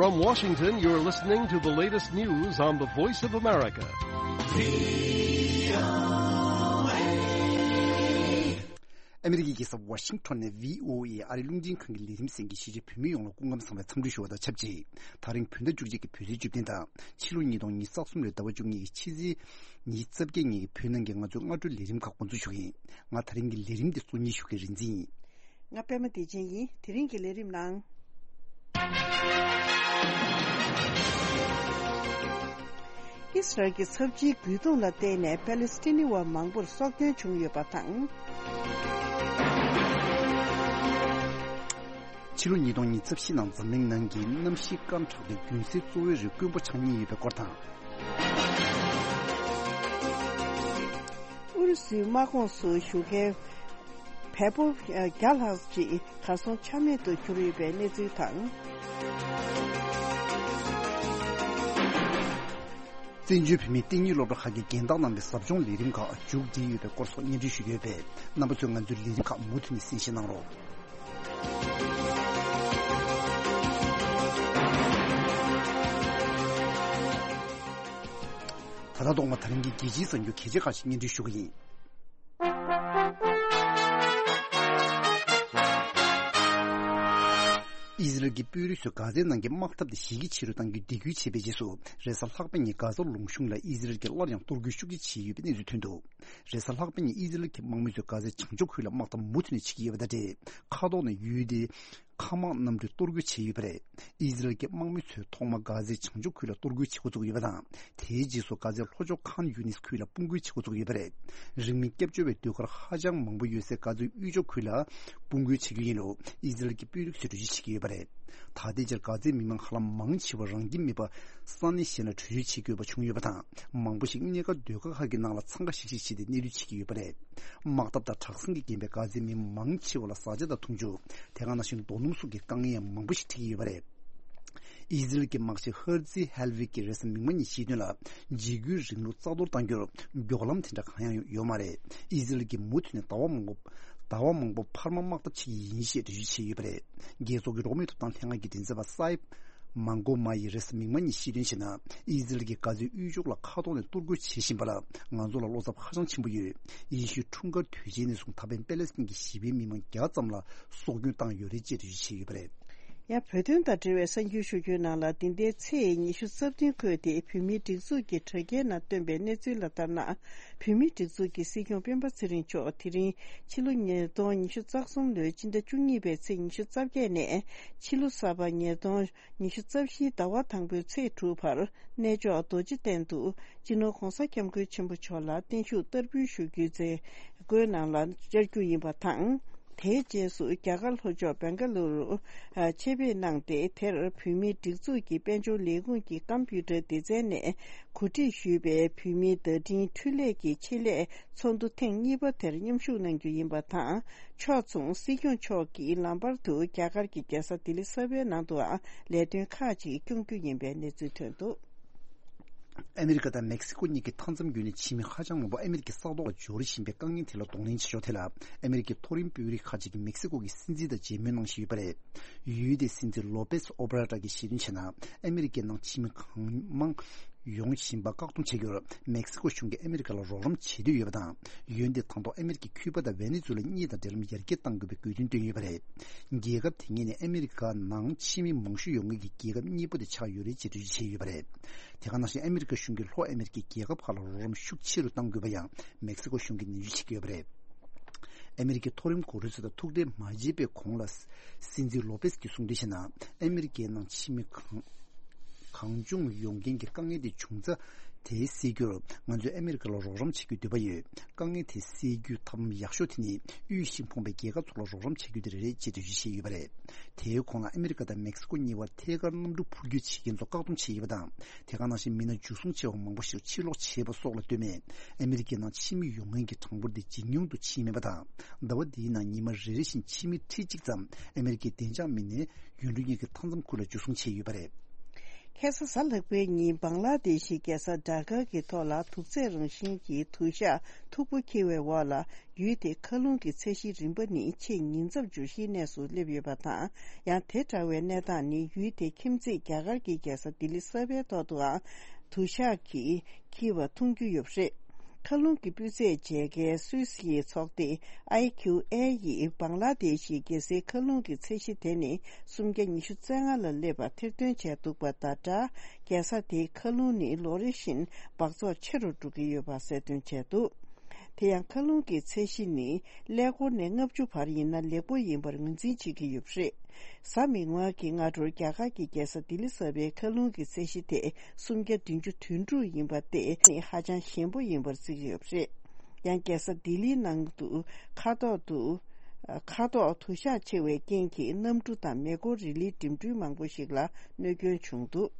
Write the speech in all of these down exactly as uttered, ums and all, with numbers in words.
From Washington, you're listening to the latest news on the Voice of America. ཨ་མི་རི་ཀའི་རྒྱལ་ས་ཝ་ཤིང་ཊོན་ནས་བྷི་ཨོ་ཨེ་ཨ་རིའི་རླུང་འཕྲིན་ཁང་གི་ལས་རིམ་གསན་མཁན་གཞིས་བྱེས་བོད་མི་ཡོངས་ལ་སྐུ་ཁམས་བཟང་བའི་འཚམས་འདྲི་ཞུ་བ་དང་ཆབས་ཅིག་དེ་རིང་བོད་ཟླ་བཅུ་གཅིག་གི་བོད་རེས་འཇིག་རྟེན་དང་ཕྱི་ལོ་ཉིས་སྟོང་ཉི་ཤུ་རྩ་གསུམ་ལོའི་ཟླ་བ་བཅུ་གཉིས་ཀྱི་ཕྱི་ཚེས་ཉི་ཤུ་རྩ་བརྒྱད་ཉིན་གྱི་བོད་ནང་གི་ང་ཚོའི་སྔ་དྲོའི་ལས་རིམ་ཁག་འགོ་འཛུགས་ཞུ་གི་ཡིན། ང་དེ་རིང་གི་ལས་རིམ་འདི་གཙོ་གཉེར་ཞུ་མཁན་རིན་འཛིན་ཡིན། ང་པད་མ་བདེ་ཆེན་ཡིན། དེ་རིང་གི་ལས་རིམ་ནང་། ཨི་སི་རལ་གྱི་ཚབས་ཆེའི་རྒོལ་རྡུང་ལ་བརྟེན་ནས་པ་ལི་སི་ཐི་ནི་བ་མང་པོར་སྲོག་སྐྱོན་བྱུང་ཡོད་པ་དང་། ཕྱི་ལོ་ཉིས་སྟོང་ཉི་ཤུ་རྩ་བཞི་ནང་འཛམ་གླིང་ནང་གི་གནམ་གཤིས་སྐམ་དྲགས་ཏེ་དགུན་སའི་གཙོ་བོའི་རི་དཀོན་པོ་ཆགས་ཉེན་ཡོད་པའི་སྐོར་དང་། ཨུ་རུ་སུའི་དམག་ཁོངས་སུ་ཞུགས་མཁན་བལ་པོ་བརྒྱ་ལྷག་ཅིག་གར་སོང་ཆ་མེད་དུ་གྱུར་ཡོད་པའི་གནས་ཚུལ་དང་། བཙན་བྱོལ་བོད་མིའི་གཏན་ཉིན་སློབ་གྲྭ་ཁག་གི་རྒན་བདག་རྣམས་ཀྱི་ཟབ་སྦྱོང་ལས་རིམ་ཁག་མཇུག་སྒྲིལ་ཡོད་པའི་སྐོར་སོགས་སྙན་སྒྲོན་ཞུས་ཡོད་པས། རྣམ་པ་ཚོས་ང་ཚོའི་ལས་རིམ་ཁག་མུ་མཐུད་ནས་གསན་བཞེས་གནང་རོགས། ད་ལྟ་ཐོག་མ་དེ་རིང་གི་རྒྱལ་སྤྱིའི་གསར་འགྱུར་གལ་ཆེ་ཁག་ཅིག་སྙན་སྒྲོན་ཞུ་གི་ཡིན། ཨི་ཟི་རལ་གྱི་དཔོན་རིགས་ཚོས་གྷ་ཛའི་ནང་གི་དམག་འཐབ་དེ་གཞི་རྒྱ་ཆེ་རུ་གཏང་རྒྱུའི་འདེགས་སྐུལ་བྱས་པའི་རྗེས་སུ། རེས་གཟའ་ལྷག་པ་ཉིན་གྷ་ཛ་ལུང་གཤོང་ལ་ཨི་ཟི་རལ་གྱིས་སླར་ཡང་གཏོར་རྒོལ་ཤུགས་ཆེ་བྱས་ཡོད་པའི་གནས་ཚུལ་ཐོན་འདུག་རེས་གཟའ་ལྷག་པ་ཉིན་ཨི་ཟི་རལ་གྱི་དམག་མི་ཚོས་གྷ་ཛའི་བྱང་ཕྱོགས་ཁུལ་ལ་དམག་འཐབ་མུ་མཐུད་ནས་བྱེད་ཀྱི་ཡོད་པ་དང་འབྲེལ། མཁའ་ཐོག་ནས་ཡུལ་དེའི་མཁའ་དམག་གནམ་གྲུས་གཏོར་རྒོལ་བྱས་ཡོད་པ་རེད། ཨི་ཟི་རལ་གྱི་དམག་མི་ཚོས་ཐོག་མར་གྷ་ཛའི་བྱང་ཕྱོགས་ཁུལ་ལ་གཏོར་རྒོལ་བྱེད་འགོ་བཙུགས་ཡོད་པ་དང་། དེའི་རྗེས་སུ་གྷ་ཛའི་ལྷོ་ཕྱོགས་ཁཱན་ཡུ་ནིས་ཁུལ་ལ་དཔུང་རྒོལ་བྱེད་འགོ་བཙུགས་ཡོད་པ་རེད། རིང་མིན་སྐྱབས་བཅོལ་བའི་ཟློས་གར་ཧ་ཅང་མང་པོ་ཡོད་སའི་གྷ་ཛའི་དབུས་ཕྱོགས་ཁུལ་ལ་དཔུང་རྒོལ་བྱེད་རྒྱུ་ཡིན་ལུགས་ཨི་ཟི་རལ་གྱི་དཔོན་རིགས་ཚོས་འགྲེལ་བརྗོད་བྱེད་ཀྱི་ཡོད་པ་རེད། ད་ལྟའི་ཆར་གྷ་ཛའི་མི་མང་ཧ་ལམ་མང་ཆེ་བ་རང་ཁྱིམ་མེད་པར་ས་གནས་གཞན་ལ་བྲོས་བྱོལ་བྱེད་དགོས་པ་བྱུང་ཡོད་པ་དང་། མང་པོ་ཞིག་གནས་སྒར་སྡོད་སྒར་ཁག་གི་ནང་ལ་འཚང་ཁ་ཤིག་ཤིག་བྱས་ཏེ་གནས་སྡོད་བྱེད་ཀྱི་ཡོད་པ་རེད། དམག་འཐབ་དང་དྲག་ཟིང་གིས་རྐྱེན་པས་གྷ་ཛའི་མི་མང་ཆེ་བ་ལ་བཟའ་བཅའ་དང་འཐུང་ཆུ། དེ་ག་ནང་བཞིན་རྡོ་སྣུམ་སོགས་ཀྱི་དཀའ་ངལ་ཡང་མང་པོ་ཞིག་འཕྲད་ཀྱི་ཡོད་པ་རེད། ཨི་ཟི་རལ་གྱི་དམག་སྤྱི་ཧར་ཛི་ཧལ་ཝི་ཀྱིས་རེས་གཟའ་མིག་དམར་ཉིན་བཤད་དོན་ལ། འཇིགས་སྐུལ་རིང་ལུགས་རྩ་གཏོར་གཏང་རྒྱུར་མགྱོགས་ལམ་དེ་འདྲ་གང་ཡང་ཡོད་མ་རེད། ཨི་ཟི་རལ་གྱིས་མུ་མཐུད་ནས་ཟླ་བ་མང་པོ། ཟླ་བ་མང་པོ་འཕར་མ་དམག་འཐབ་བྱེད་ཀྱི་ཡིན་ཞེས་འགྲེལ་བརྗོད་བྱས་ཡོད་པ་རེད། རྒྱལ་ཚོགས་ཀྱི་འགྲོ་བ་མིའི་ཐོབ་ཐང་ལྷན་ཁང་གི་མགྲིན་ཚབ་པ་སའིབ་མང་གོ་མ་ཡིས་རེས་གཟའ་མིག་དམར་ཉིན་བཤད་དོན་བྱས་ན། ཨི་ཟི་རལ་གྱིས་གྷ་ཛའི་དབུས་ཕྱོགས་ལ་མཁའ་ཐོག་ནས་གཏོར་རྒོལ་བྱེད་བཞིན་པ་ལ་ང་ཚོ་ལ་བློ་འཚབ་ཧ་ཅང་ཆེན་པོ་ཡོད། ཡེ་ཤུའི་འཁྲུངས་སྐར་དུས་ཆེན་ནས་བཟུང་ད་ཕན་པེ་ལེ་སི་ཐན་གྱི་ཞི་བའི་མི་མང་བརྒྱ་ཙམ་ལ་སྲོག་སྐྱོན་བཏང་ཡོད་རེད་ཅེས་འགྲེལ་བརྗོད་བྱས་ཡོད་པ་རེད། ཡང་བོད་དོན་དང་འབྲེལ་བའི་གསར་འགྱུར་ཞུ་རྒྱུའི་ནང་ལ། འདི་ཟླའི་ཚེས་ཉི་ཤུ་རྩ་བདུན་འཁོད་དེ་བོད་མིའི་སྒྲིག་འཛུགས་ཀྱི་དྲ་རྒྱའི་ནང་བཏོན་པའི་གནས་ཚུལ་ལ་ལྟར་ན། བོད་མིའི་སྒྲིག་འཛུགས་ཀྱི་སྲིད་སྐྱོང་སྤེན་པ་ཚེ་རིང་མཆོག་དེ་རིང་ཕྱི་ལོ་ཉིས་སྟོང་ཉི་ཤུ་རྩ་གསུམ་ལོའི་སྤྱི་ཟླ་བཅུ་གཉིས་པའི་ཚེས་ཉི་ཤུ་རྩ་བརྒྱད་ནས་ཕྱི་ལོ་གསར་པ་ཉིས་སྟོང་ཉི་ཤུ་རྩ་བཞིའི་ཟླ་བ་དང་པོའི་ཚེས་དྲུག་བར་གནས་མཆོག་རྡོ་རྗེ་གདན་དུ་སྤྱི་ནོར་༧གོང་ས་༧སྐྱབས་མགོན་ཆེན་པོ་མཆོག་ལ་བརྟན་བཞུགས་བསྟར་འབུལ་ཞུ་རྒྱུའི་མཛད་སྒོའི་ནང་ལ་བཅར་རྒྱུ་ཡིན་པ་དང་། དེའི་རྗེས་སུ་རྒྱ་གར་ལྷོ་ཕྱོགས་བེང་ག་ལུ་རུ་ཆེད་ཕེབས་གནང་སྟེ། དེར་བོད་མིའི་སྒྲིག་འཛུགས་ཀྱི་དཔལ་འབྱོར་ལས་ཁུངས་ཀྱི་ཀམ་པུ་ཊར་སྡེ་ཚན་ནས་གོ་སྒྲིག་ཞུས་པའི་བོད་མིའི་བརྡ་འཕྲིན་འཕྲུལ་ལས་ཀྱི་ཆེད་ལས་ཚོགས་འདུ་ཐེངས་གཉིས་པ་དེར་མཉམ་ཞུགས་གནང་རྒྱུ་ཡིན་པ་དང་། ཕྱོགས་མཚུངས་སྲིད་སྐྱོང་མཆོག་གིས་ལམ་བར་དུ་རྒྱ་གར་གྱི་རྒྱལ་ས་ལྡི་ལི་གསར་པའི་ནང་དུའང་ལས་དོན་ཁག་ཅིག་སྐྱོང་རྒྱུ་ཡིན་པའི་གནས་ཚུལ་ཐོན་འདུག། ཨ་མི་རི་ཀ་དང་མེག་སི་ཀོ་གཉིས་ཀྱི་མཐའ་མཚམས་བརྒྱུད་ནས་ཕྱི་མི་ཧ་ཅང་མང་པོ་ཨ་མི་རི་ཀའི་ས་ཐོག་ལ་འབྱོར་བཞིན་པའི་དཀའ་ངལ་དེ་ལ་གདོང་ལེན་བྱེད་ཕྱོགས་དེ་ལ། ཨ་མི་རི་ཀའི་མཐོ་རིམ་དཔོན་རིགས་ཁག་ཅིག་གིས་མེག་སི་ཀོ་གི་སྲིད་འཛིན་དང་མཇལ་མོལ་གནང་བཞིན་ཡོད་པ་རེད། ཡུལ་དེའི་སྲིད་འཛིན་ལོ་པེས་ཨོ་བྷ་ར་ཏྲ་གིས་བཤད་དོན་བྱས་ན། ཨ་མི་རི་ཀའི་ནང་ཕྱི་མི་གང་མང་ཡོང་བཞིན་པ་བཀག་སྡོམ་བྱ་རྒྱུར་མེག་སི་ཀོ་གཞུང་གིས་ཨ་མི་རི་ཀ་ལ་རོགས་རམ་བྱེད་འདོད་ཡོད་པ་དང་། འོན་ཏེ་དང་ཐོག་ཨ་མི་རི་ཀས་ཁྱུ་པ་དང་ཝེ་ནེ་ཛུ་ལ་གཉིས་དང་འབྲེལ་ལམ་ཡར་རྒྱས་གཏང་དགོས་པའི་དགོས་འདུན་བཏོན་ཡོད་པ་རེད། རྒྱལ་ཁབ་དེ་གཉིས་ནི་ཨ་མི་རི་ཀ་ནང་ཕྱི་མི་མང་ཤོས་ཡོང་མཁན་གྱི་རྒྱལ་ཁབ་གཉིས་པོ་དེ་ཆགས་ཡོད་རེད་ཅེས་འགྲེལ་བརྗོད་བྱས་ཡོད་པ་རེད། དེ་ག་ནང་བཞིན་ཨ་མི་རི་ཀ་གཞུང་གིས་ལྷོ་ཨ་མི་རི་ཀའི་རྒྱལ་ཁབ་ཁག་ལ་རོགས་རམ་ཤུགས་ཆེ་རུ་གཏང་དགོས་པ་ཡང་མེག་སི་ཀོ་གཞུང་གིས་ནན་བརྗོད་བྱེད་ཀྱི་ཡོད་པ་རེད། ཨ་མི་རི་ཀའི་མཐོ་རིམ་འགོ་ཁྲིད་ཚོ་དང་ཐུག་འཕྲད་མ་བྱས་པའི་གོང་ལ། སྲིད་འཛིན་ལོ་པེས་ཀྱིས་གསུངས་དོན་བྱས་ན། ཨ་མི་རི་ཀའི་ནང་ཕྱི་མི་གང་གང་བྱུང་ཡོང་མཁན་གྱི་དཀའ་ངལ་དེ་བྱུང་ཚ་དེ་སེལ་རྒྱུར་ང་ཚོས་ཨ་མི་རི་ཀ་ལ་རོགས་རམ་བྱེད་རྒྱུའི་འདོད་པ་ཡོད། དཀའ་ངལ་དེ་སེལ་རྒྱུའི་ཐབས་ལམ་ཡག་ཤོས་དེ་ནི་དབུས་ཤིང་ཕོངས་པའི་རྒྱལ་ཁབ་ཚོ་ལ་རོགས་རམ་བྱ་རྒྱུ་དེ་རེད་ཅེས་འགྲེལ་བརྗོད་བྱས་ཡོད་པ་རེད། དེའི་གོང་ལ་ཨ་མི་རི་ཀ་དང་མེག་སི་ཀོ་གཉིས་བར་ཐད་ཀར་གནམ་གྲུ་འཕུར་སྐྱོད་བྱེད་མཁན་ཚོ་བཀག་སྡོམ་བྱས་ཡོད་པ་དང་། དེ་ག་ནང་བཞིན་མི་སྣ་འཇུ་བཟུང་བྱས་པ་མང་པོ་ཞིག་ཕྱིར་སློག་བྱས་པ་སོགས་ལ་ལྟོས་མེད། ཨ་མི་རི་ཀའི་ནང་ཕྱི་མི་ཡོང་མཁན་གྱི་གྲངས་འབོར་དེ་ཇེ་ཉུང་དུ་ཕྱིན་མེད་པ་དང་། ཟླ་བ་འདིའི་ནང་ཉི་མ་རེ་རེ་བཞིན་ཕྱི་མི་ཁྲི་གཅིག་ཙམ་ཨ་མི་རི་ཀའི་བདེ་འཇགས་མི་སྣས་ཡུལ་གྲུ་གཉིས་ཀྱི་མཐའ་མཚམས་ཁུལ་ལ་འཇུ་བཟུང་བྱས་ཡོད་པ་རེད། ཁ་སང་གཟའ་ལྷག་པའི་ཉིན་བང་ལ་དེ་ཤི་རྒྱལ་ས་ཌ་ཀ་གི་ཐོག་ལ་དུག་རྫས་རང་བཞིན་གྱི་དུ་ཞག་མཐུག་པོ་འཁྱིལ་བའི་འོག་ལ། ཡུལ་དེའི་མཁའ་རླུང་གི་ཚད་གཞི་རིམ་པ་ནི་ཆེས་ཉེན་ཚབས་འབྱུང་གཞིའི་གནས་སུ་སླེབས་ཡོད་པ་དང་། ཡང་དེ་འདྲ་བའི་གནས་སྟངས་ནི་ཡུལ་དེའི་ཁྱིམ་མཚེས་རྒྱ་གར་གྱི་རྒྱལ་ས་ལྡི་ལི་གསར་པའི་ཐོག་ཏུའང་དུ་ཞག་གིས་འཁྱིལ་བ་མཐོང་རྒྱུ་ཡོད་པ་རེད། མཁའ་རླུང་གི་སྤུས་ཚད་འཇལ་མཁན་སུད་སིའི་ཚོགས་སྡེ་ཨའི་ཁྱུ་ཨེ་ཡིས་བང་ལ་དེ་ཤི་རྒྱལ་སའི་མཁའ་རླུང་གི་ཚད་གཞི་དེ་ནི་སུམ་བརྒྱ་ཉི་ཤུ་རྩ་ལྔ་ལ་སླེབས་པ་ཐེར་འདོན་བྱས་འདུག་པ་དང་སྦྲགས། རྒྱལ་ས་དེའི་མཁའ་རླུང་ནི་ལོ་རེ་བཞིན་འབག་བཙོག་ཆེ་རུ་འགྲོ་གི་ཡོད་པ་གསལ་སྟོན་བྱས་འདུག་དེ་ཡང་མཁའ་རླུང་གི་ཚད་གཞི་ནི་ཀླད་ཀོར་ནས་ལྔ་བཅུ་བར་ཡིན་ན་ལེགས་པོ་ཡིན་པར་ངོས་འཛིན་བྱེད་ཀྱི་ཡོད་པ་རེད། གཟའ་མིག་དམར་གྱི་སྔ་དྲོར་རྒྱ་གར་གྱི་རྒྱལ་ས་ལྡི་ལི་གསར་པའི་མཁའ་རླུང་གི་ཚད་གཞི་དེ་སུམ་བརྒྱ་བདུན་ཅུ་དོན་དྲུག་ཡིན་པ་དེ་ནི་ཧ་ཅང་ཞན་པོ་ཡིན་པར་བརྩི་གི་ཡོད་པ་རེད། ཡང་རྒྱལ་ས་ལྡི་ལིའི་ནང་དུ་མཁའ་ཐོག་ཏུ་མཁའ་ཐོག་དུ་ཞགས་ཆེ་བའི་རྐྱེན་གྱིས་གནམ་གྲུ་དང་མེ་འཁོར་རི་ལིའི་འགྲིམ་འགྲུལ་མང་པོ་ཞིག་ལ་གནོད་སྐྱོན་བྱུང་འདུག་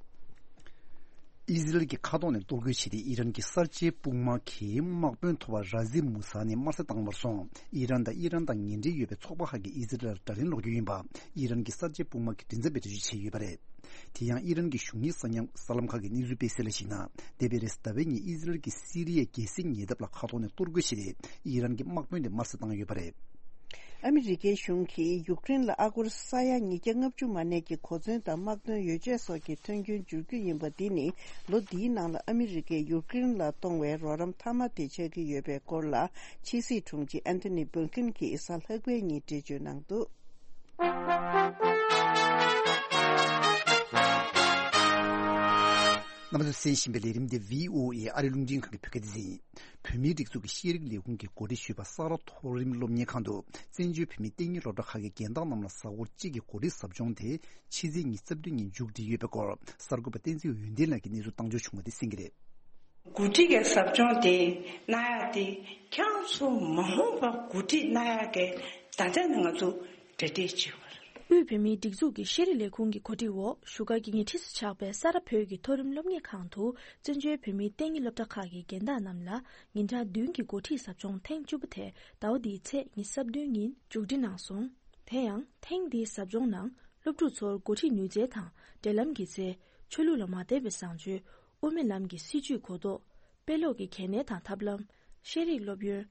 ཨི་ཟི་རལ་གྱི་མཁའ་ཐོག་ནས་གཏོར་རྒོལ་བྱས་ཏེ། ཨི་རན་གྱི་གསར་བརྗེའི་དཔུང་དམག་གི་དམག་དཔོན་ཐོབ་པ་ར་ཟི་མུ་ས་ནི་དམར་གསོད་བཏང་བར་སོང་། ཨི་རན་དང་ཨི་རན་དང་ངན་འབྲེལ་ཡོད་པའི་ཚོགས་པ་ཁག་གིས་ཨི་ཟི་རལ་ལ་དགྲ་ལན་སློག་རྒྱུ་ཡིན་པ། ཨི་རན་གྱི་གསར་བརྗེའི་དཔུང་དམག་གི་མགྲིན་ཚབ་པས་འགྲེལ་བརྗོད་བྱས་ཡོད་པ་རེད། དེ་ཡང་ཨི་རན་གྱི་གཞུང་གཉེར་གསར་ཉམས་གསར་ལམ་ཁག་གིས་གནས་ཚུལ་སྤེལ་གསལ་ལ་གཞིགས་ན། འདས་པའི་རེས་གཟའ་ཟླ་བའི་ཉིན་ཨི་ཟི་རལ་གྱིས་སི་རི་ཡའི་རྒྱལ་སྲིད་ཉེ་འདབས་ལ་མཁའ་ཐོག་ནས་གཏོར་རྒོལ་བྱས་ཏེ། ཨི་རན་གྱི་དམག་དཔོན་དེ་དམར་གསོད་བཏང་ཡོད་པ་རེད། ཨ་མི་རི་ཀའི་གཞུང་གིས་ཡུཀ་རེན་ལ་ཨ་སྒོར་ས་ཡ་ཉིས་བརྒྱ་ལྔ་བཅུ་མ་གནས་ཀྱི་གོ་མཚོན་དང་དམག་དོན་ཡོ་བྱད་སོགས་ཀྱི་ཐོན་སྐྱེད་འཇུག་རྒྱུ་ཡིན་པ་འདི་ནི་ལོ་འདིའི་ནང་ལ་ཨ་མི་རི་ཀས་ཡུཀ་རེན་ལ་གཏོང་བའི་རོགས་རམ་མཐའ་མ་དེ་ཆགས་ཀྱི་ཡོད་པའི་སྐོར་ལ། ཕྱི་སྲིད་དྲུང་ཆེ་ཨན་ཐོ་ནི་བྷིལ་ཀིན་གྱིས་གཟའ་ལྷག་པའི་ཉིན་འགྲེལ་བརྗོད་གནང་འདུག་རྣམ་པ་ཚོས་གསན་བཞིན་པའི་ལས་རིམ་འདི་བྷི་ཨོ་ཨེ་ཨ་རི་རླུང་འཕྲིན་ཁང་གི་བོད་སྐད་སྡེ་ཚན་ཡིན། བོད་མིའི་སྒྲིག་འཛུགས་ཀྱི་ཤེས་རིག་ལས་ཁུངས་ཀྱི་འགོ་ཁྲིད་ཞུས་པ་ས་རཱ་མཐོ་རིམ་སློབ་གཉེར་ཁང་དུ་བཙན་བྱོལ་བོད་མིའི་གཏན་ཉིན་སློབ་གྲྭ་ཁག་གི་རྒན་བདག་རྣམས་ལ་གཟའ་འཁོར་གཅིག་གི་གོ་སྒྲིག་ཟབ་སྦྱོང་དེ་ཕྱི་ཚེས་ཉི་ཤུ་རྩ་བདུན་ཉིན་མཇུག་སྒྲིལ་ཡོད་པའི་སྐོར་གསར་འགོད་པ་བསྟན་འཛིན་འོད་ལྡན་ལགས་ཀྱིས་གནས་ཚུལ་བཏང་འབྱོར་བྱུང་བ་དེ་གསན་གྱི་རེད། འགོ་ཁྲིད་ཀྱི་ཟབ་སྦྱོང་དེ་གནང་ཡག་དེ་ཁྱེད་རང་ཚོ་མ་འོངས་པར་འགོ་ཁྲིད་གནང་ཡག་གི་ད་ལྟ་ནས་ང་ཚོ་གྲ་སྒྲིག་བྱེད་དགོས་རེད། དབུས་བོད་མིའི་སྒྲིག་འཛུགས་ཀྱི་ཤེས་རིག་ལས་ཁུངས་ཀྱི་གོ་སྒྲིག་འོག་བཞུགས་སྒར་གྱི་ཉེ་འཁྲིས་སུ་ཆགས་པའི་ས་རཱ་བོད་ཀྱི་མཐོ་རིམ་སློབ་གཉེར་ཁང་དུ་བཙན་བྱོལ་བོད་མིའི་གཏན་ཉིན་སློབ་གྲྭ་ཁག་གི་རྒན་བདག་རྣམས་ལ་ཉིན་གྲངས་བདུན་གྱི་འགོ་ཁྲིད་ཟབ་སྦྱོང་ཐེངས་བཅུ་པ་དེ་ཟླ་བ་འདིའི་ཚེས་ཉི་ཤུ་རྩ་བདུན་ཉིན་མཇུག་སྒྲིལ་གནང་སོང་། དེ་ཡང་ཐེངས་འདིའི་ཟབ་སྦྱོང་ནང་སློབ་ཕྲུག་ཚོར་འགོ་ཁྲིད་ནུས་རྩལ་དང་འབྲེལ་ལམ་གྱི་རྩལ། ཆོས་ལུགས་ལ་མ་དད་པའི་བཟང་སྤྱོད། དབུ་མའི་ལམ་གྱི་སྲིད་བྱུས་གོ་རྟོགས། དཔེ་ཀློག་གི་གལ་གནད་དང་ཐབས་ལམ། ཤེས་རིག་སློབ་ཡོན།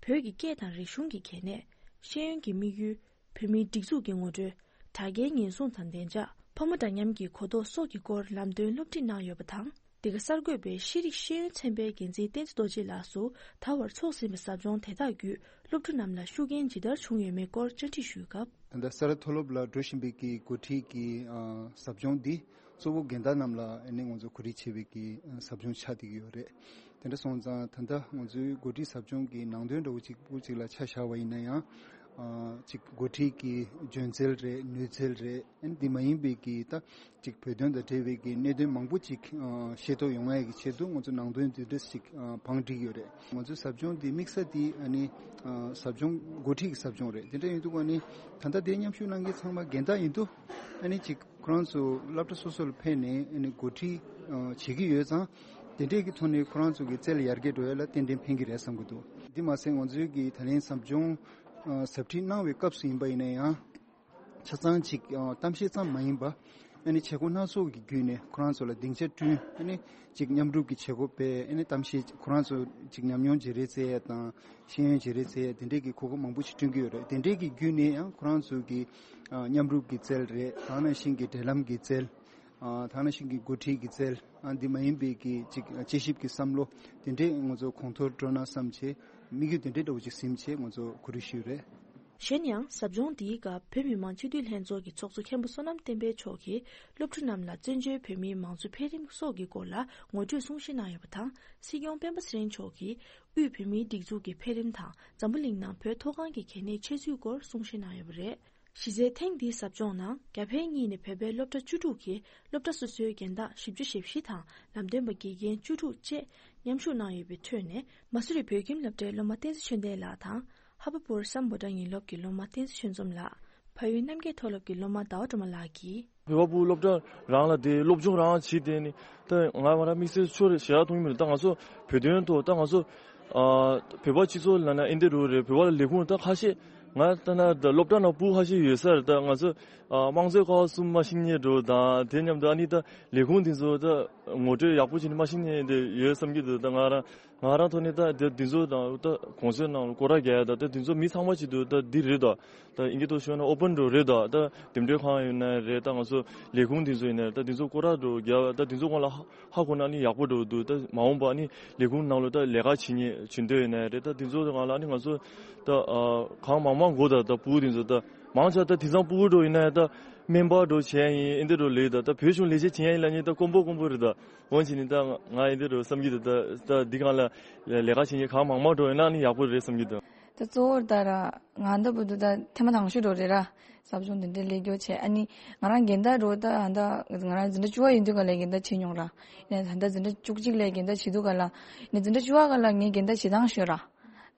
བོད་ཀྱི་སྐད་དང་རིག་གཞུང་གི་གལ་གནད། ཤེས་ཡོན་གྱི་དམིགས་ཡུལ། བོད་མིའི་སྒྲིག་འཛུགས་ཀྱི་ངོ་སྤྲོད། དྲ་རྒྱའི་ཉེན་སྲུང་དང་བདེ་འཇགས། ཕོ་མོ་འདྲ་མཉམ་གྱི་གོ་རྟོགས་སོགས་ཀྱི་སྐོར་ལམ་སྟོན་སློབ་ཁྲིད་གནང་ཡོད་པ་དང་། འདི་ག་གསར་འགོད་པས་ཤེས་རིག་ཤེས་ཡོན་ཚན་པའི་འགན་འཛིན་བསྟན་འཛིན་རྡོ་རྗེ་ལགས་སུ་ད་བར་ཚོགས་ཟིན་པའི་ཟབ་སྦྱོང་དེ་དག་བརྒྱུད་སློབ་ཕྲུག་རྣམས་ལ་ཤུགས་རྐྱེན་ཇི་ལྟར་བྱུང་ཡོད་མེད་སྐོར་བཅར་འདྲི་ཞུས་སྐབས། ད་ལྟ་ས་རཱ་མཐོ་སློབ་ལ་འགྲོ་བཞིན་པའི་གི་འགོ་ཁྲིད་ཀྱི་ཨ་ཟབ་སྦྱོང་འདི་གཙོ་བོ་རྒན་བདག་རྣམས་ལ་ཨ་ནི་ང་ཚོ་གོ་སྒྲིག་བྱས་པའི་གི་ཨ་ཟབ་སྦྱོང་ཆགས་བསྡད་ཀྱི་ཡོད་རེད། དེ་འདྲ་སོང་ཙང་ད་ལྟ་ང་ཚོའི་འགོ་ཁྲིད་ཟབ་སྦྱོང་གི་ནང་དོན་འདྲ་བོ་གཅིག་པུ་གཅིག་ལ་ཆ་བཞག་པ་ཡིན་ན་ཡང་། ཨ་གཅིག་འགོ་ཁྲིད་ཀྱི་འཇོན་ཚད་རེད། ནུས་ཚད་རེད། ཨ་ནི་འདི་མ་ཡིན་པའི་གི་ད་གཅིག་བོད་དོན་དང་འབྲེལ་བའི་གི་གནད་དོན་མང་པོ་གཅིག་ཨ་ཤེས་རྟོགས་ཡོང་ཡ་གི་ཆེད་དུ་ང་ཚོ་ནང་དོན་འདི་འདྲ་ཞིག་ཨ་བང་བསྒྲིགས་ཡོད་རེད། ང་ཚོའི་ཟབ་སྦྱོང་འདི་དམིགས་ས་འདི་ཨ་ནི་ཨ་ཟབ་སྦྱོང་འགོ་ཁྲིད་ཀྱི་ཟབ་སྦྱོང་རེད། དེ་འདྲ་ཡིན་དུས་ཨ་ནི་ད་ལྟ་དེ་མཉམ་ཞུགས་གནང་མཁན་ཚང་མ་རྒན་བདག་ཡིན་དུས་ཨ་ནི་གཅིག་ཁོ་རང་ཚོ་སློབ་གྲྭ་སོ་སོ་ལ་ཕེབས་ནས་ཨ་ནི་འགོ་ཁྲིད་ཨ་བྱེད་ཀྱི་ཡོད་ཙང་། དེ་འདྲས་ཀྱི་ཐོག་ནས་ཁོ་རང་ཚོ་གི་རྩལ་ཡར་རྒྱས་འགྲོ་ཡ་ལ་ཏན་ཏན་ཕན་གྱི་རེད་བསམ་གྱི་འདུག་འདི་མ་ཟད་ང་ཚོའི་གི་ད་ལན་ཟབ་སྦྱོང་ཨ་ཟབ་ཁྲིད་གནང་བའི་སྐབས་སུ་ཡིན་པ་ཡིན་ན་ཡང་། ཆ་ཚང་ཅིག་ཨ་གཏམ་བཤད་ཙམ་མ་ཡིན་པ། ཨ་ནི་བྱེད་སྒོ་སྣ་ཚོགས་ཀྱི་བརྒྱུད་ནས་ཁོ་རང་ཚོ་ལ་སྡིངས་ཆ་བསྐྲུན། ཨ་ནི་ཅིག་མཉམ་རུབ་ཀྱི་བྱེད་སྒོ་སྤེལ། ཨ་ནི་གཏམ་བཤད་ཁོ་རང་ཚོ་ཅིག་ཉམས་མྱོང་བརྗེ་རེས་བྱེད་ཡ་དང་། ཤེས་ཡོན་བརྗེ་རེས་བྱེད་ཡ་དེ་འདྲས་ཀྱི་གོ་སྐབས་མང་པོ་ཞིག་བསྐྲུན་གྱི་ཡོད་རེད། དེ་འདྲས་ཀྱི་བརྒྱུད་ནས་ཡང་ཁོ་རང་ཚོ་གི་ཨ་མཉམ་རུབ་ཀྱི་རྩལ་རེད། ད་ག་ནང་བཞིན་གྱི་འབྲེལ་ལམ་གྱི་རྩལ། ཨ་ད་ག་ནང་བཞིན་གྱི་འགོ་ཁྲིད་ཀྱི་རྩལ། ཨ་འདི་མ་ཡིན་པའི་གི་ཅིག་དཔྱད་ཞིབ་ཀྱི་བསམ་བློ་དེ་འདྲས་ང་ཚོ་གོང་མཐོར་འགྲོ་ན་བསམ་བྱས། དམིགས་ཡུལ་དེ་འདྲས་འདྲ་བོ་ཅིག་ཟིན་བྱས་ང་ཚོ་གོ་སྒྲིག་ཞུས་རེད། གཞན་ཡང་ཟབ་སྦྱོང་འདིའི་སྐབས་བོད་མི་མང་སྤྱི་འཐུས་ལྷན་ཚོགས་ཀྱི་ཚོགས་གཙོ་མཁན་པོ་བསོད་ནམས་བསྟན་འཕེལ་མཆོག་གིས་སློབ་ཕྲུག་རྣམས་ལ་བཙན་བྱོལ་བོད་མིའི་མང་གཙོ་འཕེལ་རིམ་སོགས་ཀྱི་སྐོར་ལ་ངོ་སྤྲོད་གསུང་བཤད་གནང་ཡོད་པ་དང་། སྲིད་སྐྱོང་སྤེན་པ་ཚེ་རིང་མཆོག་གིས་དབུས་བོད་མིའི་སྒྲིག་འཛུགས་ཀྱི་འཕེལ་རིམ་དང་འཛམ་བུ་གླིང་ནང་བོད་མཐོ་སྒང་གི་གལ་གནད་ཆེ་ཚུལ་སྐོར་གསུང་བཤད་གནང་ཡོད་པ་རེད། གཞི་རྩའི་ཐེངས་འདིའི་ཟབ་སྦྱོང་ནང་རྒྱ་བལ་གཉིས་ནས་བོད་པའི་སློབ་གྲྭ་བཅུ་དྲུག་གི་སློབ་གྲྭ་སོ་སོའི་རྒན་བདག་བཞི་བཅུ་ཞེ་བཞི་དང་ལམ་སྟོན་པ་དགེ་རྒན་བཅུ་དྲུག་བཅས་མཉམ་ཞུགས་གནང་ཡོད་པའི་ཁྲོད་ནས། མ་སུ་རི་བོད་ཁྱིམ་སློབ་གྲྭའི་སློབ་མ་བསྟན་འཛིན་ཆོས་ལྡན་ལགས་དང་། ཧ་པ་པུར་སམ་བྷོ་ཊ་ཡིན་སློབ་ཀྱི་སློབ་མ་བསྟན་འཛིན་ཆོས་འཛོམས་ལགས། ཕ་ཡུལ་རྣམ་རྒྱལ་མཐོ་སློབ་ཀྱི་སློབ་མ་ཟླ་བ་སྒྲོལ་མ་ལགས་ཀྱིས། བོད་པ་ཕྲུག་སློབ་གྲྭ་རང་ལ་དེ་སློབ་སྦྱོང་རང་བྱེད་དེ་ནི་ད་ང་ང་རང་དམིགས་བསལ་ཆོས་རེ་ཞེ་དྲག་མཐོང་གི་མི་འདུག་ད་ང་ཚོ་བོད་དོན་ཐོག་ད་ང་ཚོ་ཨ་བོད་པ་སྤྱི་ཚོགས་ལ་ན་ཨེ་འདི་རུ་རེད། བོད་པ་ལ་ལས་ཁུངས་ད་ཁ་ཤས་ ང་ལྟ་ན་ད་སློབ་གྲྭ་ནང་སྤུ་ཧ་ཤི་ཡོད་ས་རེད། ད་ང་ཚོ་ཨ་དམངས་གཙོའི་ཀ་བ་གསུམ་མ་ཤེས་མཁན་འདྲ་བོ་དང་། དེ་མཉམ་དུ་ཨ་ནི་ད་ལས་ཁུངས་དེ་ཚོ་ད་ངོ་སྤྲོད་ཡག་པོ་བྱས་ནས་མ་ཤེས་མཁན་དེ་ཡོད་བསམ་གྱི་འདུག་ད་ང་རང་ང་རང་ཐོག་ནས་ད་དེ་དེ་ཚོ་དང་ད་གོང་ཚོའི་ནང་ལ་སྐོར་ར་རྒྱག་ཡ་ད་ད་དེ་ཚོ་མི་ཚང་མ་བྱེད་དུས་ད་འདི་རེད་ད། ད་ཨིན་སྐད་ཐོག་ཤོད་ན་ཨོ་པན་འདྲ་བོ་རེད་ད། ད་འདེམས་སྒྲུག་ཁང་ཡིན་ན་རེད། ད་ང་ཚོ་ལས་ཁུངས་དེ་ཚོ་ཡིན་ན་རེད། ད་དེ་ཚོ་སྐོར་ར་འདྲ་བོ་རྒྱག་ད་དེ་ཚོ་སྒང་ལ་ཧ་ཧ་གོ་ན་ནི་ཡག་པོ་འདྲ་བོ་འདུག་ད་མ་འོངས་པ་ནི་ལས་ཁུངས་ནང་ལ་ད་ལས་ཀ་བྱེད་མཁན་བྱེད་འདོད་ཡོད་ན་རེད། ད་དེ་ཚོ་སྒང་ལ་ནི་ང་ཚོ་ད་ཨ་གང་མང་མང་དགོས་ད། ད་སྤུ་གུ་དེ་ཚོ་ད་མང་ཆེ་ད་དེང་སང་སྤུ་གུ་འདྲ་བོ་ཡིན་ན་ད་སྨན་པ་འདྲ་བོ་བྱས་ཡིན་ཨེ་འདི་འདྲ་བོ་ལས་ད། ད་བོད་གཞུང་ལས་བྱེད་བྱེད་ཡ་ཡིན་ལབ་མཁན་ད་དཀོན་པོ་དཀོན་པོ་རེད་ད། འོན་ཀྱང་ནི་ད་ང་ཨེ་འདི་འདྲ་བོ་བསམ་གྱི་འདུག་ད་ད་འདི་སྒང་ལ་ལས་ཀ་བྱེད་མཁན་གང་མང་མང་འདྲ་བོ་ཡོད་ན་ནི་ཡག་པོ་རེད་བསམ་གྱི་འདུག་ད་གཙོ་བོར་ད་ར་ང་ད་བུ་དུ་ད་ཐེངས་མ་དང་ཤོས་འགྲོ་རེད་ར། ཟབ་སྦྱོང་དེ་འདྲའི་ལས་རྒྱུ་བྱས། ཨ་ནི་ང་རང་འགན་ད་རོ་ད་ཧ་ད་ང་རང་འཛིན་གྲྭ་བཅུ་བ་ཡིན་དུས་ག་ལས་འགན་ད་བྱེད་མྱོང་ར། ཡིན་ན་ད་ད་འཛིན་གྲྭ་བཅུ་གཅིག་ལས་འགན་ད་བྱེད་དུས་ག་ལ་ནི་འཛིན་གྲྭ་བཅུ་བ་ག་ལ་ངའི་འགན་ད་བྱེད་སྟངས་ཤོད་ར།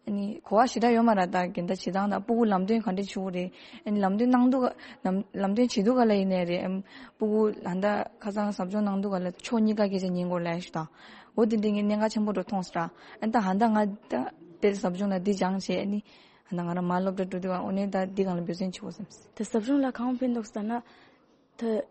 ཨ་ནི་གོ་བ་ཞེ་དྲག་ཡོད་མ་ར། ད་འགན་ད་བྱེད་སྟངས་དང་སྤུ་གུ་ལམ་སྟོན་ག་འདྲས་བྱེད་དགོས་རེད། ཨ་ནི་ལམ་སྟོན་གནང་དུས་ག་ལམ་ལམ་སྟོན་བྱེད་དུས་ག་ལ་ཡིན་ནའི་རེད། ཨམ་སྤུ་གུ་ཧ་ད་ཁ་སང་ཟབ་སྦྱོང་གནང་དུས་ག་ལ་ཕྱོགས་གཉིས་ཀ་སྐད་ཆ་ཉན་དགོས་ལབ་ཞུ་དང་། འོ་དེ་འདྲའི་ངས་གནད་འགག་ཆེན་པོ་འགྲོ་མཐོང་སོང་ར། ཨ་ནི་ད་ཧ་ད་ང་ད་དེར་ཟབ་སྦྱོང་ལ་འདི་སྦྱངས་བྱས། ཨ་ནི་ཧ་ད་ང་རང་མ་སློབ་གྲྭ་འགྲོ་དུས་ག་འོ་ནས་ད་འདི་སྒང་ལ་འབད་བརྩོན་བྱེད་དགོས་བསམ། ད་ཟབ་སྦྱོང་ལ་གང་ཕན་ཐོགས་ཟེར་ན་ད།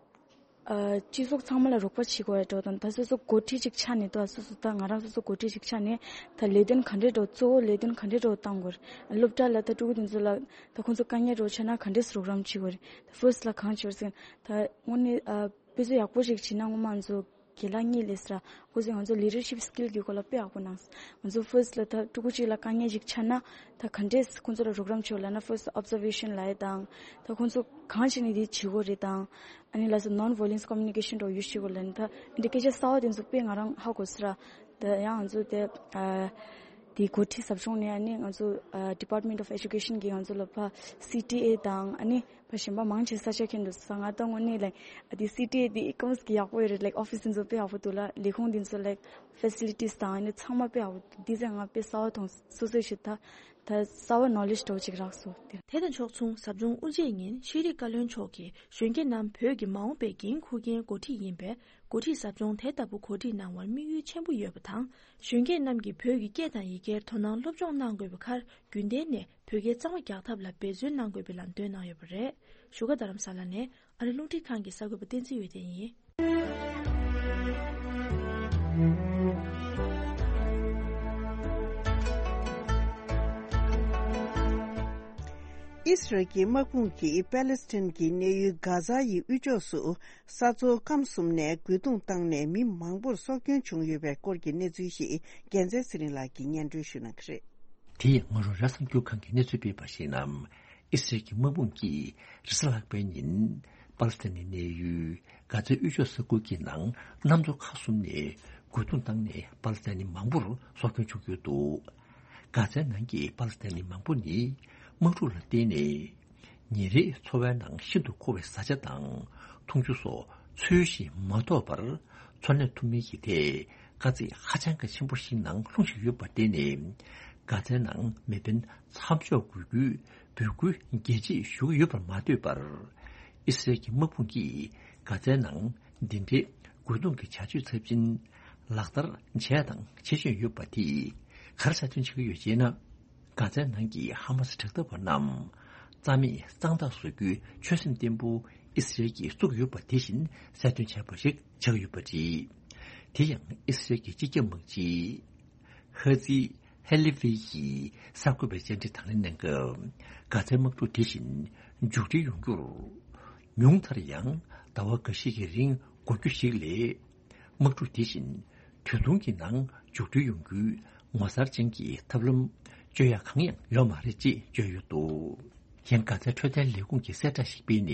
ཨ་སྤྱི་ཚོགས་ཚང་མ་ལ་རོགས་པ་བྱེད་དགོས་ཡ་འགྲོ་དང་། ད་སོ་སོ་འགོ་ཁྲིད་ཅིག་ཆགས་ནས་ད་སོ་སོ་ད་ང་རང་སོ་སོ་འགོ་ཁྲིད་ཅིག་ཆགས་ནས་ད་ལས་དོན་ག་འདྲས་འགྲོ་གཙོ་བོ་ལས་དོན་ག་འདྲས་འགྲོ་བཏང་དགོས་རེད། སློབ་གྲྭ་ལ་ད་ཕྲུ་གུ་དེ་ཚོ་ལ་ད་ཁོང་ཚོ་དཀའ་ངལ་འགྲོ་ཆགས་ན་ག་འདྲས་རོགས་རམ་བྱེད་དགོས་རེད། ད་ཕར་སི་ལ་གང་བྱེད་དགོས་ཟེར་ན་ད་དངོས་གནས་ཨ་དཔེ་མཛོད་ཡག་པོ་ཞིག་བྱེད་ན་སྔོན་མ་ང་ཚོ་རྒན་ལགས་གཉིས་ལས་སི་ར་ཁོ་ཚོས་ང་ཚོ་leadership skill་གི་སྐོར་ལ་དཔེ་ཡག་པོ་གནང་སོང་། ང་ཚོ་ཕར་སི་ལ་ད་ཕྲུ་གུ་གཅིག་ལ་དཀའ་ངལ་ཞིག་ཆགས་ན་ད་ག་འདྲས་ཁོང་ཚོ་ལ་རོགས་རམ་བྱེད་དགོས་ལབ་ན་ཕར་སི་observation་ལབ་ཡ་དང་། ད་ཁོང་ཚོ་གང་བྱས་ནས་འདི་བྱེད་དགོས་རེད་དང་། ཨ་ནི་ལ་སོ་non-violence communication་འགྲོ་ཡུལ་ཤེས་དགོས་ལབ་ནི་ད་འདི་སྐད་ཆ་གསར་བ་དེ་ཚོ་དཔེ་ང་རང་ཧ་གོ་སི་ར། ད་ཡང་ང་ཚོ་དེ་ཨ་དེ་འགོ་ཁྲིད་ཟབ་སྦྱོང་ནས་ཨ་ནི་ང་ཚོ་ཨ་Department of Education་གི་ང་ཚོ་ལ་ཕ་C T A་དང་ཨ་ནི་ཕ་གཞན་པ་མང་ཆེ་ས་ཆ་མཁན་འདུག་ས། ང་ད་དངོས་གནས་like་ཨ་དེ་C T A་དེ་ཨི་ཀམ་གི་ཡག་པོ་ཡོད་རེད། like office་དེ་ཚོ་དཔེ་ཡག་པོ་འདུག་ལ་ལས་ཁུངས་དེ་ཚོ་like facilities་དང་ཨ་ནི་ཚང་མ་དཔེ་ཡག་པོ་འདུག་འདི་ཚོ་ང་དཔེ་གསར་བ་མཐོང་སོ་སོའི་ཞིག་ད། ད་གསར་བ་knowledge་འདྲ་བོ་ཅིག་རག་སོང་། དེ་དང་ཕྱོགས་མཚུངས་ཟབ་སྦྱོང་དབུ་འབྱེད་ཉིན་ཤེས་རིག་བཀའ་བློན་མཆོག་གིས་གཞོན་སྐྱེས་རྣམས་བོད་ཀྱི་མ་འོངས་པའི་འགན་འཁུར་མཁན་འགོ་ཁྲིད་ཡིན་པས། འགོ་ཁྲིད་ཟབ་སྦྱོང་དེ་ལྟ་བུ་གོ་སྒྲིག་གནང་བར་དམིགས་ཡུལ་ཆེན་པོ་ཡོད་པ་དང་། གཞོན་སྐྱེས་རྣམས་ཀྱིས་བོད་ཀྱི་སྐད་དང་ཡི་གེར་དོ་སྣང་སློབ་སྦྱོང་གནང་དགོས་པའི་ཁར། རྒྱུན་གཏན་ནས་བོད་སྐད་གཙང་མ་རྒྱག་ཐབས་ལ་འབད་བརྩོན་གནང་དགོས་པའི་ལམ་སྟོན་གནང་ཡོད་པ་རེད། བཞུགས་སྒར་རྡ་རམ་ས་ལ་ནས་ཨ་རི་རླུང་འཕྲིན་ཁང་གི་གསར་འགོད་པ་བསྟན་འཛིན་འོད་ལྡན་ཡིན། ཨི་སི་རལ་གྱི་དམག་དཔུང་གིས་པེ་ལེ་སི་ཐན་གྱི་གནས་ཡུལ་གྷ་ཛ་ཡི་དབུས་ཕྱོགས་སུ་ས་མཚོ་སྐམ་གསུམ་ནས་རྒོལ་རྡུང་བཏང་ནས་མི་མང་པོར་སྲོག་སྐྱོན་བྱུང་ཡོད་པའི་སྐོར་གྱི་གནས་ཚུལ་ཞིག་རྒྱལ་མཚན་ཚེ་རིང་ལགས་ཀྱིས་སྙན་སྒྲོན་ཞུ་གནང་གི་རེད། དེ་ཡང་ང་རང་ར་གསར་འགྱུར་ཁང་གིས་གནས་ཚུལ་སྤེལ་བར་གཞིགས་ན། ཨི་སི་རལ་གྱི་དམག་དཔུང་གིས་རེས་གཟའ་ལྷག་པའི་ཉིན་པ་ལི་སི་ཐན་ནི་གནས་ཡུལ་གྷ་ཛའི་དབུས་ཕྱོགས་ས་ཁུལ་གྱི་ནང་གནམ་མཚོ་ཁག་གསུམ་ནས་རྒོལ་རྡུང་བཏང་ནས་པ་ལི་སི་ཐན་ནི་མང་པོར་སྲོག་སྐྱོན་བྱུང་ཡོད་འདུག་གྷ་ཛའི་ནང་གི་པ་ལི་སི་ཐན་ནི་མང་པོ་ནི་དམག་འཁྲུག་ལ་བརྟེན་ནས། ཉིན་རེའི་འཚོ་བའི་ནང་ཤིན་ཏུ་མཁོ་བའི་བཟའ་བཅའ་དང་འཐུང་ཆུ་སོགས་ཚུལ་བཞིན་མ་ཐོབ་པར་འཚོ་གནས་ཐུབ་མིན་གྱི་ཐད་དཀའ་ཚེགས་ཧ་ཅང་གི་ཆེན་པོ་ཞིག་ནང་ལྷུང་བཞིན་ཡོད་པར་བརྟེན་ནས། གྷ་ཛའི་ནང་མེ་འཕེན་མཚམས་འཇོག་དགོས་རྒྱུའི་འབོད་སྐུལ་རྒྱས་བརྗོད་ཞུ་གི་ཡོད་པར་མ་ལྟོས་པར། ཨི་སི་རལ་གྱི་དམག་དཔུང་གིས་གྷ་ཛའི་ནང་འདི་འདྲའི་རྒོལ་རྡུང་གི་བྱ་སྤྱོད་ཚབས་ཆེན་ལག་བསྟར་བྱས་དང་བྱེད་བཞིན་ཡོད་པ་དེས་ག་རེ་གསལ་སྟོན་བྱེད་ཀྱི་ཡོད་ཅེ་ན། གྷ་ཛའི་ནང་གི་ཧ་མ་སི་དྲག་འཐབ་པ་རྣམས་རྩ་མེད་གཙང་དག་བཟོ་རྒྱུའི་ཆོད་སེམས་བརྟན་པོ་ཨི་སི་རལ་གྱིས་བཙུགས་ཡོད་པ་དེ་བཞིན་གསལ་སྟོན་བྱས་པ་ཞིག་ཆགས་ཡོད་པ་རེད། དེ་ཡང་ཨི་སི་རལ་གྱི་སྤྱི་ཁྱབ་དམག་སྤྱི་ཧ་ཛི་ཧེ་ལི་ཝེ་ཡིས་གསར་འགོད་པའི་བཅར་འདྲི་དང་ལེན་གནང་སྐབས། གྷ་ཛའི་དམག་འཁྲུག་དེ་བཞིན་མཇུག་སྒྲིལ་ཡོང་རྒྱུར། ཉུང་མཐར་ཡང་ཟླ་བ་འགའ་ཤས་ཀྱི་རིང་འགོར་རྒྱུ་ཞིག་ལས། དམག་འཁྲུག་དེ་བཞིན་ད་དུང་གི་ནང་མཇུག་སྒྲིལ་ཡོང་རྒྱུའི་ངོ་མཚར་ཅན་གྱི་ཐབས་ལམ་བརྗོད་ཡ་གང་ཡང་ཡོད་མ་རེད་ཅེས་བརྗོད་ཡོད་འདུག་ཡང་གྷ་ཛའི་འཕྲོད་བསྟེན་ལས་ཁུངས་ཀྱིས་གསལ་བསྒྲགས་ཤིག་སྤེལ་ནས།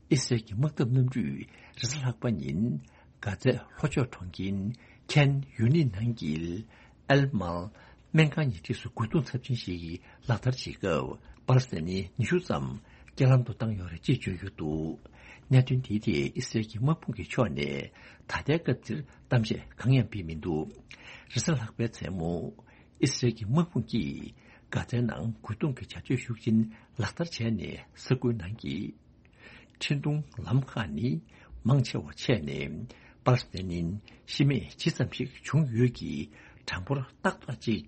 ཨི་སི་རལ་གྱི་དམག་འཐབ་གནམ་གྲུས་རེས་གཟའ་ལྷག་པ་ཉིན་གྷ་ཛའི་ལྷོ་ཕྱོགས་གྲོང་ཁྱེར་ཁན་ཡུ་ནི་ནང་གི་ཨེལ་མལ་སྨན་ཁང་ཉེ་འཁྲིས་སུ་རྒོལ་རྡུང་ཚབས་ཆེན་ཞིག་ལག་བསྟར་བྱེད་སྐབས། པ་ལི་སི་ཐན་ནི་ཉི་ཤུ་ཙམ་རྐྱེན་ལམ་དུ་བཏང་ཡོད་རེད་ཅེས་བརྗོད་ཡོད་འདུག་གནད་དོན་དེའི་ཐད་ཨི་སི་རལ་གྱི་དམག་དཔུང་གི་ཕྱོགས་ནས་ད་ལྟའི་སྐབས་འདིར་གཏམ་བཤད་གང་ཡང་སྤེལ་མི་འདུག་རེས་གཟའ་ལྷག་པའི་མཚན་མོ། ཨི་སི་རལ་གྱི་དམག་དཔུང་གིས་གྷ་ཛའི་ནང་རྒོལ་རྡུང་གི་བྱ་སྤྱོད་ཤུགས་ཆེན་ལག་བསྟར་བྱས་ནས། ས་ཁུལ་ནང་གི་འཕྲིན་གཏོང་ལམ་ཁག་ནི་མང་ཆེ་བ་ཆད་ནས། པ་ལི་སི་ཐན་ནི་ཤི་རྨས་ཇི་ཙམ་ཞིག་བྱུང་ཡོད་ཀྱི་གྲངས་འབོར་ཏག་ཏག་ཅིག་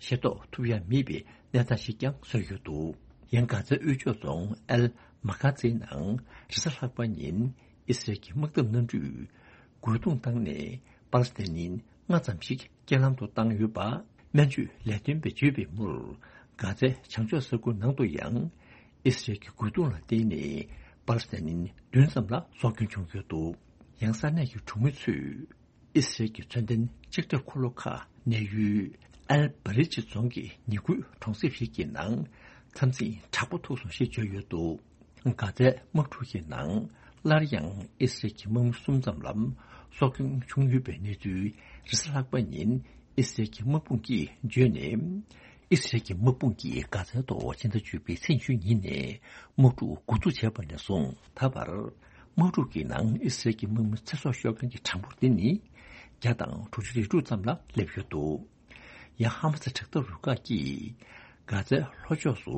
ཤེས་རྟོགས་ཐུབ་ཡ་མེད་པའི་གནས་སྟངས་ཤིག་ཀྱང་བཟོས་ཡོད་འདུག་ཡང་གྷ་ཛའི་དབུས་ཕྱོགས་རྫོང་ཨལ་མ་གྷ་ཛའི་ནང་རེས་གཟའ་ལྷག་པ་ཉིན་ཨི་སི་རལ་གྱི་དམག་འཐབ་གནམ་གྲུས་རྒོལ་རྡུང་བཏང་ནས་པ་ལི་སི་ཐན་ནི་ལྔ་ཙམ་ཞིག་རྐྱེན་ལམ་དུ་བཏང་ཡོད་པ་སྨན་བཅོས་ལས་དོན་པས་བརྗོད་པའི་མུར། གྷ་ཛའི་བྱང་ཕྱོགས་ས་ཁུལ་ནང་དུ་ཡང་ཨི་སི་རལ་གྱི་རྒོལ་རྡུང་ལ་བརྟེན་ནས་པ་ལི་སི་ཐན་ནི་བདུན་ཙམ་ལ་སྲོག་སྐྱོན་བྱུང་ཡོད་འདུག་ཡང་ས་གནས་ཀྱི་གྲོང་མི་ཚོས། ཨི་སི་རལ་གྱི་མཚོན་ལྡན་ལྕགས་ཁྲབ་འཁོར་ལོ་ཁག་གནས་ཡུལ་ཨལ་བྷ་རི་ཅི་རྫོང་གི་ཉེ་ཁུལ་གྲོང་གསེབ་ཞིག་གི་ནང་འཐབ་འཛིང་དྲག་པོ་ཐུག་སོང་ཞེས་བརྗོད་ཡོད་འདུག་གྷ་ཛའི་དམག་འཁྲུག་གི་ནང་སླར་ཡང་ཨི་སི་རལ་གྱི་དམག་མི་གསུམ་ཙམ་ལ་སྲོག་སྐྱོན་བྱུང་ཡོད་པའི་གནས་ཚུལ་རེས་གཟའ་ལྷག་པ་ཉིན་ཨི་སི་རལ་གྱི་དམག་དཔུང་གིས་བརྗོད་ནས། ཨི་སི་རལ་གྱི་དམག་དཔུང་གིས་གྷ་ཛའི་ཐོག་ཕྱི་ཟླ་བཅུ་པའི་ཚེས་བཅུ་ཉིན་ནས་དམག་འཁྲུག་འགོ་འཛུགས་བྱས་པ་ནས་བཟུང་ད་བར། དམག་འཁྲུག་གི་ནང་ཨི་སི་རལ་གྱི་དམག་མི་ཚེ་སྲོག་ཤོར་མཁན་གྱི་གྲངས་འབོར་དེ་ནི་བརྒྱ་དང་དྲུག་ཅུ་རེ་དྲུག་ཙམ་ལ་སླེབས་ཡོད་འདུག་ཡང་ཧ་མ་སི་དྲག་འཐབ་རུ་ཁག་གིས་གྷ་ཛའི་ལྷོ་ཕྱོགས་སུ་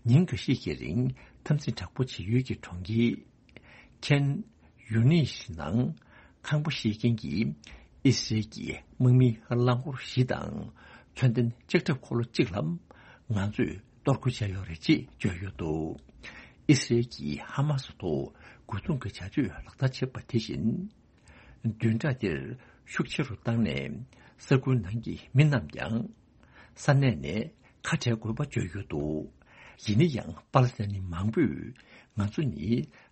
ཉིན་འགའ་ཤས་ཀྱི་རིང་འཐབ་འཛིང་དྲག་པོ་བྱེད་ཡུལ་གྱི་གྲོང་ཁྱེར་ཁན་ཡུ་ནིས་ནང་ཁང་པ་བཤིག་མཁན་གྱི་ཨི་སི་རལ་གྱི་དམག་མིའི་རླངས་འཁོར་བཞི་དང་མཚོན་ལྡན་ལྕགས་ཁྲབ་འཁོར་ལོ་གཅིག་ལ་ང་ཚོས་གཏོར་རྒོལ་བྱས་ཡོད་རེད་ཅེས་བརྗོད་ཡོད་འདུག་ཨི་སི་རལ་གྱིས་ཧ་མ་སི་ཐོག་རྒོལ་རྡུང་གི་བྱ་སྤྱོད་ལག་བསྟར་བྱས་པ་དེ་བཞིན། བདུན་ཕྲག་འདིར་ཤུགས་ཆེ་རུ་བཏང་ནས་ས་ཁུལ་ནང་གི་མི་རྣམས་ཀྱང་ས་གནས་ནས་ཁ་བྲལ་དགོས་པ་བརྗོད་ཡོད་འདུག་ཡིན་ན་ཡང་པ་ལི་སི་ཐན་ནི་མང་པོས་ང་ཚོ་ནི་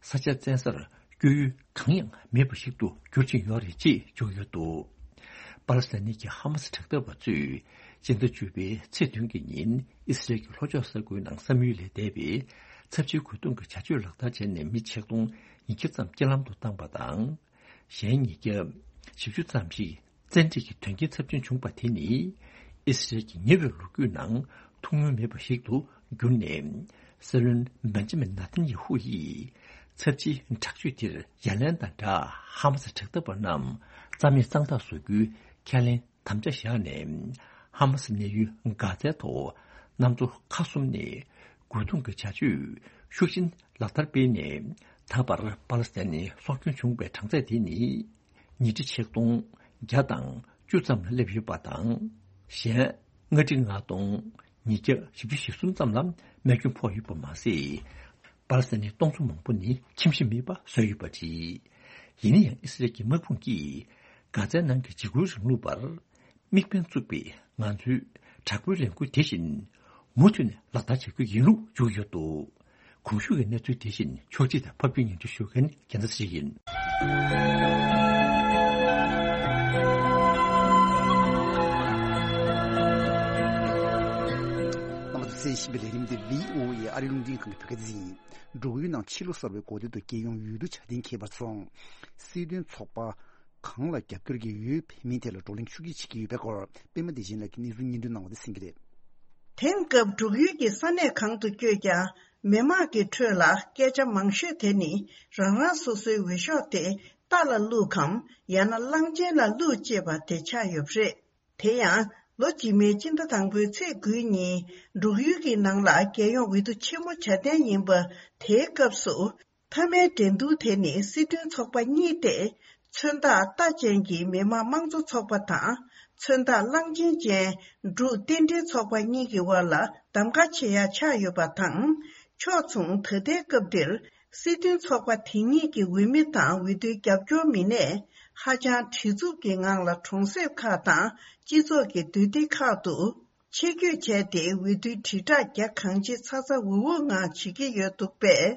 ས་ཆ་བཙན་སར་སྐྱོད་ཡུལ་གང་ཡང་མེད་པ་ཞིག་ཏུ་འགྱུར་བཞིན་ཡོད་རེད་ཅེས་བརྗོད་ཡོད་འདུག་པ་ལི་སི་ཐན་གྱི་ཧ་མ་སི་དྲག་འཐབ་པ་ཚོས་སྤྱི་ཟླ་བཅུ་པའི་ཚེས་བདུན་གྱི་ཉིན་ཨི་སི་རལ་གྱི་ལྷོ་ཕྱོགས་ས་ཁུལ་ནང་བསམ་ཡུལ་ལས་འདས་པའི་ཚབས་ཆེའི་རྒོལ་རྡུང་གི་བྱ་སྤྱོད་ལག་བསྟར་བྱས་ནས་མི་ཆིག་སྟོང་ཉིས་བརྒྱ་ཙམ་རྐྱེན་ལམ་དུ་བཏང་པ་དང་། གཞན་ཉིས་བརྒྱ་བཞི་བཅུ་ཙམ་ཞིག་བཙན་ཁྲིད་ཀྱི་དོན་རྐྱེན་ཚབས་ཆེན་བྱུང་པ་དེ་ནི་ཨི་སི་རལ་གྱི་ཉེ་བའི་ལོ་རྒྱུས་ནང་ཐུགས་སྣང་མེད་པ་ཞིག་ཏུ་གྱུར་ནས་སྲིད་བློན་བེན་ཇ་མིན་ནཱ་ཐན་ཡེ་ཧུ་ཡིས་ཚབས་ཆེའི་དྲག་སྤྱོད་དེར་ཡ་ལན་དང་སྦྲགས་ཧ་མ་སི་དྲག་འཐབ་པ་རྣམས་རྩ་མེད་གཙང་དག་བཟོ་རྒྱུའི་ཁས་ལེན་དམ་བཅའ་བཞག་ནས་ཧ་མ་སི་གནས་ཡུལ་གྷ་ཛའི་ཐོག་གནམ་མཚོ་ཁ་གསུམ་ནས་རྒོལ་རྡུང་གི་བྱ་སྤྱོད་ཤུགས་ཆེན་ལག་བསྟར་སྤེལ་ནས་ད་བར་པ་ལི་སི་ཐན་ནི་སྲོག་སྐྱོན་བྱུང་བའི་གྲངས་ཚད་དེ་ནི། ཉིས་ཁྲི་ཆིག་སྟོང་བརྒྱ་དང་བཅུ་ཙམ་ལ་སླེབས་ཡོད་པ་དང་། གཞན་ལྔ་ཁྲི་ལྔ་སྟོང་ཉིས་བརྒྱ་བཞི་བཅུ་ཞེ་གསུམ་ཙམ་ལ་རྨས་སྐྱོན་ཕོག་ཡོད་པ་མ་ཟད། པ་ལི་སི་ཐན་ནི་སྟོང་ཚོ་མང་པོ་ནི་ཁྱིམ་གཞིས་མེད་པ་བཟོས་ཡོད་པ་རེད། ཡིན་ན་ཡང་ཨི་སི་རལ་གྱི་དམག་དཔུང་གིས་གྷ་ཛའི་ནང་གི་འཇིགས་སྐུལ་རིང་ལུགས་པར་དམིགས་འབེན་བཙུགས་པའི་ང་ཚོའི་དྲག་པོའི་ལས་འགུལ་དེ་བཞིན་མུ་མཐུད་ནས་ལག་བསྟར་བྱ་རྒྱུ་ཡིན་ལུགས་བརྗོད་ཡོད་འདུག་གོང་ཞུས་ཀྱི་གནས་ཚུལ་དེ་བཞིན་ཕྱོགས་སྒྲིག་དང་ཕབ་སྒྱུར་སྙན་སྒྲོན་ཞུ་མཁན་རྒྱལ་མཚན་ཞིག་ཡིན། རྣམ་པ་ཚོས་གསན་བཞིན་པའི་ལས་རིམ་འདི་བྷི་ཨོ་ཨེ་ཨ་རིའི་རླུང་འཕྲིན་ཁང་གི་བོད་སྐད་སྡེ་ཚན་ཡིན། འབྲུག་ཡུལ་ནང་ཕྱི་ལོ་གསར་བའི་འགོ་སྟོད་དུ་རྒྱལ་ཡོངས་འོས་བསྡུ་བྱ་གཏན་འཁེལ་བར་སོང་། སྲིད་དོན་ཚོགས་པ། གང་ལ་རྒྱབ་སྐྱོར་གྱི་འོས་འཕེན་མིན་ཐད་ལ་བགྲོ་གླེང་ཤུགས་ཆེ་བྱེད་ཀྱི་ཡོད་པའི་སྐོར་པད་མ་བདེ་ཆེན་ལགས་ཀྱིས་གནས་ཚུལ་སྙན་སྒྲོན་གནང་བ་དེ་གསན་གྱི་རེད། དེང་སྐབས་འབྲུག་ཡུལ་གྱི་ས་གནས་གང་དུ་བསྐྱོད་ཀྱང་མི་མང་གི་ཁྲོད་ལ་སྐད་ཆ་མང་ཤོས་དེ་ནི་རང་རང་སོ་སོའི་འོས་ཤོག་དེ་རྟ་ལ་བླུགས་གམ་ཡང་ན་གླང་ཆེན་ལ་བླུགས་ཅེས་པ་དེ་ཆགས་ཡོད་པ་རེད། དེ་ཡང་ལོ་རྗེས་མའི་སྤྱི་ཟླ་དང་པོའི་ཚེས་དགུའི་ཉིན་འབྲུག་ཡུལ་གྱི་ནང་ལ་རྒྱལ་ཡོངས་འོས་བསྡུ་ཆེན་མོ་བྱ་གཏན་ཡིན་པ་དེའི་སྐབས་སུ། མཐའ་མའི་འགྲན་བསྡུར་དེ་ནི་སྲིད་དོན་ཚོགས་པ་གཉིས་ཏེ། མཚོན་རྟགས་རྟ་ཅན་གྱི་མི་དམངས་དམངས་གཙོ་ཚོགས་པ་དང་། མཚོན་རྟགས་གླང་ཆེན་ཅན་འབྲུག་རྟེན་འབྲེལ་ཚོགས་པ་གཉིས་ཀྱི་དབར་ལ་གདམ་ག་བྱེད་ཡ་ཆགས་ཡོད་པ་དང་། ཕྱོགས་མཚུངས་ད་ལྟའི་སྐབས་འདིར་སྲིད་དོན་ཚོགས་པ་དེ་གཉིས་ཀྱི་འོས་མི་དང་འོས་བསྡུའི་རྒྱབ་སྐྱོར་མི་སྣས་ཧ་ཅང་བྲེལ་འཚུབ་ཀྱི་ངང་ལ་གྲོང་གསེབ་ཁག་དང་སྤྱི་ཚོགས་ཀྱི་འདུས་སྡེ་ཁག་ཏུ། ཆེད་བསྐྱོད་བྱས་ཏེ་འོས་བསྡུའི་དྲིལ་བསྒྲགས་རྒྱ་གང་ཆེ་ཚ་ཚ་འུར་འུར་ངང་བྱེད་ཀྱི་ཡོད་འདུག་པས།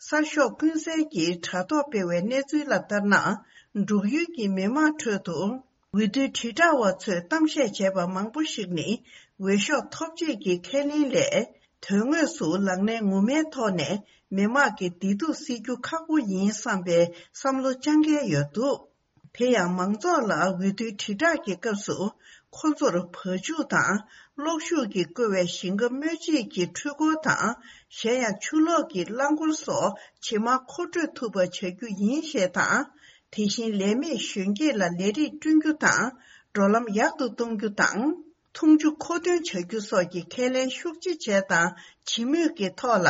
གསར་ཤོག་ཀུན་གསལ་གྱིས་དྲ་ཐོག་སྤེལ་བའི་གནས་ཚུལ་ལ་ལྟར་ན། འབྲུག་ཡུལ་གྱི་མི་མང་ཁྲོད་དུ། འོས་བསྡུའི་དྲིལ་བསྒྲགས་པ་ཚོས་གཏམ་བཤད་བྱས་པ་མང་པོ་ཞིག་ནི། འོས་ཤོག་ཐོབ་བྱེད་ཀྱི་ཁས་ལེན་ལས། དོན་དངོས་སུ་ལག་ལེན་ངོ་མའི་ཐོག་ནས་མི་མང་གི་བདེ་སྡུག་སེལ་རྒྱུ་ཁག་པོ་ཡིན་བསམ་པའི་བསམ་བློ་བཅངས་མཁན་ཡོད་འདུག་དེ་ཡང་མང་ཚོགས་ལ་འོས་བསྡུའི་དྲིལ་བསྒྲགས་ཀྱི་སྐབས་སུ་ཁོ་ཚོར་བ་ཕྱུགས་དང་གློག་ཤུགས་ཀྱིས་བསྐོལ་བའི་ཞིང་ཁ་སྨོས་ཅན་གྱི་འཕྲུལ་འཁོར་དང་གཞན་ཡང་ཆུ་ལོག་གི་རླངས་འཁོར་སོགས་ཇེ་མང་མཁོ་སྤྲོད་ཐུབ་པ་བྱ་རྒྱུ་ཡིན་ཞེས་དང་། དེ་བཞིན་ལས་མེད་གཞོན་སྐྱེས་ལ་ལས་རིགས་བསྐྲུན་རྒྱུ་དང་འགྲོ་ལམ་ཡག་ཏུ་གཏོང་རྒྱུ་དང་། འཐུང་ཆུ་མཁོ་འདོན་བྱ་རྒྱུ་སོགས་ཀྱི་ཁས་ལེན་ཤུགས་ཆེ་བྱས་དང་བྱེད་མུས་ཀྱི་ཐོག་ལ།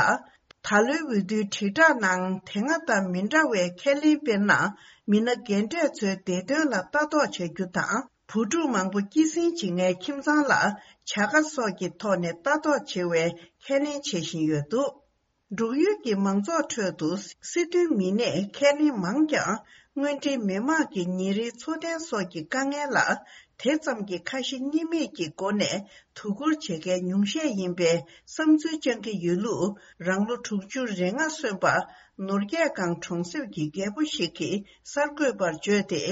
ད་ལོའི་འོས་བསྡུའི་དྲིལ་བསྒྲགས་ནང་དེ་སྔ་དང་མི་འདྲ་བའི་ཁས་ལེན་དཔེར་ན། མི་སྣ་རྒན་གྲས་ཚོའི་བདེ་དོན་ལ་ལྟ་རྟོག་བྱ་རྒྱུ་དང་ བུ་ཕྲུག་མང་པོ་སྐྱེད་སྲིང་བྱེད་མཁན་ཁྱིམ་ཚང་ལ་བྱ་དགའ་སོགས་ཀྱི་ཐོག་ནས་ལྟ་རྟོག་བྱེད་པའི་ཁས་ལེན་བྱེད་བཞིན་ཡོད་འདུག་འབྲུག་ཡུལ་གྱི་མང་ཚོགས་ཁྲོད་དུ་སྲིད་དོན་མི་སྣས་ཁས་ལེན་མང་ཀྱང་། དངོས་འབྲེལ་མི་དམངས་ཀྱི་ཉིན་རེའི་འཚོ་རྟེན་སོགས་ཀྱི་དཀའ་ངལ་ལ་དེ་ཙམ་གྱི་ཁ་ཞེ་གཉིས་མེད་ཀྱི་སྒོ་ནས་དོ་ཁུར་བྱེད་མཁན་ཉུང་ཤས་ཡིན་པའི་བསམ་ཚུལ་བཅང་གི་ཡོད་ལུགས། རང་ལོ་དྲུག་ཅུ་རེ་ལྔ་སོན་པ་ནོར་རྒྱས་སྒང་གྲོང་གསེབ་ཀྱི་རྒད་པོ་ཞིག་གིས་གསར་འགོད་པར་བརྗོད་དེ།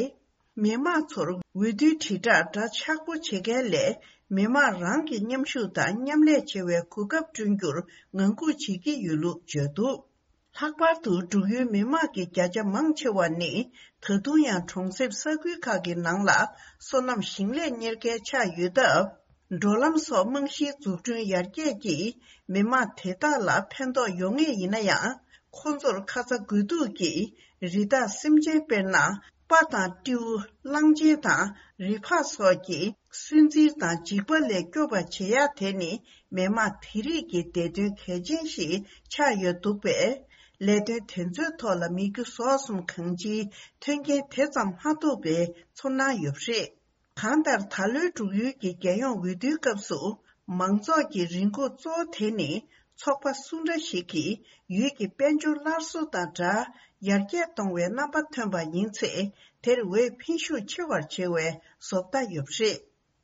མི་དམངས་ཚོར་འོས་བསྡུའི་དྲིལ་བསྒྲགས་འདྲ་ཆགས་པོ་བྱེད་མཁན་ལས། མི་དམངས་རང་གི་མཉམ་ཞུགས་དང་མཉམ་ལས་བྱེད་པའི་གོ་སྐབས་བསྐྲུན་རྒྱུར་ངང་སྒུག་བྱེད་ཀྱི་ཡོད་ལུགས་བརྗོད་འདུག་ལྷག་པར་དུ་འབྲུག་ཡུལ་མི་དམངས་ཀྱི་བརྒྱ་ཆ་མང་ཆེ་བ་ནི། ད་དུང་ཡང་གྲོང་གསེབ་ས་ཁུལ་ཁག་གི་ནང་ལ་སོ་ནམ་ཞིང་ལས་གཉེར་མཁན་ཆགས་ཡོད་སྟབས། འགྲོ་ལམ་སོགས་རྨང་གཞིའི་འཛུགས་སྐྲུན་ཡར་རྒྱས་ཀྱིས་མི་དམངས་དེ་དག་ལ་ཕན་ཐོགས་ཡོང་ངེས་ཡིན་ན་ཡང་། ཁོང་ཚོར་ཁ་ཚ་དགོས་གཏུགས་ཀྱིས་རི་དྭགས་སེམས་ཅན་དཔེར་ན། སྤ་དང་སྤྲེའུ། གླང་ཆེན་དང་རི་ཕག་སོགས་ཀྱི་སུན་གཙེར་དང་འཇིགས་པ་ལས་སྐྱོབ་པ་བྱེད་ཡ་དེ་ནི་མི་དམངས་དེ་རིགས་ཀྱི་བདེ་དོན་གལ་ཆེན་ཞིག་ཆགས་ཡོད་འདུག་པས། ལས་དོན་དེ་ཚོའི་ཐོག་ལ་མི་རྒྱུ་ཟོག་གསུམ་གང་ཅིའི་མཐུན་རྐྱེན་དེ་ཙམ་མ་ཐོབ་པའི་ཚོར་སྣང་ཡོད་པ་རེད། གང་ལྟར་ད་ལོའི་འབྲུག་ཡུལ་གྱི་རྒྱལ་ཡོངས་འོས་བསྡུའི་སྐབས་སུ། མང་ཚོགས་ཀྱི་རེ་སྒུག་གཙོ་བོ་དེ་ནི། ཚོགས་པ་སུ་འདྲ་ཞིག་གིས་ཡུལ་གྱི་དཔལ་འབྱོར་སླར་གསོ་དང་སྦྲགས་ཡར་རྒྱས་གཏོང་བའི་རྣམ་པ་ཐོན་པ་ཡིན་ཚེ། དེར་འོས་འཕེན་ཤུགས་ཆེ་བར་བྱེད་པའི་བཟོ་ལྟ་ཡོད་པ་རེད།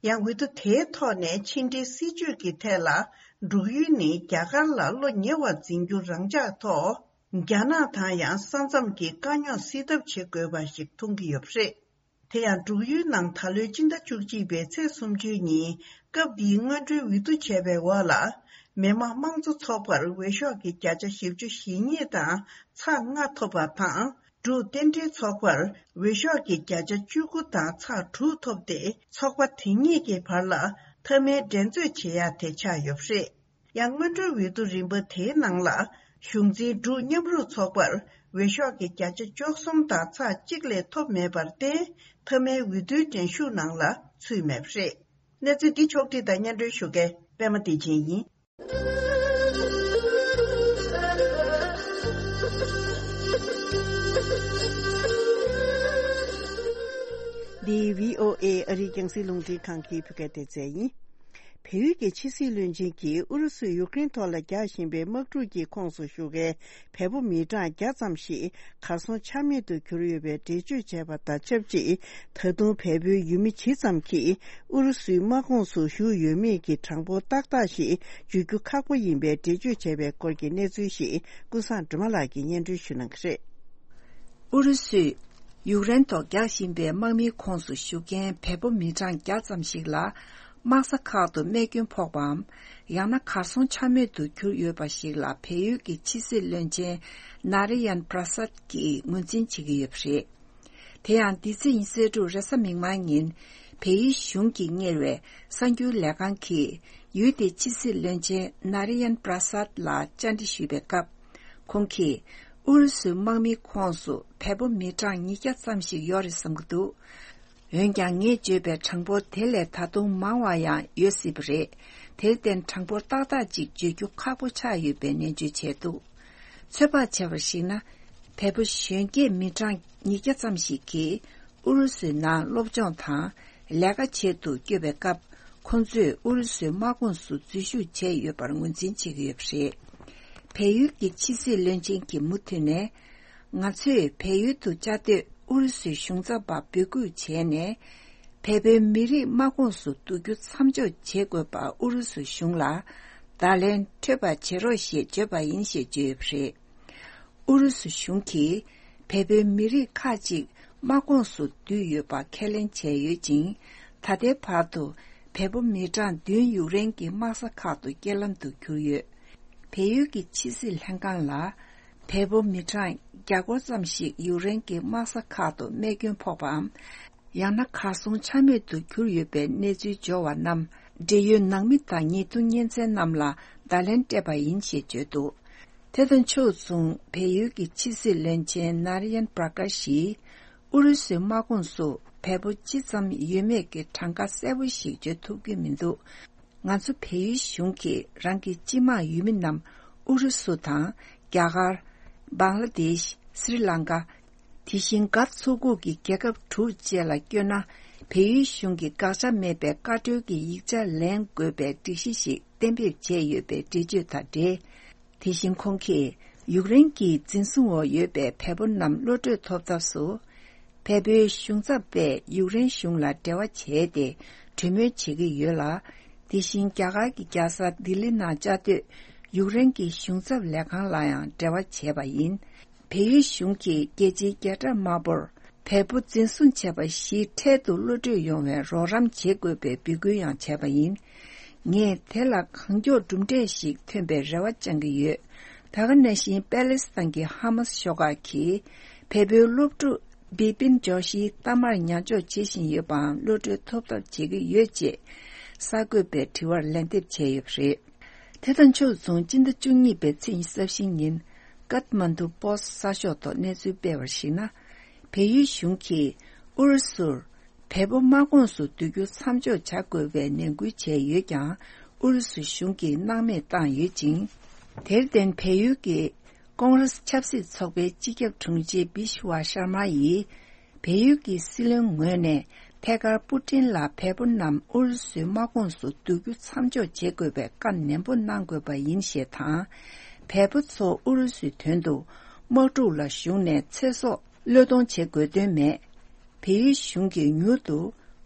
ཡང་འོས་བསྡུ་དེའི་ཐོག་ནས་ཕྱི་འབྲེལ་སྲིད་ཇུས་ཀྱི་ཐད་ལ། འབྲུག་ཡུལ་ནི་རྒྱ་གར་ལ་བློ་ཉེ་བར་འཛིན་རྒྱུ་རང་འཇགས་ཐོག་རྒྱ་ནག་དང་ཡང་ས་མཚམས་ཀྱི་དཀའ་རྙོག་སེལ་ཐབས་བྱེད་དགོས་པ་ཞིག་མཐོང་གི་ཡོད་པ་རེད། དེ་ཡང་འབྲུག་ཡུལ་ནང་ད་ལོའི་སྤྱི་ཟླ་བཅུ་གཅིག་པའི་ཚེས་སུམ་ཅུ་ཉིན་སྐབས་འདིའི་སྔོན་འགྲོའི་འོས་བསྡུ་བྱས་པའི་འོག་ལ། མི་དམངས་དམངས་གཙོ་ཚོགས་པར་འོས་ཤོག་གི་བརྒྱ་ཆ་བཞི་བཅུ་ཞེ་གཉིས་དང་ཚེག་ལྔ་ཐོབ་པ་དང་། འབྲུག་རྟེན་འབྲེལ་ཚོགས་པར་འོས་ཤོག་གི་བརྒྱ་ཆ་བཅུ་དགུ་དང་ཚེག་དྲུག་ཐོབ་སྟེ། ཚོགས་པ་དེ་གཉིས་ཀྱི་བར་ལ་མཐའ་མའི་འགྲན་རྩོད་བྱེད་ཡ་དེ་ཆགས་ཡོད་པ་རེད། ཡང་སྔོན་འགྲོའི་འོས་བསྡུ་རིམ་པ་དེའི་ནང་ལ། གཞུང་འཛིན་འབྲུག་མཉམ་རུབ་ཚོགས་པར་འོས་ཤོག་གི་བརྒྱ་ཆ་བཅུ་གསུམ་དང་ཚེག་གཅིག་ལས་ཐོབ་མེད་པར་བརྟེན། མཐའ་མའི་འོས་བསྡུའི་འགྲན་ཞུགས་ནང་ལ་ཚུད་མེད་པ་རེད། གནས་ཚུལ་འདི་ཕྱོགས་བསྒྲིགས་དང་སྙན་སྒྲོན་ཞུ་མཁན་པད་མ་བདེ་ཆེན་ཡིན། འདི་བྷི་ཨོ་ཨེ་ཨ་རིའི་རྒྱང་སྲིང་རླུང་འཕྲིན་ཁང་གི་བོད་སྐད་སྡེ་ཚན་ཡིན། བལ་ཡུལ་གྱི་ཕྱི་སྲིད་བློན་ཆེན་གྱིས་ཨུ་རུ་སུས་ཡུཀ་རེན་ཐོག་ལ་རྒྱག་བཞིན་པའི་དམག་འཁྲུག་གི་ཁོངས་སུ་ཞུགས་མཁན་བལ་པོ་མི་གྲངས་བརྒྱ་ཙམ་ཞིག་གར་སོང་ཆ་མེད་དུ་གྱུར་ཡོད་པའི་འགྲེལ་བརྗོད་བྱས་པ་དང་ཆབས་ཅིག་ད་དུང་བལ་པོའི་ཡུལ་མི་ཇི་ཙམ་གྱིས་ཨུ་རུ་སུའི་དམག་ཁོངས་སུ་ཞུགས་ཡོད་མེད་ཀྱི་གྲངས་འབོར་ཏག་ཏག་ཞིག་བརྗོད་རྒྱུ་ཁག་པོ་ཡིན་པའི་འགྲེལ་བརྗོད་བྱས་པའི་སྐོར་གྱི་གནས་ཚུལ་ཞིག་ཀུན་བཟང་སྒྲོལ་མ་ལགས་ཀྱིས་སྙན་སྒྲོན་ཞུ་གནང་གི་རེད། ཨུ་རུ་སུས་ཡུཀ་རེན་ཐོག་རྒྱག་བཞིན་པའི་དམག་མིའི་ཁོངས་སུ་ཞུགས་མཁན་བལ་པོ་མི་གྲངས་བརྒྱ་ཙམ་ཞིག་ལ། དམག་ས་ཁག་ཏུ་རྨས་སྐྱོན་ཕོག་པའམ། ཡང་ན་གར་སོང་ཆ་མེད་དུ་གྱུར་ཡོད་པ་ཞིག་ལ། བལ་ཡུལ་གྱི་ཕྱི་སྲིད་བློན་ཆེན་ནཱ་རི་ཡན་པྲ་སཱད་ཀྱིས་ངོས་འཛིན་བྱེད་ཀྱི་ཡོད་པ་རེད། དེ་ཡང་། འདི་ཚེས་ཉི་ཤུ་རྩ་དྲུག་རེས་གཟའ་མིག་དམར་ཉིན། བལ་ཡུལ་གཞུང་གིས་གཉེར་བའི་གསར་འགྱུར་ལས་ཁང་གིས། ཡུལ་དེའི་ཕྱི་སྲིད་བློན་ཆེན་ནཱ་རི་ཡན་པྲ་སཱད་ལ་བཅར་འདྲི་ཞུས་པའི་སྐབས། ཁོང་གིས། ཨུ་རུ་སུའི་དམག་མིའི་ཁོངས་སུ་བལ་པོ་མི་གྲངས་ཉིས་བརྒྱ་ཙམ་ཞིག་ཡོད་རེད་བསམ་གྱི་འདུག་འོན་ཀྱང་། ངས་བརྗོད་པའི་གྲངས་འབོར་དེ་ལས་ད་དུང་མང་བ་ཡང་ཡོད་སྲིད་པ་རེད། དེར་བརྟེན། གྲངས་འབོར་ཏག་ཏག་ཅིག་བརྗོད་རྒྱུ་ཁག་པོ་ཆགས་ཡོད་པའི་ནན་བརྗོད་བྱས་འདུག་ཚོད་དཔག་བྱས་པར་གཞིགས་ན། བལ་པོ་གཞོན་སྐྱེས་མི་གྲངས་ཉིས་བརྒྱ་ཙམ་ཞིག་གིས་ཨུ་རུ་སུའི་ནང་སློབ་སྦྱོང་དང་ལས་ཀ་བྱེད་དུ་བསྐྱོད་པའི་སྐབས། ཁོང་ཚོས་ཨུ་རུ་སུའི་དམག་ཁོངས་སུ་འཛུལ་ཞུགས་བྱས་ཡོད་པར་ངོས་འཛིན་བྱེད་ཀྱི་ཡོད་པ་རེད། བལ་ཡུལ་གྱི་ཕྱི་སྲིད་བློན་ཆེན་གྱིས་མུ་མཐུད་ནས། ང་ཚོས་བལ་ཡུལ་དུ་བཅའ་སྡོད་ཨུ་རུ་སུའི་གཞུང་ཚབ་པ་འབོད་སྐུལ་བྱས་ནས། བལ་པོའི་མི་རིགས་དམག་ཁོངས་སུ་བསྡུ་རྒྱུ་མཚམས་འཇོག་བྱེད་དགོས་པར་ཨུ་རུ་སུ་གཞུང་ལ་བརྡ་ལན་འཕྲོད་པ་བྱེད་རོགས་ཞེས་བརྗོད་པ་ཡིན་ཞེས་བརྗོད་ཡོད་པ་རེད། ཨུ་རུ་སུ་གཞུང་གིས་བལ་པོའི་མི་རིགས་ཁག་ཅིག་དམག་ཁོངས་སུ་བསྡུས་ཡོད་པ་ཁས་ལེན་བྱས་ཡོད་ཅིང་། ད་ལྟའི་བར་དུ་བལ་པོ་མི་གྲངས་བདུན་ཡུཀ་རེན་གྱི་དམག་ས་ཁག་ཏུ་རྐྱེན་ལམ་དུ་གྱུར་ཡོད། བལ་ཡུལ་གྱི་ཕྱི་སྲིད་ལྷན་ཁང་ལ། བལ་པོ་མི་གྲངས་བརྒྱ་སྐོར་ཙམ་ཞིག་ཡུཀ་རེན་གྱི་དམག་ས་ཁག་ཏུ་རྨས་སྐྱོན་ཕོག་པའམ། ཡང་ན་གར་སོང་ཆ་མེད་དུ་གྱུར་ཡོད་པའི་གནས་ཚུལ་འབྱོར་བ་རྣམས། འབྲེལ་ཡོད་ནང་མི་དང་ཉེས་རྡུང་གཉེན་ཚན་རྣམས་ལ་བརྡ་ལན་སྤྲད་པ་ཡིན་ཞེས་བརྗོད་འདུག་དེ་དང་ཕྱོགས་མཚུངས། བལ་ཡུལ་གྱི་ཕྱི་སྲིད་བློན་ཆེན་ནཱ་རི་ཡན་པྲ་ཀར་ཤིས། ཨུ་རུ་སུའི་དམག་ཁོངས་སུ་བལ་པོ་ཅི་ཙམ་ཡོད་མེད་ཀྱི་གྲངས་ཀ་གསལ་པོ་ཞིག་བརྗོད་ཐུབ་ཀྱི་མི་འདུག་ང་ཚོ་བལ་ཡུལ་གཞུང་གིས་རང་གི་སྤྱི་དམངས་ཡུལ་མི་རྣམས་ཨུ་རུ་སུ་དང་རྒྱ་གར། བང་ལ་དེཤ། སྲི་ལང་ཀ། དེ་བཞིན་མགར་མཚོ་ཁུག་གི་རྒྱལ་ཁབ་དྲུག་བཅས་ལ་བསྐྱོད་ན། བལ་ཡུལ་གཞུང་གིས་དགག་བྱ་མེད་པའི་བཀའ་འཁྲོལ་གྱི་ཡིག་ཆ་ལེན་དགོས་པའི་སྒྲིག་གཞི་ཞིག་གཏན་འབེབས་བྱས་ཡོད་པའི་འགྲེལ་བརྗོད་དང་འབྲེལ། དེ་བཞིན་ཁོང་གིས་ཡུཀ་རེན་གྱི་འཛིན་བཟུང་འོག་ཡོད་པའི་བལ་པོ་རྣམས་གློད་གྲོལ་ཐོབ་ཐབས་སུ། བལ་པོའི་གཞུང་ཚབ་པས་ཡུཀ་རེན་གཞུང་ལ་འབྲེལ་བ་བྱས་ཏེ་གྲོས་མོལ་བྱེད་ཀྱི་ཡོད་ལ། དེ་བཞིན་རྒྱ་གར་གྱི་རྒྱལ་ས་ལྡི་ལི་ནང་བཅའ་སྡོད་ཡུཀ་རེན་གྱི་གཞུང་ཚབ་ལས་ཁང་ལ་ཡང་འབྲེལ་བ་བྱས་པ་ཡིན། བལ་ཡུལ་གཞུང་གིས་རྒྱལ་སྤྱིའི་རྒྱལ་དྲག་དམར་པོར་བལ་པོ་འཛིན་བཟུང་བྱས་པ་བཞིའི་འཕྲལ་དུ་གློད་གྲོལ་ཡོང་བའི་རོགས་རམ་བྱེད་དགོས་པའི་འབོད་སྐུལ་ཡང་བྱས་པ་ཡིན། ངས་དེ་ལ་གང་མགྱོགས་གྲུབ་འབྲས་ཤིག་ཐོན་པའི་རེ་བ་བཅང་གི་ཡོད། ད་ག་ནང་བཞིན་པེ་ལེ་སི་ཐན་གྱི་ཧ་མ་སི་ཤོག་ཁག་གིས་བལ་པོའི་སློབ་ཕྲུག་བི་པིན་ཇོ་ཤིའི་གཏའ་མར་ཉར་འཇོག་བྱེད་བཞིན་ཡོད་པའང་གློད་གྲོལ་ཐོབ་ཐབས་བྱེད་ཀྱི་ཡོད་ཅེས་གསར་འགོད་པའི་དྲི་བར་ལན་འདེབས་བྱས་ཡོད་པ་རེད། དེ་དང་ཕྱོགས་མཚུངས་སྤྱི་ཟླ་བཅུ་གཉིས་པའི་ཚེས་ཉི་ཤུ་རྩ་བཞི་ཉིན་ཀཏ་མན་དུ་པོ་སི་གསར་ཤོག་ཐོག་གནས་ཚུལ་སྤེལ་བར་གཞིགས་ན། བལ་ཡུལ་གཞུང་གིས་ཨུ་རུ་སུར་བལ་པོ་དམག་ཁོངས་སུ་བསྡུ་རྒྱུ་མཚམས་འཇོག་བྱ་དགོས་པའི་ནན་སྐུལ་བྱས་ཡོད་ཀྱང་ཨུ་རུ་སུ་གཞུང་གིས་སྣང་མེད་བཏང་ཡོད་ཅིང་། དེར་བརྟེན་བལ་ཡུལ་གྱི་ཀོང་རེ་སི་ཆབ་སྲིད་ཚོགས་པའི་སྤྱི་ཁྱབ་དྲུང་ཆེ་བི་ཤུ་ཝ་ཤར་མ་ཡིས། བལ་ཡུལ་གྱི་སྲིད་བློན་ངོས་ནས་ཐད་ཀར་པུ་ཏིན་ལ་བལ་པོ་རྣམས་ཨུ་རུ་སུའི་དམག་ཁོངས་སུ་བསྡུ་རྒྱུ་མཚམས་འཇོག་བྱེད་དགོས་པའི་བཀའ་ནན་པོ་གནང་དགོས་པ་ཡིན་ཞེས་དང་། བལ་པོ་ཚོ་ཨུ་རུ་སུའི་དོན་དུ་དམག་འཁྲུག་ལ་ཞུགས་ནས་ཚེ་སྲོག་བློས་གཏོང་བྱེད་དགོས་དོན་མེད། བལ་ཡུལ་གཞུང་གིས་མྱུར་དུ་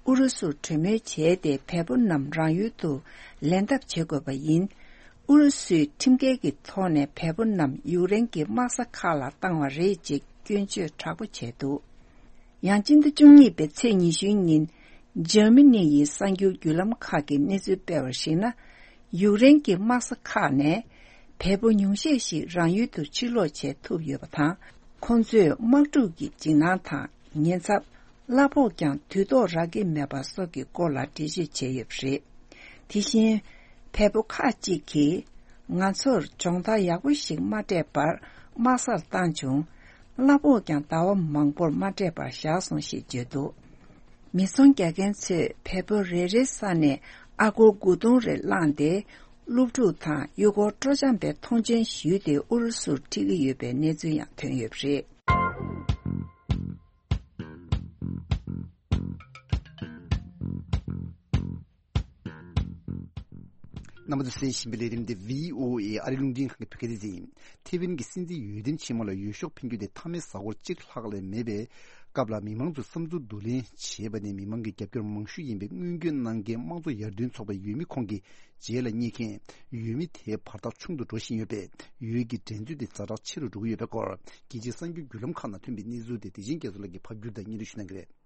ཨུ་རུ་སུར་གྲོས་མོལ་བྱས་ཏེ་བལ་པོ་རྣམས་རང་ཡུལ་དུ་ལེན་ཐབས་བྱེད་དགོས་པ་ཡིན། ཨུ་རུ་སུས་ཁྲིམས་འགལ་གྱི་ཐོག་ནས་བལ་པོ་རྣམས་ཡུཀ་རེན་གྱི་དམག་ས་ཁག་ལ་བཏང་བ་རེད་ཅེས་སྐྱོན་བརྗོད་དྲག་པོ་བྱས་འདུག་ཡང་སྤྱི་ཟླ་བཅུ་གཉིས་པའི་ཚེས་ཉི་ཤུའི་ཉིན། འཇར་མ་ནི་ཡི་གསར་འགྱུར་བརྒྱུད་ལམ་ཁག་གིས་གནས་ཚུལ་སྤེལ་བར་གཞིགས་ན། ཡུཀ་རེན་གྱི་དམག་ས་ཁག་ནས་བལ་པོ་ཉུང་ཤས་ཤིག་རང་ཡུལ་དུ་ཕྱིར་ལོག་བྱས་ཐུབ་ཡོད་པ་དང་། ཁོང་ཚོས་དམག་འཁྲུག་གི་འཇིགས་སྣང་དང་ཉེན་ཚབས། གླ་ཕོགས་ཀྱང་དུས་ཐོག་རག་གི་མེད་པ་སོགས་ཀྱི་སྐོར་ལ་འགྲེལ་བརྗོད་བྱས་ཡོད་པ་རེད། དེ་བཞིན། བལ་པོ་ཁག་ཅིག་གིས། ང་ཚོར་སྦྱོང་བརྡར་ཡག་པོ་ཞིག་མ་སྤྲད་པར་དམག་སར་བཏང་བྱུང་། གླ་ཕོགས་ཀྱང་ཟླ་བ་མང་པོར་མ་སྤྲད་པར་བཞག་སོང་ཞེས་བརྗོད་འདུག་མི་ཚོང་རྒྱག་མཁན་ཚོས་བལ་པོ་རེ་རེའི་ས་ནས་ཨ་སྒོར་དགུ་སྟོང་རེ་བླངས་ཏེ། སློབ་ཕྲུག་དང་ཡུལ་སྐོར་སྤྲོ་འཆམ་པའི་མཐོང་མཆན་ཞུས་ཏེ་ཨུ་རུ་སུར་ཁྲིད་ཀྱི་ཡོད་པའི་གནས་ཚུལ་ཡང་ཐོན་ཡོད་པ་རེད། རྣམ་པ་ཚོས་གསན་བཞིན་པའི་ལས་རིམ་འདི་བྷི་ཨོ་ཨེ་ཨ་རི་རླུང་འཕྲིན་ཁང་གི་བོད་སྐད་སྡེ་ཚན་ཡིན། ཐེ་ཝན་གྱི་སྲིད་འཛིན་འོས་འདེམས་ཆེན་མོ་ལ་འོས་ཤོག་འཕེན་རྒྱུ་དེ་མཐའ་མའི་གཟའ་འཁོར་གཅིག་ལྷག་ལས་མེད་པའི་སྐབས་ལ། མི་མང་ཚོས་བསམ་ཚུལ་བསྡུ་ལེན་བྱས་པ་ནས། མི་མང་གི་རྒྱབ་སྐྱོར་མང་ཤོས་ཡིན་པའི་སྔོན་སྐྱོད་གནང་མཁན་དམངས་གཙོ་ཡར་ཐོན་ཚོགས་པའི་འོས་མི་ཁོང་གི་རྗེས་ལ་སྙེག་མཁན་འོས་མི་དེའི་བར་ཐག་ཆུང་དུ་འགྲོ་བཞིན་ཡོད་པས། འོས་ཀྱི་འགྲན་རྩོད་དེ་ཛ་དྲག་ཆེ་རུ་འགྲོ་གི་ཡོད་པའི་སྐོར། རྒྱལ་སྤྱིའི་གསར་འགྱུར་བརྒྱུད་ལམ་ཁག་ནང་ཐོན་པའི་གནས་ཚུལ་དེ་བདེ་ཆེན་རྒྱ་མཚོ་ལགས་ཀྱིས་ཕབ་བསྒྱུར་དང་སྙན་སྒྲོན་ཞུ་གནང་གི་རེད།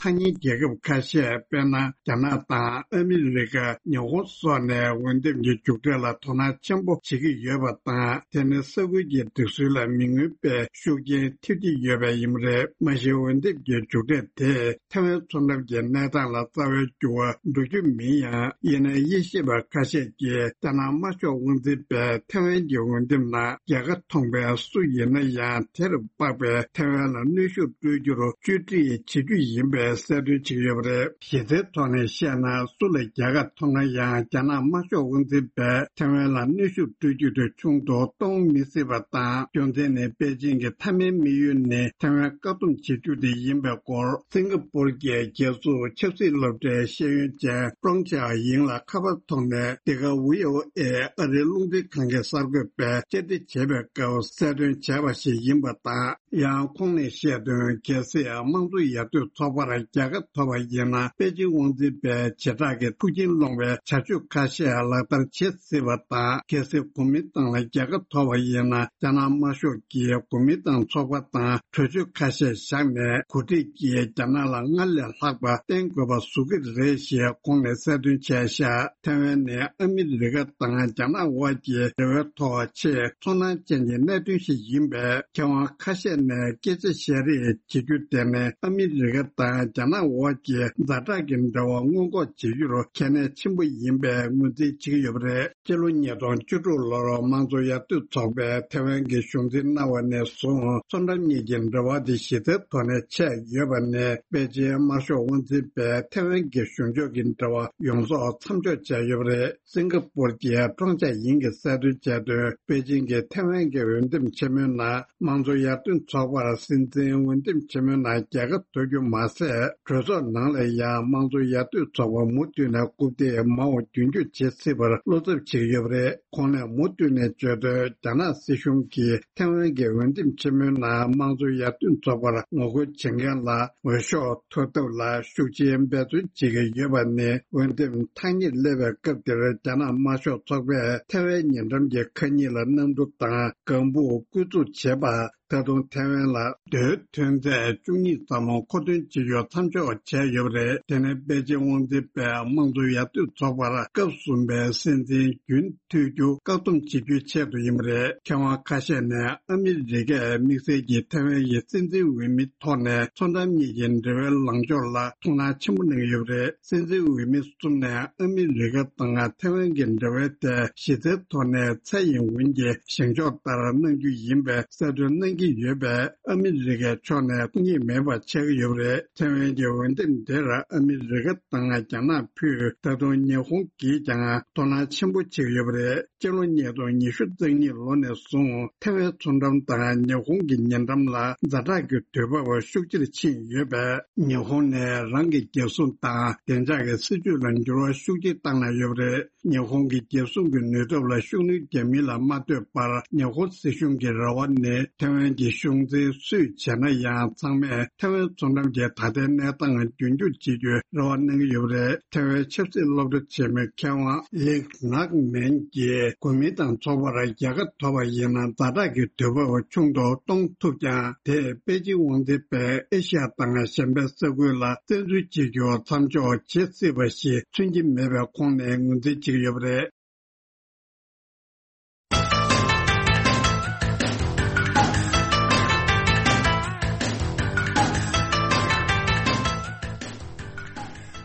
ཐ་སྙད་རྒྱལ་ཁབ་ཁ་ཤས། དཔེར་ན། རྒྱ་ནག་དང་ཨ་མི་རི་ཀ། ཉི་ཧོང་སོགས་ནས་འོས་འདེམས་ཀྱི་མཇུག་འབྲས་ལ་དོ་སྣང་ཆེན་པོ་བྱེད་ཀྱི་ཡོད་པ་དང་། དེ་ནི་ས་ཁུལ་གྱི་སྒྲིག་སྲོལ་ལ་མི་མངོན་པའི་ཤུགས་རྐྱེན་ཐེབས་ཀྱི་ཡོད་པ་ཡིན་པ་རེད། མ་གཞི་འོས་འདེམས་ཀྱི་མཇུག་འབྲས་དེས་ཐེ་ཝན་མཚོ་འགྲམ་གྱི་གནས་སྟངས་ལ་རྩ་བའི་འགྱུར་བ་འགྲོ་རྒྱུ་མིན་ཡང་། ཡིན་ན་དབྱེ་ཞིབ་པ་ཁ་ཤས་ཀྱིས། རྒྱ་ནག་དམར་ཤོག་དབང་འཛིན་པས་ཐེ་ཝན་གྱི་འོས་འདེམས་ནང་རྒྱལ་ཁ་མཐོང་པའི་སུ་ཡིན་ན་ཡང་། དེར་དཔག་པའི་ཐེ་ཝན་ལ་གནོན་ཤུགས་སྤྲོད་རྒྱུར་བཅོས་སྒྲིག་བྱེད་རྒྱུ་ཡིན་པའི་གསལ་སྟོན་བྱེད་ཀྱི་ཡོད་པ་རེད། གཞི་རྩའི་ཐོག་ནས་བཤད་ན། སུ་ལ་རྒྱལ་ཁ་མཐོང་ན་ཡང་། རྒྱ་ནག་དམར་ཤོག་དབང་འཛིན་པས་ཐེ་ཝན་ལ་གནོན་ཤུགས་སྤྲོད་རྒྱུ་དེ་ཆུང་དུ་གཏོང་མི་སྲིད་པ་དང་། རྒྱུ་མཚན་ནི། པེ་ཅིང་གི་མཐའ་མའི་དམིགས་ཡུལ་ནི་ཐེ་ཝན་བཀག་སྡོམ་བྱེད་རྒྱུ་དེ་ཡིན་པའི་སྐོར། སིང་ག་པུར་གྱི་རྒྱལ་སྲུང་ཆབ་སྲིད་སློབ་གྲྭའི་ཤེས་ཡོན་ཅན་ཀྲོང་ཅཱ་ཡིང་ལ་ཁ་པར་ཐོག་ནས། འདི་ག་བྷི་ཨོ་ཨེ་ཨ་རིའི་རླུང་འཕྲིན་ཁང་གི་གསར་འགོད་པས་བཅར་འདྲི་བྱས་པའི་སྐབས་གསལ་སྟོན་བྱས་པ་ཞིག་ཡིན་པ་དང་། ཡང་ཁོང་ནས་བཤད་དོན། གལ་སྲིད་དམངས་གཙོ་ཡར་ཐོན་ཚོགས་པར་རྒྱལ་ཁ་ཐོབ་པ་ཡིན་ན། པེ་ཅིང་དབང་འཛིན་པས་བྱེ་བྲག་གི་ཐུགས་མཁྱེན་སློང་བའི་བྱ་སྤྱོད་ཁ་ཤས་ལག་བསྟར་བྱེད་སྲིད་པ་དང་། གལ་སྲིད་གོ་མིན་ཏང་ལ་རྒྱལ་ཁ་ཐོབ་པ་ཡིན་ན། རྒྱ་ནག་དམར་ཤོག་གིས་གོ་མིན་ཏང་ཚོགས་པ་དང་གྲོས་ཆོད་ཁ་ཤས་བཞག་ནས། གོ་སྒྲིག་གིས་རྒྱ་ནག་ལ་སྔར་ལས་ལྷག་པ་བརྟེན་དགོས་པ་བཟོ་གི་རེད་ཞེས་ཁོང་ནས་གསལ་སྟོན་བྱས་ཤག་ཐེ་ཝན་ནི་ཨ་མི་རི་ཀ་དང་རྒྱ་ནག་དབར་གྱི་འབྲེལ་བའི་ཐོག་ཆེས་ཚོར་སྣང་ཅན་གྱི་གནད་དོན་ཞིག་ཡིན་པས། མཁས་དབང་ཁ་ཤས་ནས་སྐད་ཆ་བཤད་རེས་བྱེད་རྒྱུ་དེ་ནི་ཨ་མི་རི་ཀ་དང་རྒྱ་ནག་དབར་གྱི་ཛ་དྲག་གི་འབྲེལ་བ་སྔོན་འགོག་བྱེད་རྒྱུར་གལ་གནད་ཆེན་པོ་ཡིན་པའི་ངོས་འཛིན་བྱེད་ཀྱི་ཡོད་པ་རེད། སྤྱི་ལོ་ཉིས་སྟོང་བཅུ་དྲུག་ལོར་དམངས་གཙོ་ཡར་ཐོན་ཚོགས་པས་ཐེ་ཝན་གྱི་གཞུང་འཛིན་གནང་བ་ནས་བཟུང་། མཚོ་འགྲམ་གཉིས་ཀྱི་འབྲེལ་བ་དེ་གཞི་རྩའི་ཐོག་ནས་ཆད་ཡོད་པ་ནས། པེ་ཅིན་དམར་ཤོག་དབང་འཛིན་པས་ཐེ་ཝན་གྱི་གཞུང་ཕྱོགས་ཀྱི་འབྲེལ་བ་ཡོངས་རྫོགས་མཚམས་འཇོག་བྱས་ཡོད་པ་རེད། སིང་ག་པུར་གྱི་ཀྲོང་ཅཱ་ཡིང་གིས་གསལ་སྟོན་བྱས་དོན། པེ་ཅིང་གིས་ཐེ་ཝན་གྱི་འོས་འདེམས་ཆེན་མོའི་ནང་། དམངས་གཙོ་ཡར་ཐོན་ཚོགས་པར་སྲིད་འཛིན་འོས་འདེམས་ཆེན་མོའི་ནང་རྒྱལ་ཁ་ཐོབ་རྒྱུ་མ་ཟད། གྲོས་ཚོགས་ནང་ལ་ཡང་དམངས་གཙོ་ཡར་ཐོན་ཚོགས་པ་མུ་མཐུད་ནས་རྐུབ་སྟེགས་མང་བ་རྒྱུན་སྐྱོང་བྱེད་སྲིད་པར་བློ་འཚབ་བྱེད་ཀྱི་ཡོད་པ་རེད། ཁོང་ནས་མུ་མཐུད་ནས་བརྗོད་དོན། རྒྱ་ནག་སྲིད་གཞུང་གིས་ཐེ་ཝན་གྱི་འོས་འདེམས་ཆེན་མོའི་ནང་དམངས་གཙོ་ཡར་ཐོན་ཚོགས་པར་ངོ་རྒོལ་བྱེད་མཁན་ལ་འོས་ཤོག་འཐོར་ཐབས་ལ་ཤུགས་ཆེའི་འབད་བརྩོན་བྱེད་ཀྱི་ཡོད་པ་ནི། འོས་འདེམས་ཐག་ཉེར་སླེབས་པའི་སྐབས་འདིར་རྒྱ་ནག་དམར་ཤོག་ཚོགས་པས་ཐེ་ཝན་ཉེ་འགྲམ་གྱི་ཁ་ཉིན་ལ་གནམ་གྲུ་དང་ལྒང་བུ་བརྐོས་བཙུགས་བྱས་པ། ད་དུང་ཐེ་ཝན་ལ་རྡོའི་ཐོན་རྫས་བཅུ་གཉིས་ཙམ་མཁོ་འདོན་བྱེད་རྒྱུ་མཚམས་འཇོག་བྱས་ཡོད་པ་རེད། དེ་ནི་པེ་ཅིང་དབང་འཛིན་པས་དམངས་གཙོ་ཡར་ཐོན་ཚོགས་པར་སྐབས་གསུམ་པའི་སྲིད་འཛིན་རྒྱུན་མཐུད་རྒྱུ་བཀག་སྡོམ་བྱེད་རྒྱུའི་ཆེད་དུ་ཡིན་པ་རེད། མཁས་དབང་ཁ་ཤས་ནས་ཨ་མི་རི་ཀས་དམིགས་བསལ་གྱིས་ཐེ་ཝན་གྱི་སྲིད་འཛིན་འོས་མི་ཐོག་ནས་མཚོ་འགྲམ་གཉིས་ཀྱི་འབྲེལ་བའི་ལངས་ཕྱོགས་ལ་ཐུགས་སྣང་ཆེན་པོ་གནང་གི་ཡོད་པ་རེད། སྲིད་འཛིན་འོས་མི་གསུམ་ནས་ཨ་མི་རི་ཀ་དང་ཐེ་ཝན་གྱི་འབྲེལ་བའི་ཐད་གཞི་རྩའི་ཐོག་ནས་ཚད་ཡིན་འོན་གྱི་བཞེངས་ཕྱོགས་ལྟར་གནང་རྒྱུ་ཡིན་པའི་གསལ་སྟོན་གནང་གི་ཡོད་པས། ཨ་མི་རི་ཀའི་ཕྱོགས་ནས་ཐུགས་མཉེས་མེད་པ་ཆགས་ཀྱི་ཡོད་པ་རེད། ཐེ་ཝན་གྱི་འོས་འདེམས་དེར་ཨ་མི་རི་ཀ་དང་རྒྱ་ནག་ཕུད། ད་དུང་ཉི་ཧོང་གིས་ཀྱང་དོ་སྣང་ཆེན་པོ་བྱེད་ཀྱི་ཡོད་པ་རེད། སྤྱི་ལོ་ཉིས་སྟོང་ཉི་ཤུ་རྩ་གཉིས་ལོ་ནས་བཟུང་ཐེ་ཝན་མཚོ་འགྲམ་དང་ཉི་ཧོང་གི་ཉེ་འགྲམ་ལ་ཛ་དྲག་གི་དུས་བབ་ཤུགས་ཆེར་ཕྱིན་ཡོད་པས། ཉི་ཧོང་ནས་རང་གི་རྒྱལ་སྲུང་དང་བདེ་འཇགས་ཀྱི་སྲིད་ཇུས་ལ་འགྱུར་བ་ཤུགས་ཆེ་བཏང་གནང་ཡོད་པ་རེད། ཉི་ཧོང་གི་རྒྱལ་སྲུང་གི་ནུས་སྟོབས་ལ་ཤུགས་སྣོན་རྒྱག་མིན་ལ་མ་ལྟོས་པར། ཉི་ཧོང་སྲིད་གཞུང་གི་རེ་བ་ནི་ཐེ་ཝན་གྱི་གཞུང་འཛིན་སུས་བྱས་ན་ཡང་ཚང་མས་ཐེ་ཝན་མཚོ་འགྲམ་གྱི་ད་ལྟའི་གནས་སྟངས་རྒྱུན་སྐྱོང་བྱེད་རྒྱུའི་རེ་བ་གནང་གི་ཡོད་པ་རེད། ཐེ་ཝན་ཆབ་སྲིད་སློབ་གྲྭ་ཆེན་མོའི་མཁས་དབང་ལིག་ནག་མན་གྱིས་གོ་མིན་ཏང་ཚོགས་པར་རྒྱལ་ཁ་ཐོབ་པ་ཡིན་ན་ཛ་དྲག་གི་དུས་བབ་ཆུང་དུ་གཏོང་ཐུབ་ཀྱང་། དེས་པེ་ཅིང་དབང་འཛིན་པས་ཨེ་ཤ་ཡ་དང་གཞན་པའི་ས་ཁུལ་ལ་བཙན་འཛུལ་བྱེད་རྒྱུ་མཚམས་འཇོག་བྱེད་སྲིད་པ་ཞིག་མཚོན་གྱི་མེད་པའི་ཁོངས་ནས་ངོས་འཛིན་བྱེད་ཀྱི་ཡོད་པ་རེད།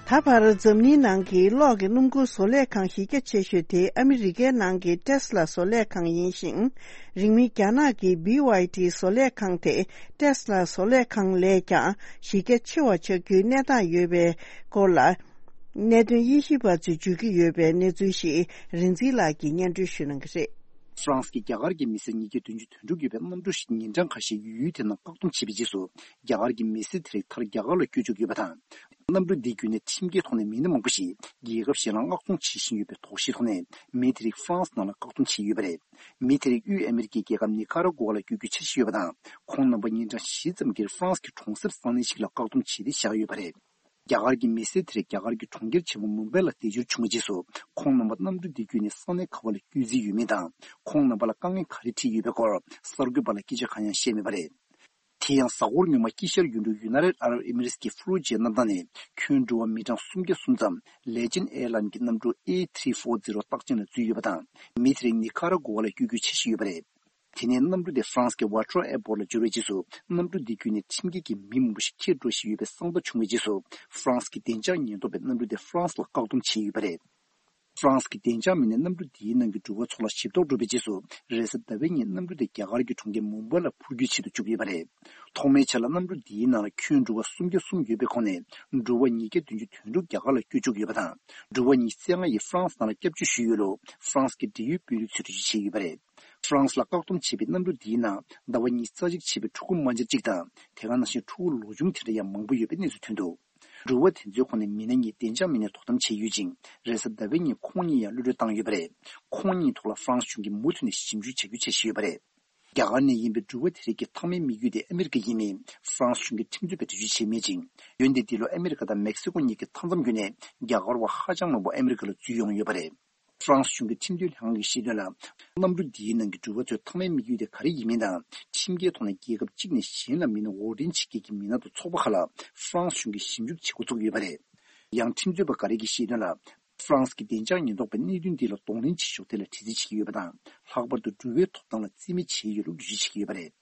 ད་བར་འཛམ་གླིང་ནང་གི་གློག་གི་སྣུམ་འཁོར་བཟོ་ལས་ཁང་གཞི་རྒྱ་ཆེ་ཤོས་དེ་ཨ་མི་རི་ཀའི་ནང་གི་ཊེ་སི་ལ་བཟོ་ལས་ཁང་ཡིན་ཞིང་། རིང་མིན་རྒྱ་ནག་གི་བྷི་ཝའི་ཌི་བཟོ་ལས་ཁང་དེ་ཊེ་སི་ལ་བཟོ་ལས་ཁང་ལས་ཀྱང་གཞི་རྒྱ་ཆེ་བ་ཆགས་རྒྱུའི་གནས་སྟངས་ཡོད་པའི་སྐོར་ལ། གནད་དོན་དབྱེ་ཞིབ་པ་ཚོས་བརྗོད་ཀྱི་ཡོད་པའི་གནས་ཚུལ་ཞིག་རིག་འཛིན་ལགས་ཀྱིས་སྙན་སྒྲོན་ཞུ་གནང་གི་རེད། ཧྥ་རན་སི་གིས་རྒྱ་གར་གྱི་མི་སེར་ཉིས་བརྒྱ་བདུན་ཅུ་དོན་དྲུག་ཡོད་པའི་གནམ་གྲུ་ཞིག་ཉིན་གྲངས་ཁ་ཤས་ཡུལ་དེ་ནང་བཀག་སྡོམ་བྱས་པའི་རྗེས་སུ། རྒྱ་གར་གྱི་མི་སེར་དེ་རིགས་མཐར་རྒྱ་གར་ལ་བསྐྱོད་བཅུག་ཡོད་པ་དང་། གནམ་གྲུ་འདི་བརྒྱུད་ནས་ཁྲིམས་འགལ་ཐོག་ནས་མི་སྣ་མང་པོ་ཞིག་རྒྱལ་ཁབ་གཞན་ལ་མངགས་གཏོང་བྱེད་བཞིན་ཡོད་པའི་དོགས་གཞིའི་ཐོག་ནས། མི་དེ་རིགས་ཧྥ་རན་སི་ནང་ལ་བཀག་སྡོམ་བྱས་ཡོད་པ་རེད། མི་དེ་རིགས་དབུས་ཨ་མི་རི་ཀའི་རྒྱལ་ཁབ་ནི་ཁ་ར་གོ་ཝ་ལ་བསྐྱོད་རྒྱུའི་འཆར་གཞི་ཡོད་པ་དང་། ཁོང་རྣམ་པ་ཉིན་གྲངས་བཞི་ཙམ་སྒེར་ཧྥ་རན་སི་གི་གྲོང་གསེབ་ས་གནས་ཤིག་ལ་བཀག་སྡོམ་བྱས་ཏེ་བཞག་ཡོད་པ་རེད། རྒྱ་གར་གྱི་མི་སེར་དེ་རིགས་རྒྱ་གར་གྱི་གྲོང་ཁྱེར་ཆེན་པོ་མུམ་བྷའི་ལ་འདས་འབྱོར་བྱུང་བའི་རྗེས་སུ། ཁོང་རྣམ་པ་གནམ་གྲུ་འདི་བརྒྱུད་ནས་ས་གནས་ག་བ་ལ་བསྐྱོད་རྩིས་ཡོད་མེད་དང་། ཁོང་རྣམ་པ་ལ་དཀའ་ངལ་ག་རེ་འཕྲད་ཡོད་པའི་སྐོར་གསར་འགོད་པ་ལ་སྐད་ཆ་གང་ཡང་བཤད་མེད་པ་རེད། དེ་ཡང་། གཟའ་འཁོར་སྔོན་མ་དཀྱིལ་ཤར་ཡུལ་གྲུ་ཡུ་ནའི་ཊེཌ་ཨ་རབ་ཨེ་མི་རེ་ཊི་ཀྱི་ཧྥུ་ལུ་ཇེ་གནམ་ཐང་ནས་ཁྱོན་འགྲོ་བ་མི་གྲངས་སུམ་བརྒྱ་གསུམ་ཙམ་ལེ་ཇེན་ཨེར་ལའིན་གྱི་གནམ་གྲུ་ཨེ་ཐི་རི་ཕོར་ཛི་རོ་རྟགས་ཅན་ལ་འཛུལ་ཡོད་པ་དང་། མི་དེ་རིགས་ནི་ཁ་ར་གོ་ཝ་ལ་བསྐྱོད་རྒྱུའི་འཆར་གཞི་ཡོད་པ་རེད། དེ་ནས་གནམ་གྲུ་དེ་ཧྥ་རན་སི་གི་ཝ་ཊོ་ཨེར་པོར་ཊི་ལ་འབྱོར་བའི་རྗེས་སུ། གནམ་གྲུ་འདི་བརྒྱུད་ནས་ཁྲིམས་འགལ་གྱིས་མི་མང་པོ་ཞིག་འཁྱེར་འགྲོ་བཞིན་ཡོད་པའི་གསང་བརྡ་བྱུང་བའི་རྗེས་སུ། ཧྥ་རན་སི་གི་བདེ་འཇགས་ཉེན་རྟོག་པས་གནམ་གྲུ་དེ་ཧྥ་རན་སི་ལ་བཀག་སྡོམ་བྱས་ཡོད་པ་རེད། ཧྥ་རན་སི་གི་བདེ་འཇགས་མི་སྣས་གནམ་གྲུ་འདིའི་ནང་གི་འགྲུལ་པ་ཚོ་ལ་ཞིབ་རྟོག་འགྲོ་བའི་རྗེས་སུ། རེས་གཟའ་ཟླ་བའི་ཉིན་གནམ་གྲུ་དེ་རྒྱ་གར་གྱི་གྲོང་ཁྱེར་མུམ་བྷའི་ལ་འཕུར་རྒྱུའི་ཆེད་དུ་བཅུག་ཡོད་པ་རེད། ཐོག་མའི་ཆར་ལ་གནམ་གྲུ་འདིའི་ནང་ལ་ཁྱོན་འགྲོ་བ་སུམ་བརྒྱ་གསུམ་ཡོད་པའི་ཁོངས་ནས། འགྲོ་བ་ཉིས་བརྒྱ་བདུན་ཅུ་དོན་དྲུག་རྒྱ་གར་ལ་བསྐྱོད་བཅུག་ཡོད་པ་དང་། འགྲོ་བ་ཉི་ཤུ་རྩ་ལྔ་ཡིས་ཧྥ་རན་སི་ནང་ལ་སྐྱབས་བཅོལ་ཞུས་ཡོད་ལུགས་ཧྥ་རན་སི་གི་འབྲེལ་ཡོད་དཔོན་རིགས་ཚོས་འགྲེལ་བརྗོད་བྱས་ཡོད་པ་རེད། ཧྥ་རན་སི་ལ་བཀག་སྡོམ་བྱས་པའི་གནམ་གྲུ་འདིའི་ནང་ཟླ་བ་ཉི་ཤུ་རྩ་གཅིག་བྱས་པའི་ཕྲུ་གུ་དམར་འབྱར་གཅིག་དང་། དེ་ག་ནང་བཞིན་ཕྲུ་གུ་ལོ་ཆུང་དེ་འདྲ་ཡང་མང་པོ་ཡོད་པའི་གནས་ཚུལ་ཐོན་འདུག་འགྲུལ་པ་དེ་ཚོའི་ཁོངས་ནས་མི་སྣ་གཉིས་བདེ་འཇགས་མི་སྣས་དོ་དམ་བྱས་ཡོད་ཅིང་། རེས་གཟའ་ཟླ་བའི་ཉིན་ཁོང་གཉིས་ཡང་གློད་གྲོལ་བཏང་ཡོད་པ་རེད། ཁོང་གཉིས་ཐོག་ལ་ཧྥ་རན་སི་གཞུང་གིས་མུ་མཐུད་ནས་ཞིབ་འཇུག་བྱ་རྒྱུའི་འཆར་གཞི་ཡོད་པ་རེད། རྒྱ་གར་ནས་ཡིན་པའི་འགྲུལ་པ་དེ་རིགས་ཀྱི་མཐའ་མའི་དམིགས་ཡུལ་དེ་ཨ་མི་རི་ཀ་ཡིན་མིན་ཧྥ་རན་སི་གཞུང་གིས་ཁྲིམས་རྩོད་པས་འགྲེལ་བརྗོད་བྱས་མེད་ཅིང་། འོན་ཏེ་འདི་ལོ་ཨ་མི་རི་ཀ་དང་མེག་སི་ཀོ་གཉིས་ཀྱི་མཐའ་མཚམས་བརྒྱུད་ནས་རྒྱ་གར་བ་ཧ་ཅང་མང་པོ་ཨ་མི་རི་ཀ་ལ་འཛུལ་ཡོང་ཡོད་པ་རེད། ཧྥ་རན་སི་གཞུང་གི་ཁྲིམས་དོན་ལྷན་ཁང་གིས་བཤད་དོན་ལ། གནམ་གྲུ་འདིའི་ནང་གི་འགྲུལ་པ་ཚོའི་མཐའ་མའི་དམིགས་ཡུལ་དེ་ག་རེ་ཡིན་མིན་དང་། ཁྲིམས་འགལ་ཐོག་ནས་རྒྱལ་ཁབ་གཅིག་ནས་གཞན་ལ་མི་སྣ་འོར་འདྲེན་བྱེད་མཁན་གྱི་མི་སྣ་དང་ཚོགས་པ་ཁག་ལ་ཧྥ་རན་སི་གཞུང་གིས་ཞིབ་འཇུག་བྱེད་འགོ་བཙུགས་ཡོད་པ་རེད། ཡང་ཁྲིམས་རྩོད་པ་འགའ་རེ་གིས་བཤད་དོན་ལ། ཧྥ་རན་སི་གི་བདེ་འཇགས་ཉེན་རྟོག་པས་གནད་དོན་འདི་ལ་གདོང་ལེན་བྱེད་ཕྱོགས་ཐད་ལ་དྲི་རྩད་བྱེད་ཀྱི་ཡོད་པ་དང་། ལྷག་པར་དུ་འགྲུལ་པའི་ཐོབ་ཐང་ལ་རྩིས་མེད་བྱས་ཡོད་ལུགས་འགྲེལ་བརྗོད་བྱེད་ཀྱི་ཡོད་པ་རེད།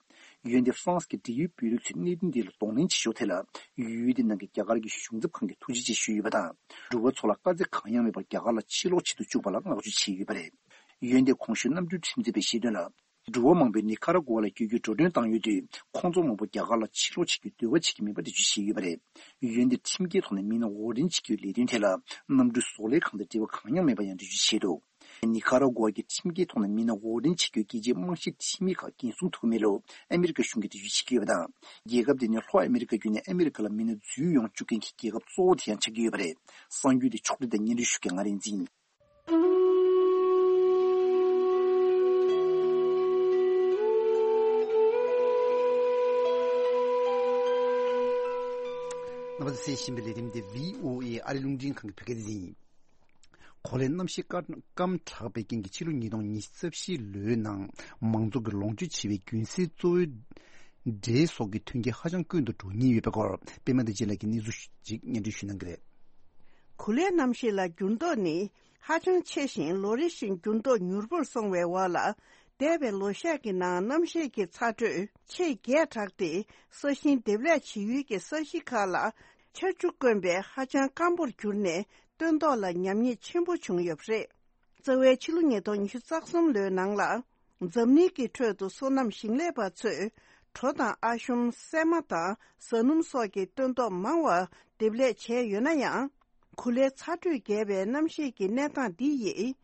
འོན་ཏེ་ཧྥ་རན་སི་གི་འབྲེལ་ཡོད་དཔོན་རིགས་ཚོས་གནད་དོན་འདི་ལ་གདོང་ལེན་བྱེད་ཕྱོགས་ཐད་ལ། ཡུལ་དེ་ནང་གི་རྒྱ་གར་གྱི་གཞུང་ཚབ་ཁང་གིས་ཐུགས་རྗེ་ཆེ་ཞུས་ཡོད་པ་དང་། འགྲུལ་པ་ཚོ་ལ་དཀའ་ཚེགས་གང་ཡང་མེད་པར་རྒྱ་གར་ལ་ཕྱིར་ལོག་བྱེད་དུ་བཅུག་པ་ལ་བསྔགས་བརྗོད་བྱས་ཡོད་པ་རེད། འོན་ཏེ་གོང་ཞུས་གནམ་གྲུའི་ཁྲིམས་རྩོད་པས་བཤད་དོན་ལ། འགྲུལ་པ་མང་པོས་ནི་ཁ་ར་གོ་ཝ་ལ་བསྐྱོད་རྒྱུའི་འགྲོ་གྲོན་བཏང་ཡོད་དུས། ཁོང་ཚོ་མང་པོ་རྒྱ་གར་ལ་ཕྱིར་ལོག་བྱེད་རྒྱུའི་འདོད་པ་བྱེད་ཀྱི་མེད་པ་འགྲེལ་བརྗོད་བྱས་ཡོད་པ་རེད། འོན་ཏེ་ཁྲིམས་འགལ་ཐོག་ནས་མི་སྣ་འོར་འདྲེན་བྱེད་རྒྱུའི་ལས་དོན་ཐད་ལ། གནམ་གྲུའི་བཟོ་ལས་ཁང་དང་འབྲེལ་བ་གང་ཡང་མེད་པ་ཡང་འགྲེལ་བརྗོད་བྱས་འདུག་ནི་ཁ་ར་གོ་ཝ་གི་ཁྲིམས་འགལ་ཐོག་ནས་མི་སྣ་འོག་འདྲེན་བྱེད་རྒྱུའི་རྒྱལ་སྤྱིའི་རྨང་གཞིའི་ཁྲིམས་ཡིག་ཁག་འགན་སྲུང་ཐུབ་མེད་ལུགས་ཨ་མི་རི་ཀ་གཞུང་གིས་འགྲེལ་བརྗོད་བྱེད་ཀྱི་ཡོད་པ་དང་། རྒྱལ་ཁབ་དེ་ནི་ལྷོ་ཨ་མི་རི་ཀ་བརྒྱུད་ནས་ཨ་མི་རི་ཀ་ལ་མི་སྣ་འཛུལ་ཡོང་བཅུག་མཁན་གྱི་རྒྱལ་ཁབ་གཙོ་བོ་དེ་ཡང་ཆགས་ཀྱི་ཡོད་པ་རེད། གསར་འགྱུར་དེ་ཕྱོགས་སྒྲིག་དང་སྙན་སྒྲོན་ཞུ་མཁན་ང་རིག་འཛིན་ཡིན། རྣམ་པ་ཚོས་གསན་བཞིན་པའི་ལས་རིམ་དེ་བྷི་ཨོ་ཨེ་ཨ་རི་རླུང་འཕྲིན་ཁང་གི་བོད་སྐད་སྡེ་ཚན་ཡིན། གོ་ལའི་གནམ་གཤིས་སྐར་སྐམ་དྲགས་པའི་རྐྱེན་གྱིས་ཕྱི་ལོ་ཉིས་སྟོང་ཉི་ཤུ་རྩ་བཞི་ལོའི་ནང་མང་ཚོགས་ཀྱིས་ལོངས་སྤྱོད་བྱེད་པའི་རྒྱུན་སྲིལ་གཙོ་བོའི་འབྲས་སོགས་ཀྱི་ཐོན་སྐྱེད་ཧ་ཅང་དཀོན་དུ་འགྲོ་ཉེན་ཡོད་པའི་སྐོར། པད་མ་བདེ་ཆེན་ལགས་ཀྱིས་གནས་ཚུལ་ཞིག་སྙན་སྒྲོན་ཞུ་གནང་གི་རེད། གོ་ལའི་གནམ་གཤིས་ལ་འགྱུར་ལྡོག་ནི་ཧ་ཅང་ཆེ་ཞིང་ལོ་རེ་བཞིན་འགྱུར་ལྡོག་མྱུར་པོར་སོང་བའི་འོག་ལ། འདས་པའི་ལོ་ཤས་ཀྱི་ནང་གནམ་གཤིས་ཀྱི་ཚ་དྲོད་ཆེས་རྒྱས་དྲགས་ཏེ། ས་ཞིང་འདེབས་ལས་བྱེད་ཡུལ་གྱི་ས་གཞི་ཁག་ལ་ཆར་ཆུ་དཀོན་པས་ཧ་ཅང་སྐམ་པོར་གྱུར་ནས་སྟོན་ཐོག་ལ་ཉམས་ཉེས་ཆེན་པོ་བྱུང་ཡོད་པ་རེད། རྩ་བའི་ཕྱི་ལོ་ཉིས་སྟོང་ཉི་ཤུ་རྩ་གསུམ་ལོའི་ནང་ལ། འཛམ་གླིང་གི་ཁྲོད་དུ་སོ་ནམ་ཞིང་ལས་པ་ཚོས་གྲོ་དང་ཨ་ཤོམ། སྲན་མ་དང་ཟ་སྣུམ་སོགས་ཀྱི་སྟོན་ཐོག་མང་བ་འདེབས་ལས་བྱས་ཡོད་ན་ཡང་། གོ་ལའི་ཚ་དྲོད་རྒྱས་པའི་གནམ་གཤིས་ཀྱི་གནས་སྟངས་འདི་ཡིས།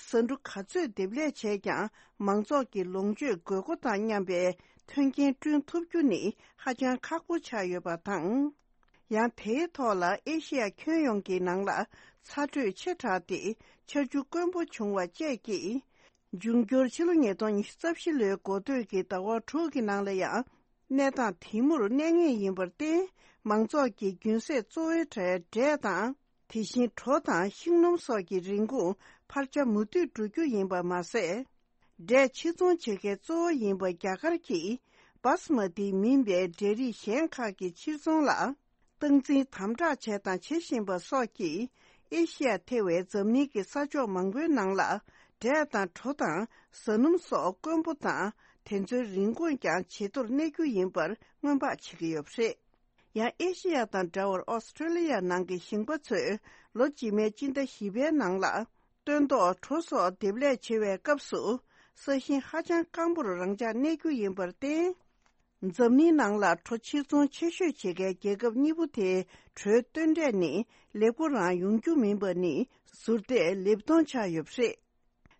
ཟ་འབྲུ་ག་ཚོད་འདེབས་ལས་བྱས་ཀྱང་མང་ཚོགས་ཀྱི་ལོངས་སྤྱོད་དགོས་མཁོ་དང་མཉམ་པའི་མཐུན་རྐྱེན་བསྐྲུན་ཐུབ་རྒྱུ་ནི་ཧ་ཅང་ཁག་པོ་ཆགས་ཡོད་པ་དང་། ཡང་དེའི་ཐོག་ལ་ཨེ་ཤི་ཡ་ཁྱོན་ཡོངས་ཀྱི་ནང་ལ་ཚ་དྲོད་ཆེ་དྲགས་ཏེ་ཆར་ཆུ་དཀོན་པོ་བྱུང་བ་བཅས་ཀྱིས། འབྱུང་འགྱུར་ཕྱི་ལོ་ཉིས་སྟོང་ཉི་ཤུ་རྩ་བཞི་ལོའི་འགོ་སྟོད་ཀྱི་ཟླ་བ་དྲུག་གི་ནང་ལ་ཡང་གནས་སྟངས་དེ་མུར་གནས་ངེས་ཡིན་པར་བརྟེན། མང་ཚོགས་ཀྱི་རྒྱུན་སྲིལ་གཙོ་བོའི་གྲས་འབྲས་དང་། དེ་བཞིན་གྲོ་དང་ཤིང་སྣུམ་སོགས་ཀྱི་རིན་གོང་འཕར་ཆ་མུ་མཐུད་འགྲོ་རྒྱུ་ཡིན་པ་མ་ཟད། འབྲས་ཕྱིར་ཚོང་བྱེད་མཁན་གཙོ་བོ་ཡིན་པ་རྒྱ་གར་གྱིས་སྦ་སི་མ་ཏི་མིན་པའི་འབྲས་རིགས་གཞན་ཁག་གི་ཕྱིར་ཚོང་ལ་སྟངས་འཛིན་དམ་དྲག་བྱས་དང་བྱེད་བཞིན་པ་སོགས་ཀྱིས་ཨེ་ཤི་ཡ་ཐེ་བའི་འཛམ་གླིང་གི་ས་ཕྱོགས་མང་པོའི་ནང་ལ་འབྲས་དང་གྲོ་དང་ཟ་སྣུམ་སོགས་དཀོན་པོ་དང་། དེ་ཚོའི་རིན་གོང་ཀྱང་ཇེ་མཐོར་གནས་རྒྱུ་ཡིན་པར་སྔོན་དཔག་བྱེད་ཀྱི་ཡོད་པ་རེད། ཡང་ཨེ་ཤི་ཡ་དང་འདྲ་བར་ཨོ་སི་ཁྲུ་ལི་ཡ་ནང་གི་ཞིང་པ་ཚོས་ལོ་རྗེས་མའི་སྤྱི་ཟླ་བཞི་པའི་ནང་ལ་སྟོན་ཐོག་གྲོ་སོགས་འདེབས་ལས་བྱེད་པའི་སྐབས་སུ་ས་ཞིང་ཧ་ཅང་སྐམ་པོར་རང་འཇགས་གནས་རྒྱུ་ཡིན་པར་བརྟེན། འཛམ་གླིང་ནང་ལ་གྲོ་ཕྱིར་ཚོང་ཆེ་ཤོས་བྱེད་མཁན་རྒྱལ་ཁབ་གཉིས་པོ་དེའི་གྲོའི་སྟོན་འབྲས་ནི་ལེགས་པོ་རང་ཡོང་རྒྱུ་མིན་པ་ནི་ཟུར་བལྟས་ལེབ་མཐོང་ཆགས་ཡོད་པ་རེད།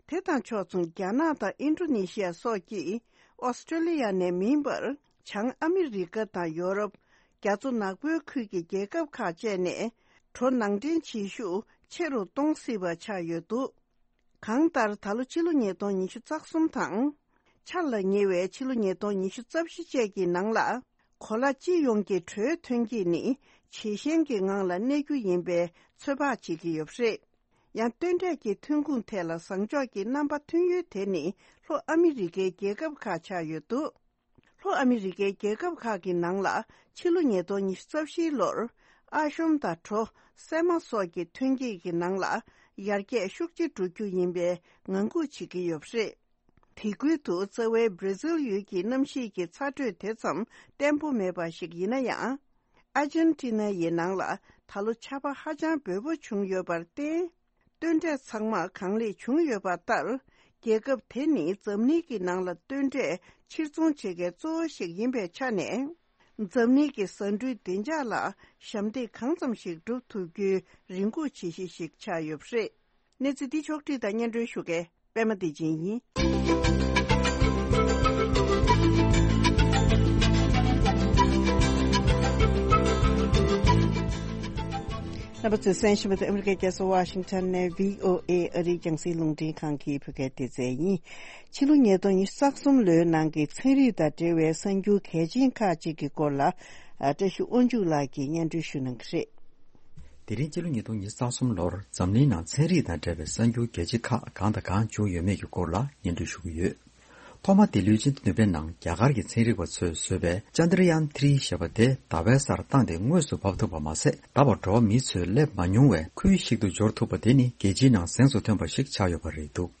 དེ་དང་ཕྱོགས་མཚུངས་རྒྱ་ནག་དང་ཨིན་ཌོ་ནེ་ཤི་ཡ་སོགས་ཀྱིས་ཨོ་སི་ཀྲོ་ལི་ཡ་ནས་མིན་པར་བྱང་ཨ་མི་རི་ཀ་དང་ཡོ་རོབ། རྒྱ་མཚོ་ནག་པོའི་ཁུལ་གྱི་རྒྱལ་ཁབ་ཁག་བཅས་ནས་གྲོ་ནང་འདྲེན་བྱེད་ཤུགས་ཆེ་རུ་གཏོང་སྲིད་པ་ཆགས་ཡོད་འདུག་གང་ལྟར་ད་ལོ་ཕྱི་ལོ་ཉིས་སྟོང་ཉི་ཤུ་རྩ་གསུམ་དང་། འཆར་ལ་ཉེ་བའི་ཕྱི་ལོ་ཉིས་སྟོང་ཉི་ཤུ་རྩ་བཞི་བཅས་ཀྱི་ནང་ལ། གོ་ལ་སྤྱི་ཡོངས་ཀྱི་གྲོའི་ཐོན་སྐྱེད་ནི་ཇེ་ཞན་གྱི་ངང་ལ་གནས་རྒྱུ་ཡིན་པའི་ཚོད་དཔག་བྱེད་ཀྱི་ཡོད་པ་རེད། ཡང་སྟོན་འབྲས་ཀྱི་ཐོན་ཁུངས་ཐད་ལ་བཟང་ཕྱོགས་ཀྱི་རྣམ་པ་ཐོན་ཡུལ་དེ་ནི་ལྷོ་ཨ་མི་རི་ཀའི་རྒྱལ་ཁབ་ཁག་ཆགས་ཡོད་འདུག་ལྷོ་ཨ་མི་རི་ཀའི་རྒྱལ་ཁབ་ཁག་གི་ནང་ལ་ཕྱི་ལོ་ཉིས་སྟོང་ཉི་ཤུ་རྩ་བཞིའི་ལོར་ཨ་ཤོམ་དང་གྲོ། སྲན་མ་སོགས་ཀྱི་ཐོན་སྐྱེད་ཀྱི་ནང་ལ་ཡར་རྒྱས་ཤུགས་ཆེ་འགྲོ་རྒྱུ་ཡིན་པའི་ངང་སྒུག་བྱེད་ཀྱི་ཡོད་པ་རེད། དེ་ཁུལ་དུ་རྩ་བའི་བྷི་ར་ཛིལ་ཡུལ་གྱི་གནམ་གཤིས་ཀྱི་ཚ་དྲོད་དེ་ཙམ་བརྟན་པོ་མེད་པ་ཞིག་ཡིན་ན་ཡང་། ཨར་ཇན་ཏི་ན་ཡི་ནང་ལ་ད་ལོ་ཆར་པ་ཧ་ཅང་འབེལ་པོ་བྱུང་ཡོད་པར་བརྟེན། སྟོན་འབྲས་ཚང་མ་གང་ལེགས་བྱུང་ཡོད་པ་ལྟར། རྒྱལ་ཁབ་དེ་ནི་འཛམ་གླིང་གི་ནང་ལ་སྟོན་འབྲས་ཕྱིར་ཚོང་བྱེད་མཁན་གཙོ་བོ་ཞིག་ཡིན་པའི་ཆ་ནས། འཛམ་གླིང་གི་ཟ་འབྲུའི་བདེ་འཇགས་ལ་ཞབས་འདེགས་གང་ཙམ་ཞིག་སྒྲུབ་ཐུབ་རྒྱུའི་རེ་སྒུག་བྱེད་གཞི་ཞིག་ཆགས་ཡོད་པ་རེད། གནས་ཚུལ་འདི་ཕྱོགས་བསྒྲིགས་དང་སྙན་སྒྲོན་ཞུ་མཁན་པད་མ་བདེ་ཆེན་ཡིན། རྣམ་པ་ཚོས་གསན་བཞིན་པ་དེ་ཨ་མི་རི་ཀའི་རྒྱལ་ས་ཝ་ཤིང་ཊོན་ནས་བྷི་ཨོ་ཨེ་ཨ་རིའི་རྒྱང་སྲིང་རླུང་འཕྲིན་ཁང་གི་བོད་སྐད་སྡེ་ཚན་ཡིན། ཕྱི་ལོ་ཉིས་སྟོང་ཉི་ཤུ་རྩ་གསུམ་ལོའི་ནང་གི་ཚན་རིག་དང་འབྲེལ་བའི་གསར་འགྱུར་གལ་ཆེན་ཁག་ཅིག་གི་སྐོར་ལ། ཨ། བཀྲ་ཤིས་དབང་ཕྱུག་ལགས་ཀྱིས་སྙན་སྒྲོན་ཞུ་གནང་གི་རེད། དེ་རིང་ཕྱི་ལོ་ཉིས་སྟོང་ཉི་ཤུ་རྩ་གསུམ་ལོར་འཛམ་གླིང་ནང་ཚན་རིག་དང་འབྲེལ་བའི་གསར་འགྱུར་གལ་ཆེ་ཁག་གང་དང་གང་བྱུང་ཡོད་མེད་ཀྱི་སྐོར་ལ་སྙན་སྒྲོན་ཞུ་གི་ཡོད། ཐོག་མ་དེ་ལོའི་སྤྱི་ཟླ་བདུན་པའི་ནང་རྒྱ་གར་གྱི་ཚན་རིག་པ་ཚོས་བཟོས་པའི་ཅན་དྲ་ཡཱན་ཐི་རི་ཞེས་པ་དེ་ཟླ་བའི་སར་བཏང་སྟེ་དངོས་སུ་བབས་ཐུབ་པ་མ་ཟད། ད་བར་འགྲོ་བ་མིའི་ཚོས་སླེབས་མ་མྱོང་བའི་ཁུལ་ཞིག་ཏུ་འབྱོར་ཐུབ་པ་དེ་ནི་རྒྱལ་སྤྱིའི་ནང་གཟེངས་སུ་ཐོན་པ་ཞིག་ཆགས་ཡོད་པ་རེད་འདུག་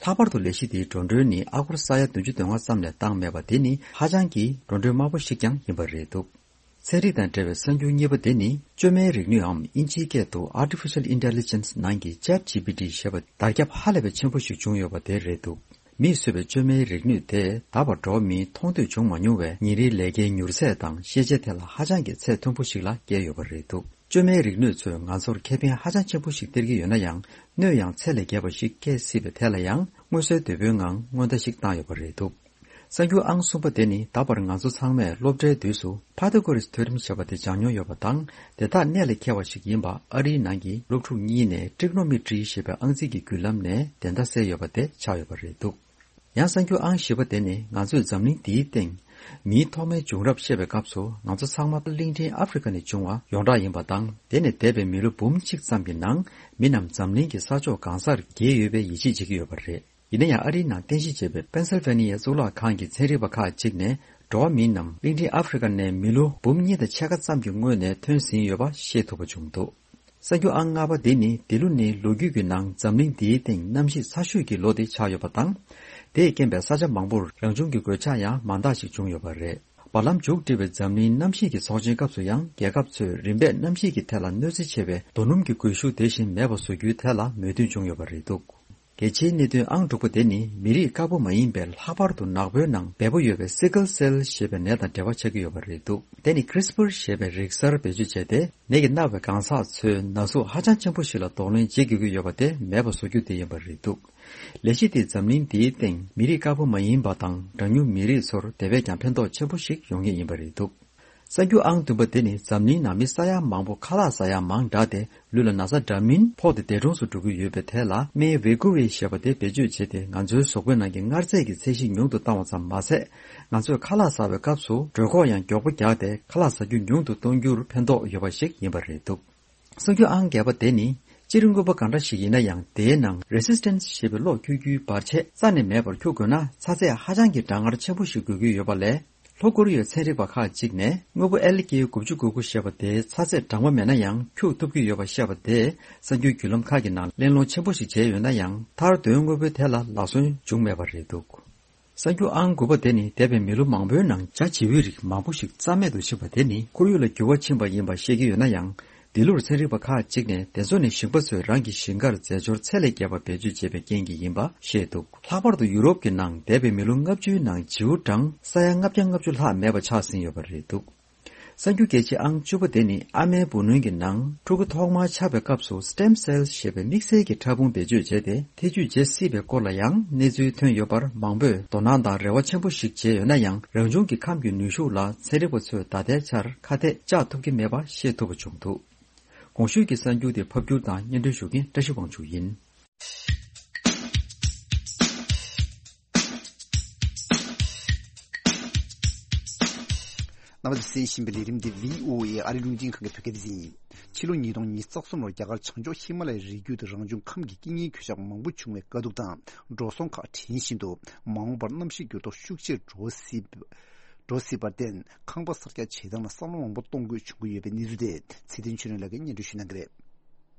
ལྷག་པར་དུ་ལས་གཞི་དེའི་འགྲོ་གྲོན་ནི་ཨ་སྒོར་ས་ཡ་བདུན་ཅུ་དོན་ལྔ་ཙམ་ལས་བཏང་མེད་པ་དེ་ནི་ཧ་ཅང་གི་འགྲོ་གྲོན་དམའ་པོ་ཞིག་ཀྱང་ཡིན་པ་རེད་འདུག་ཚན་རིག་དང་འབྲེལ་བའི་གསར་འགྱུར་གཉིས་པ་དེ་ནི་བཅོས་མའི་རིག་ནུས་འམ་དབྱིན་ཇིའི་སྐད་དུ་Artificial Intelligence ནང་གི་Chat G P T ཞེས་པ་དར་ཁྱབ་ཧ་ལས་པའི་ཆེན་པོ་ཞིག་བྱུང་ཡོད་པ་དེ་རེད་འདུག་མིས་བཟོས་པའི་བཅོས་མའི་རིག་ནུས་དེ་ད་བར་འགྲོ་བ་མིས་མཐོང་ཐོས་བྱུང་མ་མྱོང་བའི་ཉིན་རེའི་ལས་ཀའི་མྱུར་ཚད་དང་ཤེས་བྱའི་ཐད་ལ་ཧ་ཅང་གི་ཚད་མཐོན་པོ་ཞིག་ལ་བསྐྱལ་ཡོད་པ་རེད་འདུག་བཅོས་མའི་རིག་ནུས་ཚོས་ང་ཚོར་ཁེ་ཕན་ཧ་ཅང་ཆེན་པོ་ཞིག་སྟེར་གྱི་ཡོད་ན་ཡང་། གནོད་ཡང་ཚད་ལས་བརྒལ་བ་ཞིག་སྐྱེལ་སྲིད་པའི་ཐད་ལ་ཡང་མངོན་གསལ་དོད་པོའི་ངང་སྔོན་བརྡ་ཞིག་བཏང་ཡོད་པ་རེད་འདུག། གསར་འགྱུར་ཨང་གསུམ་པ་དེ་ནི་ད་བར་ང་ཚོ་ཚང་མས་སློབ་གྲྭའི་དུས་སུ་ཕ་ཐ་གོ་རེས་ཐིའོ་རེམ་ཞེས་པ་དེ་སྦྱངས་མྱོང་ཡོད་པ་དང་། དེ་དག་གནད་ལ་འཁེལ་བ་ཞིག་ཡིན་པ་ཨ་རིའི་ནང་གི་སློབ་ཕྲུག་གཉིས་ནས་ཀྲིག་ནོ་མི་ཀྲི་ཞེས་པའི་ཨང་རྩིས་ཀྱི་བརྒྱུད་ལམ་ནས་བདེན་མཐའ་གསལ་ཡོད་པ་དེ་ཆགས་ཡོད་པ་རེད་འདུག། ཡང་གསར་འགྱུར་ཨང་བཞི་པ་དེ་ནི་ང་ཚོས་འཛམ་གླིང་འདིའི་སྟེང་མིའི་ཐོག་མའི་བྱུང་རབས་བཤད་པའི་སྐབས་སུ་ང་ཚོ་ཚང་མ་གླིང་ཕྲན་ཨ་ཧྥེ་རི་ཀ་ནས་བྱུང་བ་ཡོངས་གྲགས་ཡིན་པ་དང་། དེ་ནས་འདས་པའི་མི་ལོ་འབུམ་གཅིག་ཙམ་གྱི་ནང་མི་རྣམས་འཛམ་གླིང་གི་ས་ཕྱོགས་གང་སར་རྒྱས་ཡོད་པའི་ཡིད་ཆེས་བྱེད་ཀྱི་ཡོད་པ་རེད། ཡིན་ན་ཡང་ཨ་རིའི་ནང་རྟེན་གཞི་བྱས་པའི་པེན་སིལ་ཝེ་ནི་ཡའི་གཙུག་ལག་ཁང་གི་ཚན་རིག་པ་ཁག་ཅིག་ནས་འགྲོ་བ་མི་རྣམས་གླིང་ཕྲན་ཨ་ཧྥེ་རི་ཀ་ནས་མི་ལོ་འབུམ་གཉིས་དང་ཕྱེད་ཀ་ཙམ་གྱི་སྔོན་ནས་ཐོན་ཟིན་ཡོད་པ་ཤེས་ཐུབ་པ་བྱུང་འདུག། གསར་འགྱུར་ཨང་ལྔ་པ་འདི་ནི་འདི་ལོ་ནི་ལོ་རྒྱུས་ཀྱི་ནང་འཛམ་གླིང་འདིའི་སྟེང་གནམ་གཤིས་ཚ་ཤོས་ཀྱི་ལོ་དེ་ཆགས་ཡོད་པ་དང་། དེས་རྐྱེན་པས་ས་ཆ་མང་པོར་རང་བྱུང་གི་གོད་ཆག་ཡང་མང་དག་ཞིག་བྱུང་ཡོད་པ་རེད། བར་ལམ་མཇུག་སྒྲིལ་བའི་འཛམ་གླིང་གནམ་གཤིས་ཀྱི་ཚོགས་ཆེན་སྐབས་སུ་ཡང་རྒྱལ་ཁབ་ཚོས་རིམ་པས་གནམ་གཤིས་ཀྱི་ཐད་ལ་གནོད་འཚེ་ཆེ་བའི་རྡོ་སྣུམ་གྱི་རྒུད་ཤུགས་དེ་བཞིན་མེད་པ་བཟོ་རྒྱུའི་ཐད་ལ་མོས་མཐུན་བྱུང་ཡོད་པ་རེད་འདུག། གལ་ཆེའི་གནད་དོན་ཨང་དྲུག་པ་དེ་ནི་མི་རིགས་དཀར་པོ་མ་ཡིན་པའི་ལྷག་པར་དུ་ནག་པོའི་ནང་འབེལ་པོ་ཡོད་པའི་སི་ཀལ་སེལ་ཞེས་པའི་ནད་དང་འབྲེལ་བ་ཆགས་ཀྱི་ཡོད་པ་རེད་འདུག། དེ་ནི་ཀྲིས་པར་ཞེས་པའི་རིག་གསར་བེད་སྤྱོད་བྱས་ཏེ། ནད་ཀྱིས་མནར་བའི་གང་ཟག་ཚོའི་ན་ཟུག་ཧ་ཅང་ཆེན་པོ་ཞིག་ལ་གདོང་ལེན་བྱེད་དགོས་ཀྱི་ཡོད་པ་དེ་མེད་པ་བཟོ་རྒྱུ་དེ་ཡིན་པ་རེད་འདུག། ལས་གཞི་དེས་འཛམ་གླིང་འདིའི་སྟེང་མི་རིགས་དཀར་པོ་མ་ཡིན་པ་དང་གྲངས་ཉུང་མི་རིགས་ཚོར་དེ་བས་ཀྱང་ཕན་ཐོགས་ཆེན་པོ་ཞིག་ཡོང་ངེས་ཡིན་པ་རེད་འདུག། གསར་འགྱུར་ཨང་བདུན་པ་དེ་ནི་འཛམ་གླིང་ནང་མི་ས་ཡ་མང་པོ་ཁ་ལག་ཟ་ཡ་མང་དྲགས་ཏེ། ལུས་ལ་ན་ཚ་འདྲ་མིན་ཕོག་སྟེ་འདས་གྲོངས་སུ་འགྲོ་གི་ཡོད་པའི་ཐད་ལ་སྨན་ཝེ་ཀུ་ཝེ་ཞེས་པ་དེ་བེད་སྤྱོད་བྱས་ཏེ། ང་ཚོའི་གཟུགས་པོའི་ནང་གི་མངར་ཚད་ཀྱི་ཚད་གཞི་ཉུང་དུ་བཏང་བ་ཙམ་མ་ཟད། ང་ཚོས་ཁ་ལག་ཟ་བའི་སྐབས་སུ་གྲོད་ཁོག་ཡང་མགྱོགས་པོ་རྒྱགས་ཏེ། ཁ་ལག་ཟ་རྒྱུ་ཉུང་དུ་གཏོང་རྒྱུར་ཕན་ཐོགས་ཡོད་པ་ཞིག་ཡིན་པ་རེད་འདུག། གསར་འགྱུར་ཨང་བརྒྱད་པ་དེ་ནི། སྤྱིར་དངོས་པོ་གང་འདྲ་ཞིག་ཡིན་ན་ཡང་། དེའི་ནང་རེ་སི་སི་ཊན་སི་ཞེས་པའི་གློག་འཁྱུག་རྒྱུའི་བར་ཆད་རྩ་ནས་མེད་པར་འཁྱུག་དགོས་ན། ཚ་ཚད་ཧ་ཅང་གི་གྲང་ངར་ཆེན་པོ་ཞིག་དགོས་ཀྱི་ཡོད་པ་ལས། ལྷོ་ཀོ་རི་ཡའི་ཚན་རིག་པ་ཁག་ཅིག་ནས་དངོས་པོ་ཨེལ་ཀེ་དགུ་བཅུ་གོ་དགུ་ཞེས་པ་དེའི་ཚ་ཚད་གྲང་མོ་མེད་ན་ཡང་འཁྱུག་ཐུབ་ཀྱི་ཡོད་པ་བཤད་པ་དེས་གསར་འགྱུར་བརྒྱུད་ལམ་ཁག་གི་ནང་གླེང་སློང་ཆེན་པོ་ཞིག་བྱས་ཡོད་ན་ཡང་། མཐར་དོན་དངོས་པོའི་ཐད་ལ་ལག་སོན་བྱུང་མེད་པ་རེད་འདུག། གསར་འགྱུར་ཨང་དགུ་པ་དེ་ནི། འདས་པའི་མི་ལོ་མང་པོའི་ནང་བྱ་བྱིའུའི་རིགས་མང་པོ་ཞིག་རྩ་མེད་དུ་ཕྱིན་པ་དེ་ནི། ཁོར་ཡུག་ལ་འགྱུར་བ་ཕྱིན་པ་ཡིན་པ་བཤད་ཀྱི་ཡོད་ན་ཡང་། འདི་ལོར་ཚན་རིག་པ་ཁག་ཅིག་ནས་དེ་ཚོ་ནི་ཞིང་པ་ཚོས་རང་གི་ཞིང་ཁར་རྫས་སྦྱོར་ཚད་ལས་བརྒལ་བ་བེད་སྤྱོད་བྱས་པའི་རྐྱེན་གྱིས་ཡིན་པ་བཤད་འདུག། ལྷག་པར་དུ་ཡུ་རོབ་ཀྱི་ནང་འདས་པའི་མི་ལོ་ལྔ་བཅུའི་ནང་བྱིའུ་གྲངས་ས་ཡ་ལྔ་བརྒྱ་ལྔ་བཅུ་ལྷག་མེད་པ་ཆགས་ཟིན་ཡོད་པ་རེད་འདུག། གསར་འགྱུར་གལ་ཆེ་ཨང་བཅུ་པ་དེ་ནི། ཨ་མའི་བུ་ལོན་གྱི་ནང་ཕྲུ་གུ་ཐོག་མར་ཆགས་པའི་སྐབས་སུ་སི་ཊེམ་སེལ་ཞེས་པའི་དམིགས་བསལ་གྱི་ཕྲ་ཕུང་བེད་སྤྱོད་བྱས་ཏེ། ཐེ་ཇུས་བྱེད་སྲིད་པའི་སྐོར་ལ་ཡང་གནས་ཚུལ་ཐོན་ཡོད་པར། མང་པོས་དོ་སྣང་དང་རེ་བ་ཆེན་པོ་ཞིག་བྱས་ཡོད་ན་ཡང་། རང་བྱུང་གི་ཁམས་ཀྱི་ནུས་ཤུགས་ལ་ཚན་རིག་པ་ཚོས་ད་ལྟའི་ཆར་ཁ་གཏད་བཅག་ཐུབ་ཀྱི་མེད་པ་ཤེས་ཐུབ་པ་བྱུང་འདུག། གོང་ཞུས་ཀྱི་གསར་འགྱུར་དེ་ཕབ་སྒྱུར་དང་སྙན་སྒྲོན་ཞུ་མཁན་བཀྲ་ཤིས་དབང་ཕྱུག་ཡིན། རྣམ་པ་ཚོས་གསན་བཞིན་པའི་ལས་རིམ་འདི་བྷི་ཨོ་ཨེ་ཨ་རི་རླུང་འཕྲིན་ཁང་གི་བོད་སྐད་སྡེ་ཚན་ཡིན། ཕྱི་ལོ་ཉིས་སྟོང་ཉི་ཤུ་རྩ་གསུམ་ལོར་རྒྱ་གར་བྱང་ཕྱོགས་ཧི་མ་ལ་ཡའི་རི་རྒྱུད་དུ་རང་བྱུང་ཁམས་ཀྱི་རྐྱེན་ངན་གོད་ཆག་མང་པོ་བྱུང་བའི་དཀའ་སྡུག་དང་འགྲོ་སོང་ཁག་འདྲེན་བཞིན་དུ། མ་འོངས་པར་གནམ་གཤིས་འགྱུར་ལྡོག་ཤུགས་ཆེར་འགྲོ་སྲིད། འགྲོ་སྲིད་པར་བརྟེན། ཁང་པ་གསར་རྒྱག་བྱེད་སྟངས་ལ་བསམ་བློ་མང་པོ་གཏོང་དགོས་བྱུང་གི་ཡོད་པའི་གནས་ཚུལ་དེ་ཚེ་བརྟན་ཆོས་སྒྲོན་ལགས་ཀྱིས་སྙན་སྒྲོན་ཞུ་གནང་གི་རེད།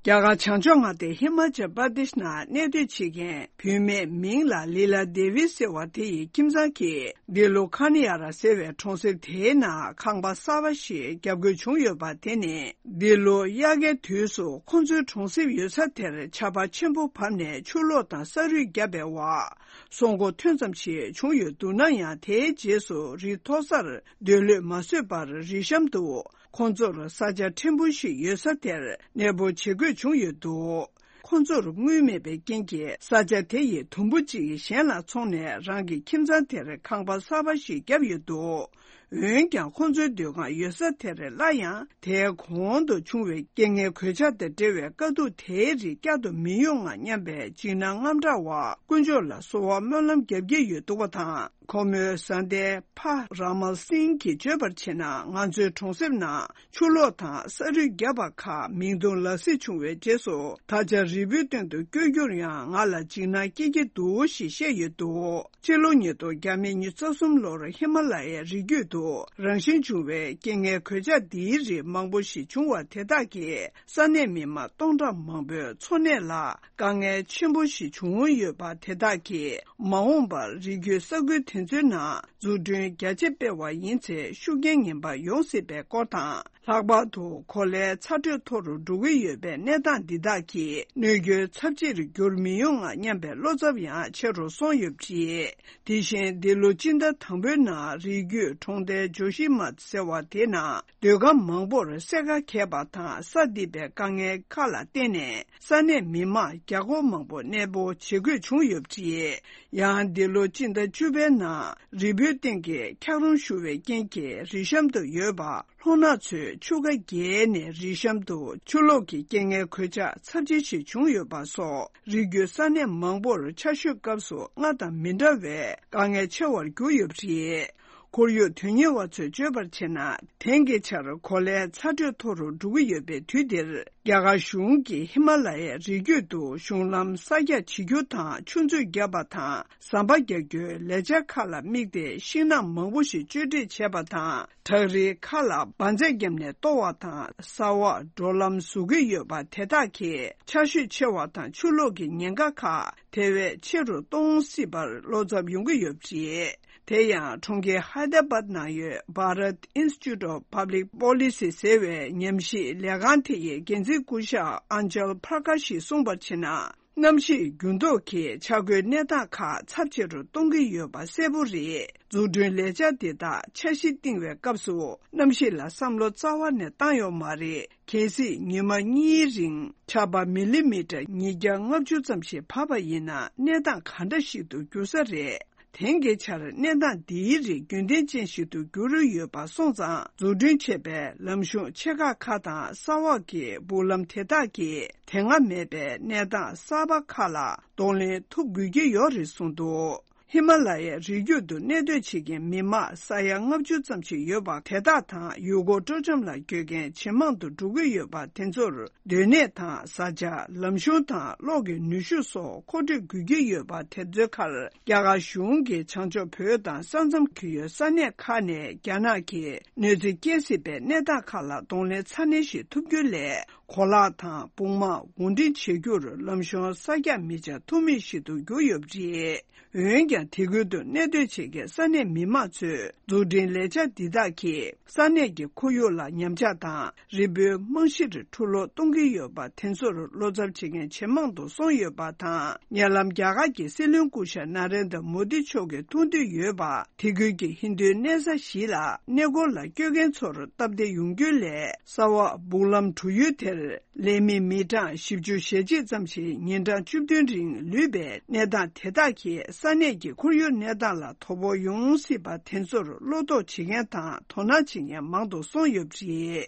རྒྱ་གར་བྱང་ཕྱོགས་མངའ་སྡེ་ཧི་མ་ཅལ་པར་དེཤ་ནང་གནས་སྡོད་བྱེད་མཁན་བུད་མེད་མིང་ལ་ལི་ལ་དེ་བི་ཟེར་བ་དེ་ཡི་ཁྱིམ་ཚང་གིས་འདི་ལོ་ཁ་ནི་ཡ་ར་ཟེར་བའི་གྲོང་གསེབ་དེའི་ནང་ཁང་པ་གསར་པ་ཞིག་བརྒྱབ་དགོས་བྱུང་ཡོད་པ་དེ་ནི། འདི་ལོ་དབྱར་ཁའི་དུས་སུ་ཁོང་ཚོའི་གྲོང་གསེབ་ཡོད་ས་དེར་ཆར་པ་ཆེན་པོ་བབས་ནས་ཆུ་ལོག་དང་ས་རུད་བརྒྱབ་པའི་འོག་སྲོག་མགོ་ཐོན་ཙམ་ཞིག་བྱུང་ཡོད་འདུག་ན་ཡང་། དེའི་རྗེས་སུ་རི་མཐོ་སར་སྡོད་ལོས་མ་བཟོད་པར་རི་གཤམ་དུ་ཁོང་ཚོར་ས་ཆ་ཕྲན་བུ་ཞིག་ཡོད་ས་དེར་གནས་སྤོ་བྱེད་དགོས་བྱུང་ཡོད་འདུག། ཁོང་ཚོར་དངུལ་མེད་པའི་རྐྱེན་གྱིས་ས་ཆ་དེ་ཡི་དུམ་བུ་གཅིག་གཞན་ལ་འཚོང་ནས་རང་གི་ཁྱིམ་ཚང་དེར་ཁང་པ་གསར་པ་ཞིག་བརྒྱབ་ཡོད་འདུག། འོན་ཀྱང་ཁོང་ཚོའི་སྡོད་ཁང་ཡོད་ས་དེར་སླར་ཡང་དེའི་གོང་དུ་བྱུང་བའི་རྐྱེན་ངན་གོད་ཆག་དང་འབྲེལ་བའི་དཀའ་སྡུག་དེའི་རིགས་བསྐྱར་དུ་མི་ཡོང་ང་སྙམ་པའི་འཇིགས་སྣང་དངངས་སྐྲག་འོག་དཀོན་མཆོག་ལ་གསོལ་བ་སྨོན་ལམ་བརྒྱབ་ཀྱི་ཡོད་འདུག་པ་དང་། ཁོ་མོའི་བཟའ་ཟླའི་ཕ་ར་མ་སིང་གིས་བརྗོད་པར་བྱས་ན། ང་ཚོའི་གྲོང་གསེབ་ནང་ཆུ་ལོག་དང་ས་རུད་བརྒྱབ་པ་ཁག་མིག་མཐོང་ལག་ཟིན་བྱུང་བའི་རྗེས་སུ། ད་ཆ་རི་བོའི་སྟེང་དུ་བསྐྱོད་རྒྱུར་ཡང་ང་ལ་འཇིགས་སྣང་སྐྱེ་གི་འདུག་ཞེས་བཤད་ཡོད་འདུག། ཕྱི་ལོ་ཉིས་སྟོང་བརྒྱ་མེད་ཉི་ཤུ་རྩ་གསུམ་ལོར་ཧི་མ་ལ་ཡའི་རི་རྒྱུད་དུ་རང་བཞིན་བྱུང་བའི་རྐྱེན་ངན་གོད་ཆག་འདིའི་རིགས་མང་པོ་ཞིག་བྱུང་བ་དེ་དག་གིས་ས་གནས་མི་མང་སྟོང་ཕྲག་མང་པོའི་འཚོ་གནས་ལ་དཀའ་ངལ་ཆེན་པོ་ཞིག་བྱུང་ཡོད་པ་དེ་དག་གིས་མ་འོངས་པར་རི་རྒྱུད་ས་ཁུལ་དེ་ཚོའི་ནང་འཛུགས་སྐྲུན་རྒྱ་ཆེ་སྤེལ་བ་ཡིན་ཚེ་ཤུགས་རྐྱེན་ངན་པ་ཡོང་སྲིད་པའི་སྐོར་དང་། ལྷག་པར་དུ་གོ་ལའི་ཚ་དྲོད་མཐོ་རུ་འགྲོ་གི་ཡོད་པས། གནས་སྟངས་འདི་དག་གིས་གནོད་སྐྱོན་ཚབས་ཆེར་འགྱུར་མི་ཡོང་ང་སྙམ་པའི་བློ་འཚབ་ཡང་ཆེ་རུ་སོང་ཡོད་པ་རེད། དེ་བཞིན་འདི་ལོ་སྤྱི་ཟླ་དང་པོའི་ནང་རི་རྒྱུད་གྲོང་རྡལ་ཇོ་ཤི་མ་ཟེར་བ་དེའི་ནང་སྡོད་ཁང་མང་པོར་སེར་ཁ་གས་པ་དང་། ས་འདི་པའི་དཀའ་ངལ་ཁག་ལ་བརྟེན་ནས་ས་གནས་མི་མང་བརྒྱ་སྐོར་མང་པོ་གནས་སྤོ་བྱེད་དགོས་བྱུང་ཡོད་པ་རེད། ཡང་འདི་ལོ་སྤྱི་ཟླ་བཅུ་པའི་ནང་རི་བོའི་སྟེང་གི་འཁྱགས་རོམ་ཤུགས་ཆེ་བའི་རྐྱེན་གྱིས་རི་གཤམ་དུ་ཡོད་པ་ལྷོ་ནག་ཚོས་ཆུ་ཁ་བརྒལ་ནས་རི་གཤམ་དུ་ཆུ་ལོག་གི་རྐྱེན་ངན་གོད་ཆག་ཚབས་ཆེ་ཞིག་བྱུང་ཡོད་པ་སོགས། རི་རྒྱུད་ས་གནས་མང་པོར་ཆར་ཞོད་སྐབས་སུ་སྔར་དང་མི་འདྲ་བའི་དཀའ་ངལ་ཆེ་བར་གྱུར་ཡོད་པ་རེད། ཁོར་ཡུག་དོན་གཉེར་བ་ཚོས་བརྗོད་པར་བྱས་ན། དེང་གི་ཆར་གོ་ལའི་ཚ་དྲོད་མཐོ་རུ་འགྲོ་གི་ཡོད་པའི་དུས་འདིར། རྒྱ་གར་གཞུང་གིས་ཧི་མ་ལ་ཡའི་རི་རྒྱུད་དུ་གཞུང་ལམ་གསར་རྒྱག་བྱེད་རྒྱུ་དང་། ཆུ་མཛོད་བརྒྱབ་པ་དང་། ཟམ་པ་རྒྱག་རྒྱུའི་ལས་འཆར་ཁག་ལ་དམིགས་ཏེ། ཤིང་ནགས་མང་པོ་ཞིག་གཅོད་འབྲེག་བྱས་པ་དང་། བྲག་རིའི་ཁ་ལ་འབར་རྫས་བརྒྱབ་ནས་གཏོར་བ་དང་། ས་འོག་འགྲོ་ལམ་བཟོ་གི་ཡོད་པ་དེ་དག་གིས་ཆར་ཞོད་ཆེ་བ་དང་ཆུ་ལོག་གི་ཉེན་ཁ་ཁག་དེ་བས་ཆེ་རུ་གཏོང་སྲིད་པར་བློ་འཚབ་ཡོང་གི་ཡོད་པ་རེད། དེ་ཡང་གྲོང་ཁྱེར་ཧའི་ད་ར་བཱད་ནང་ཡོད་Bharat Institute of Public Policy ཟེར་བའི་ཉམས་ཞིབ་ལས་ཁང་དེ་ཡི་འགན་འཛིན་སྐུ་ཞབས་ཨན་ཇལ་པྲ་ཀ་ཤིས་གསུངས་པར་བྱས་ན། གནམ་གཤིས་འགྱུར་ལྡོག་གིས་ཆ་བགོས་གནས་སྟངས་ཁག་ཚབས་ཆེ་རུ་གཏོང་གི་ཡོད་པ་གསལ་པོ་རེད། འཛུགས་སྐྲུན་ལས་འཆར་འདི་དག་འཆར་གཞི་བཏིང་བའི་སྐབས་སུ། གནམ་གཤིས་ལ་བསམ་བློ་རྩ་བ་ནས་བཏང་ཡོད་མ་རེད། གལ་སྲིད་ཉི་མ་གཉིས་རིང་ཆར་པ་མི་ལི་མི་ཊར་ཉིས་བརྒྱ་ལྔ་བཅུ་ཙམ་ཞིག་བབས་པ་ཡིན་ན། གནས་སྟངས་ག་འདྲ་ཞིག་ཏུ་འགྱུར་ས་རེད། དེང་གི་ཆར་གནས་སྟངས་འདིའི་རིགས་རྒྱུན་ལྡན་ཅན་ཞིག་ཏུ་འགྱུར་ཡོད་པ་སོང་ཙང་། འཛུགས་སྐྲུན་བྱས་པའི་ལམ་གཞུང་ཆེ་ཁག་ཁག་དང་། ས་འོག་གི་སྦུག་ལམ་དེ་དག་གིས་དེ་སྔ་མེད་པའི་གནས་སྟངས་གསར་པ་ཁག་ལ་གདོང་ལེན་ཐུབ་དགོས་ཀྱི་ཡོད་རེད་གསུངས་འདུག་ཧི་མ་ལ་ཡའི་རི་རྒྱུད་དུ་གནས་སྡོད་བྱེད་མཁན་མི་མང་ས་ཡ་ལྔ་བཅུ་ཙམ་ཞིག་ཡོད་པ་དེ་དག་དང་། ཡུལ་སྐོར་སྤྲོ་འཆམ་ལ་འགྲོ་མཁན་ཇེ་མང་དུ་འགྲོ་གི་ཡོད་པ་དེ་ཚོར། སྡོད་གནས་དང་། བཟའ་བཅའ། ལམ་གཞུང་དང་གློག་གི་ནུས་ཤུགས་སོགས་མཁོ་སྤྲོད་དགོས་ཀྱི་ཡོད་པ་དེ་ཚོའི་ཁར། རྒྱ་གར་གཞུང་གིས་བྱང་ཕྱོགས་བོད་དང་ས་མཚམས་ཀྱི་ཡོད་ས་གནས་ཁག་ནས་རྒྱ་ནག་གིས་གནོད་འཚེ་སྐྱེལ་སྲིད་པའི་གནས་སྟངས་ཁག་ལ་གདོང་ལེན་ཚ་ནན་ཞིག་ཐུབ་རྒྱུའི་སླད། གོ་ལག་དང་སྦུག་མ་དབོར་འདྲེན་བྱེད་རྒྱུར་ལམ་གཞུང་གསར་རྒྱག་མི་བྱ་ཐུབ་མེད་ཞིག་ཏུ་གྱུར་ཡོད་པ་རེད། འོན་ཀྱང་། དེ་ཁུལ་དུ་གནས་སྡོད་བྱེད་མཁན་ས་གནས་མི་མང་ཚོས། འཛུགས་སྐྲུན་ལས་འཆར་འདི་དག་གིས་ས་གནས་ཀྱི་ཁོར་ཡུག་ལ་ཉམས་ཆག་དང་། རི་བོའི་རྨང་གཞིར་འཁྲུ་སློག་གཏོང་གི་ཡོད་པ་དེ་ཚོར་བློ་འཚབ་བྱེད་མཁན་ཇེ་མང་དུ་སོང་ཡོད་པ་དང་། ཉེ་ལམ་རྒྱ་གར་གྱི་སྲིད་བློན་སྐུ་ཞབས་ན་རེན་དྲ་མོ་དི་མཆོག་གིས་ཐུགས་འདོད་ཡོད་པ། དེ་ཁུལ་གྱི་ཧིན་རྡུའི་གནས་ས་ཞིག་ལ་གནས་སྐོར་ལ་སྐྱོད་མཁན་ཚོར་སྟབས་བདེ་ཡོང་རྒྱུའི་སླད། ས་འོག་སྦུག་ལམ་བྲུ་ཡུལ་དེར། ལས་མི་མི་གྲངས་བཞི་བཅུ་ཞེ་གཅིག་ཙམ་ཞིག་ཉིན་གྲངས་བཅུ་བདུན་རིང་ལུས་པའི་གནས་སྟངས་དེ་དག་གིས་ས་གནས་ཀྱི་ཁོར་ཡུག་གནས་སྟངས་ལ་དོ་ཕོག་ཡོང་སྲིད་པ་དེ་ཚོར་བློ་དོགས་བྱེད་མཁན་དང་དོ་སྣང་བྱེད་མཁན་མང་དུ་སོང་ཡོད་པ་རེད།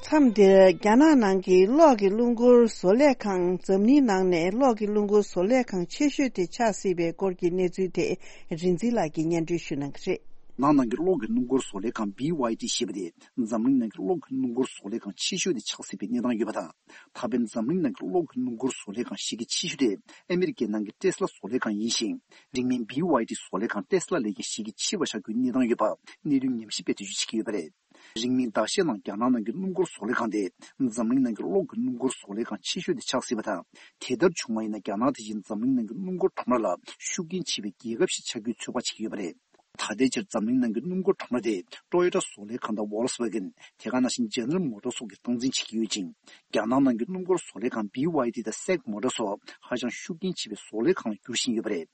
མཚམས་འདིར་རྒྱ་ནག་ནང་གི་གློག་གི་རླུང་འཁོར་བཟོ་ལས་ཁང་འཛམ་གླིང་ནང་ནས་གློག་གི་རླུང་འཁོར་བཟོ་ལས་ཁང་ཆེ་ཤོས་དེ་ཆགས་སྲིད་པའི་སྐོར་གྱི་གནས་ཚུལ་དེ་རིག་འཛིན་ལགས་ཀྱིས་སྙན་སྒྲོན་ཞུ་གནང་གི་རེད། ནང་ནང་གི་གློག་གི་རླུང་འཁོར་བཟོ་ལས་ཁང་བྷི་ཝའི་ཌི་ཞེས་པ་དེ་འཛམ་གླིང་ནང་གི་གློག་གི་རླུང་འཁོར་བཟོ་ལས་ཁང་ཆེ་ཤོས་དེ་ཆགས་སྲིད་པའི་གནས་སྟངས་ཡོད་པ་དང་། ད་ཕན་འཛམ་གླིང་ནང་གི་གློག་གི་རླུང་འཁོར་བཟོ་ལས་ཁང་གཞི་རྒྱ་ཆེ་ཤོས་དེ་ཨ་མི་རི་ཀའི་ནང་གི་ཏེ་སི་ལ་བཟོ་ལས་ཁང་ཡིན་ཞིང་། རིང་མིན་བྷི་ཝའི་ཌི་བཟོ་ལས་ཁང་ཏེ་སི་ལ་ལས་ཀྱང་གཞི་རྒྱ་ཆེ་བ་ཆགས་རྒྱུའི་གནས་སྟངས་ཡོད་པ་གནད་དོན་ཉམས་ཞིབ་པས་འགྲེལ་བརྗོད་བྱེད་ཀྱི་ཡོད་པ་རེད། རིང་མིན་ཟླ་ཤས་ནང་རྒྱ་ནག་ནང་གི་སྣུམ་འཁོར་བཟོ་ལས་ཁང་དེ་འཛམ་གླིང་ནང་གི་གློག་གི་སྣུམ་འཁོར་བཟོ་ལས་ཁང་ཆེ་ཤོས་དེ་ཆགས་སྲིད་པ་དང་། དེ་ལྟར་བྱུང་བ་ཡིན་ན་རྒྱ་ནག་དེ་བཞིན་འཛམ་གླིང་ནང་གི་སྣུམ་འཁོར་ཁྲོམ་ར་ལ་ཤུགས་རྐྱེན་ཆེ་བའི་རྒྱལ་ཁབ་ཞིག་ཆགས་རྒྱུའི་ཚོད་དཔག་བྱེད་ཀྱི་ཡོད་པ་རེད། ད་ལྟའི་ཆར་འཛམ་གླིང་ནང་གི་སྣུམ་འཁོར་ཁྲོམ་ར་དེ་ཊོ་ཡོ་ཊ་བཟོ་ལས་ཁང་དང་ཝོལ་སི་ཝེ་གན། དེ་ག་ནང་བཞིན་ཇེ་ནེ་རལ་མོ་ཊར་སོགས་ཀྱིས་སྟངས་འཛིན་བྱེད་ཀྱི་ཡོད་ཅིང་། རྒྱ་ནག་ནང་གི་སྣུམ་འཁོར་བཟོ་ལས་ཁང་བྷི་ཝའི་ཌི་དང་སེག་མོ་ཊར་སོགས་ཧ་ཅང་ཤུགས་རྐྱེན་ཆེ་བའི་བཟོ་ལས་ཁང་ལ་འགྱུར་བཞིན་ཡོད་པ་རེད།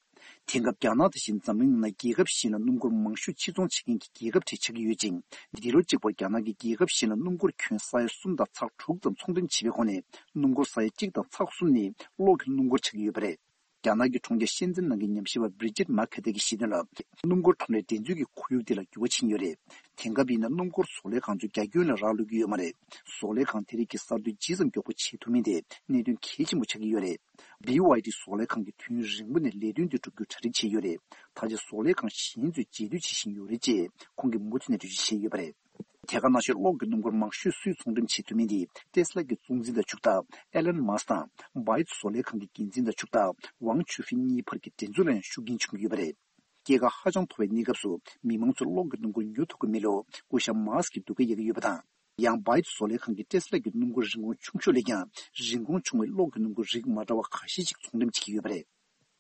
དེང་སྐབས་རྒྱ་ནག་དེ་བཞིན་འཛམ་གླིང་ནང་རྒྱལ་ཁབ་གཞན་ལ་སྣུམ་འཁོར་མང་ཤོས་ཕྱིར་ཚོང་བྱེད་མཁན་གྱི་རྒྱལ་ཁབ་གྲས་ཆགས་ཀྱི་ཡོད་ཅིང་། འདི་ལོ་གཅིག་པར་རྒྱ་ནག་གིས་རྒྱལ་ཁབ་གཞན་ལ་སྣུམ་འཁོར་ཁྱོན་ས་ཡ་གསུམ་དང་ཚེག་དྲུག་ཙམ་ཚོང་འགྲེམས་བྱས་པའི་ཁོངས་ནས་སྣུམ་འཁོར་ས་ཡ་གཅིག་དང་ཚེག་གསུམ་ནི་གློག་གི་སྣུམ་འཁོར་ཆགས་ཀྱི་ཡོད་པ་རེད། རྒྱ་ནག་གི་གྲོང་ཁྱེར་ཤན་ཙེན་ནང་གི་ཉམས་ཞིབ་པ་བྷི་རི་ཇིད་མ་ཁེ་ཏེ་གིས་བཤད་དོན་ལ། སྣུམ་འཁོར་ཁྲོམ་རའི་འགྲན་རྩོད་ཀྱི་ཁོར་ཡུག་འདི་ལ་འགྱུར་བ་ཕྱིན་ཡོད་རེད། དེང་སྐབས་ཡིན་ན་སྣུམ་འཁོར་བཟོ་ལས་ཁང་ཚོ་རྒྱ་ཁྱོན་ལ་རག་ལུས་ཀྱི་ཡོད་མ་རེད། བཟོ་ལས་ཁང་དེ་རིགས་ཀྱིས་གསར་གཏོད་ཇི་ཙམ་མགྱོགས་པོ་བྱེད་ཐུབ་མིན་དེ་གནད་དོན་གལ་ཆེན་པོ་ཆགས་ཀྱི་ཡོད་རེད། བྷི་ཝའི་ཌི་བཟོ་ལས་ཁང་གིས་དུས་ཡུན་རིང་པོ་ནས་ལས་དོན་འདི་སྒྲུབ་རྒྱུར་གྲ་སྒྲིག་བྱས་ཡོད་རེད། ད་ཆ་བཟོ་ལས་ཁང་གཞན་ཚོས་རྗེས་མཐུད་བྱེད་བཞིན་ཡོད་རེད་ཅེས་ཁོང་གིས་མུ་མཐུད་ནས་འགྲེལ་བརྗོད་བྱས་ཡོད་པ་རེད། དེ་ག་ནང་བཞིན་གློག་གི་སྣུམ་འཁོར་མང་ཤོས་སུས་ཚོང་འགྲེམས་བྱེད་ཐུབ་མིན་དེ་ཏེ་སི་ལ་གི་གཙོ་འཛིན་དང་ཕྱུག་བདག་ཨེ་ལན་མཱ་སི་དང་བྷའི་ཛི་བཟོ་ལས་ཁང་གི་འགན་འཛིན་དང་ཕྱུག་བདག་ཝང་ཆུ་ཧྥིན་གཉིས་བར་གྱི་འགྲན་རྩོད་ལ་ཡང་ཤུགས་རྐྱེན་བྱུང་གི་ཡོད་པ་རེད། སྐྱེད་ཀ་ཧ་ཅང་མཐོ་བའི་གནས་སྐབས་སུ་མི་མང་ཚོས་གློག་གི་སྣུམ་འཁོར་ཉོ་ཐུབ་ཀྱི་མེད་ལུགས་སྐུ་ཞབས་མཱ་སི་ཀྱིས་སྡུག་སྐད་རྒྱག་གི་ཡོད་པ་དང་། ཡང་བྷའི་ཏི་བཟོ་ལས་ཁང་གིས་ཏེ་སི་ལ་གྱི་སྣུམ་འཁོར་རིན་གོང་ཆུང་ཤོས་ལས་ཀྱང་རིན་གོང་ཆུང་བའི་གློག་གི་སྣུམ་འཁོར་རིགས་མ་འདྲ་བ་ཁ་ཤས་ཤིག་ཚོང་འགྲེམས་བྱེད་ཀྱི་ཡོད་པ་རེད།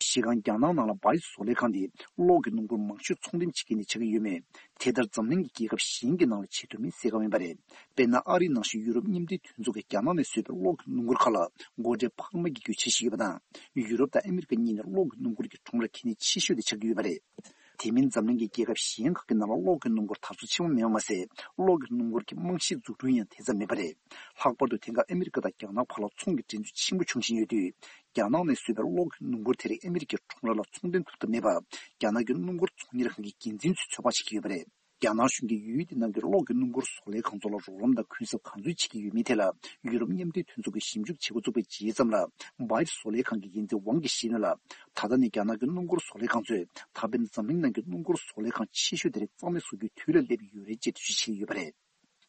གཞི་རྐང་རྒྱ་ནག་ནང་ལ་བྷའི་ཏི་བཟོ་ལས་ཁང་དེས་གློག་གི་སྣུམ་འཁོར་མང་ཤོས་ཚོང་འགྲེམས་བྱེད་མཁན་ནས་ཆགས་ཀྱི་ཡོད་མོད། དེ་ལྟར་འཛམ་གླིང་གི་རྒྱལ་ཁབ་གཞན་གྱི་ནང་ལ་བྱེད་ཐུབ་མིན་གསལ་ཁ་མིན་པ་རེད། དཔེར་ན། ཨ་རིའི་ནང་བཞིན་ཡུ་རོབ་མཉམ་འབྲེལ་མཐུན་ཚོགས་ཀྱིས་རྒྱ་ནག་ནས་བཟོས་པའི་གློག་གི་སྣུམ་འཁོར་ཁག་ལ་སྒོ་ཁྲལ་འཕར་མ་བརྒྱབ་རྒྱུའི་འཆར་གཞི་ཡོད་པ་དང་། ཡུ་རོབ་དང་ཨ་མི་རི་ཀ་གཉིས་ནས་གློག་གི་སྣུམ་འཁོར་གྱི་ཁྲོམ་ར་གལ་གནད་ཆེ་ཤོས་དེ་ཆགས་ཀྱི་ཡོད་པ་རེད། དེ་མིན་འཛམ་གླིང་གི་རྒྱལ་ཁབ་གཞན་ཁག་གི་ནང་ལ་གློག་གི་སྣུམ་འཁོར་དར་སོ་ཆེན་པོ་མེད་པ་མ་ཟད། གློག་གི་སྣུམ་འཁོར་གྱི་རྨང་གཞིའི་འཛུགས་སྐྲུན་ཡང་དེ་ཙམ་མེད་པ་རེད། ལྷག་པར་དུ་དེང་སྐབས་ཨ་མི་རི་ཀ་དང་རྒྱ་ནག་བར་ལ་ཚོང་གི་འགྲན་རྩོད་ཆེན་པོ་འབྱུང་བཞིན་ཡོད་དུས། རྒྱ་ནག་ནས་བཟོས་པའི་གློག་གི་སྣུམ་འཁོར་དེ་རིགས་ཨ་མི་རི་ཀའི་ཁྲོམ་ར་ལ་ཚོང་འདྲེན་ཐུབ་ཐབས་མེད་པར། རྒྱ་ནག་གི་སྣུམ་འཁོར་ཚོང་གཉེར་ཁང་གི་འགན་འཛིན་ཚོས་ཚོད་དཔག་བྱེད་ཀྱི་ཡོད་པ་རེད། རྒྱ་ནག་གཞུང་གིས་ཡུལ་དེ་ནང་གི་གློག་གི་སྣུམ་འཁོར་བཟོ་ལས་ཁང་ཚོ་ལ་རོགས་རམ་དང་གུན་གསབ་གང་འཚོལ་བྱེད་ཀྱི་ཡོད་མེད་ཐད་ལ། ཡུ་རོབ་མཉམ་འབྲེལ་མཐུན་ཚོགས་ཀྱིས་ཞིབ་འཇུག་བྱེད་འགོ་བཙུགས་པའི་རྗེས་ཙམ་ལ། བྷའི་ཏི་བཟོ་ལས་ཁང་གི་འགན་འཛིན་ཝང་གིས་བཤད་ནོ་ལ། ད་ལྟ་ནས་རྒྱ་ནག་གི་སྣུམ་འཁོར་བཟོ་ལས་ཁང་ཚོས་ད་ཕན་འཛམ་གླིང་ནང་གི་སྣུམ་འཁོར་བཟོ་ལས་ཁང་ཆེ་ཤོས་དེ་རིགས་གཙང་མ་བཟོ་རྒྱུའི་དུས་ལ་སླེབས་ཡོད་རེད་ཅེས་འགྲེལ་བརྗོད་བྱེད་ཀྱི་ཡོད་པ་རེད།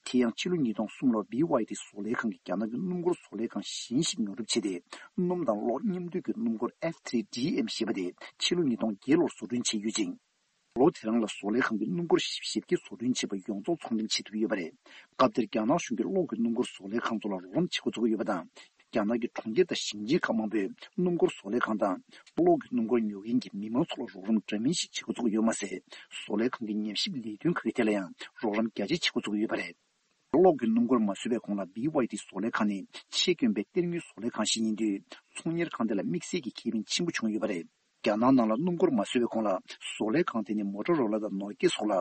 དེ་ཡང་ཕྱི་ལོ་ཉིས་སྟོང་གསུམ་ལོར་བྷི་ཝའི་ཏི་བཟོ་ལས་ཁང་གིས་རྒྱ་ནག་གི་སྣུམ་འཁོར་བཟོ་ལས་ཁང་གཞན་ཞིག་ཉོ་སྒྲུབ་བྱས་ཏེ། སྣུམ་དང་གློག་མཉམ་འདུས་ཀྱི་སྣུམ་འཁོར་ཨེཕ་ཐི་རི་ཌི་ཨེམ་ཞེས་པ་དེ་ཕྱི་ལོ་ཉིས་སྟོང་བརྒྱད་ལོར་བཟོ་སྐྲུན་བྱས་ཡོད་ཅིང་། ལོ་དེ་རང་ལ་བཟོ་ལས་ཁང་གི་སྣུམ་འཁོར་བཞི་བཅུ་ཞེ་བརྒྱད་བཟོ་སྐྲུན་བྱས་པ་ཡོངས་རྫོགས་ཚོང་འགྲེམས་བྱེད་ཐུབ་ཡོད་པ་རེད། སྐབས་དེར་རྒྱ་ནག་གཞུང་གིས་གློག་གི་སྣུམ་འཁོར་བཟོ་ལས་ཁང་ཚོ་ལ་རོགས་རམ་བྱེད་འགོ་བཙུགས་ཡོད་པ་དང་། རྒྱ་ནག་གི་གྲོང་ཁྱེར་དང་ཞིང་ཆེན་ཁག་མང་པོས་སྣུམ་འཁོར་བཟོ་ལས་ཁང་དང་། གློག་གི་སྣུམ་འཁོར་ཉོ་མཁན་གྱི་མི་མང་ཚོ་ལ་རོགས་རམ་འདྲ་མིན་ཞིག་བྱེད་འགོ་བཙུགས་ཡོད་མ་ཟད། བཟོ་ལས་ཁང་གི་ཉམས་ཞིབ་ལས་དོན་ཁག་གི་ཐད་ལ་ཡང་རོགས་རམ་རྒྱ་ཆེ་བྱེད་འགོ་བཙུགས་ཡོད་པ་རེད། གློག་གི་སྣུམ་འཁོར་མ་བཟོས་པའི་གོང་ལ་བྷི་ཝའི་ཏི་བཟོ་ལས་ཁང་ནི་ཆེད་བསྐོན་པའི་གཏེར་དངུལ་བཟོ་ལས་ཁང་ཞིག་ཡིན་དུས། ཚོང་གཉེར་ཁང་དེ་ལ་དམིགས་བསལ་གྱི་ཁེ་ཕན་ཆེན་པོ་བྱུང་ཡོད་པ་རེད། རྒྱ་ནག་ནང་ལ་སྣུམ་འཁོར་མ་བཟོས་པའི་གོང་ལ། བཟོ་ལས་ཁང་དེ་ནི་མོ་ཊོ་རོ་ལ་དང་ནོ་ཀི་ཡ་སོགས་ལ་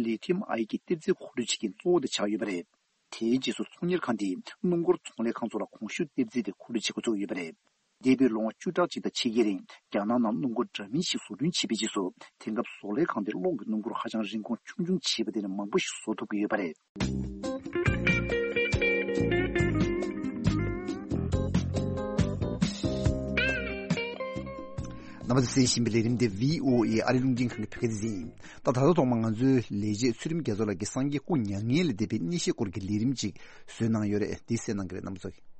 ལི་ཐི་ཡམ་ཨའེ་གི་གཏེར་རྫས་མཁོ་སྤྲོད་བྱེད་མཁན་གཙོ་བོ་དེ་ཆགས་ཡོད་པ་རེད། དེའི་རྗེས་སུ་ཚོང་གཉེར་ཁང་དེས་སྣུམ་འཁོར་ཚོང་ལས་ཁང་ཚོ་ལ་གོང་ཞུ་གཏེར་རྫས་དེ་མཁོ་སྤྲོད་བྱེད་འགོ་བཙུགས་ཡོད་པ་རེད། འདས་པའི་ལོ་ངོ་བཅུ་ཕྲག་གཅིག་དང་ཕྱེད་ཀའི་རིང་རྒྱ་ནག་ནང་སྣུམ་འཁོར་འདྲ་མིན་ཞིག་བཟོ་སྐྲུན་བྱས་པའི་རྗེས་སུ། དེང་སྐབས་བཟོ་ལས་ཁང་དེར་གློག་གི་སྣུམ་འཁོར་ཧ་ཅང་རིན་གོང་ཆུང་ཆུང་བྱས་པ་དེ་ནས་མང་པོ་ཞིག་བཟོ་ཐུབ་ཀྱི་ཡོད་པ་རེད། རྣམ་པ་ཚོས་གསན་བཞིན་པའི་ལས་རིམ་དེ་བྷི་ཨོ་ཨེ་ཨ་རི་རླུང་འཕྲིན་ཁང་གི་བོད་སྐད་སྡེ་ཚན་ཡིན། ད་ད་ལྟ་ཐོག་མར་ང་ཚོའི་ལས་བྱེད་ཚུལ་ཁྲིམས་རྒྱ་མཚོ་ལགས་ཀྱིས་སངས་རྒྱས་སྐུ་མྱ་ངན་ལས་འདས་པའི་གནས་བཤད་སྐོར་གྱི་ལས་རིམ་ཅིག་བཟོས་གནང་ཡོད་རེད། འདི་གསན་གནང་གི་རེད། རྣམ་པ་ཚོ།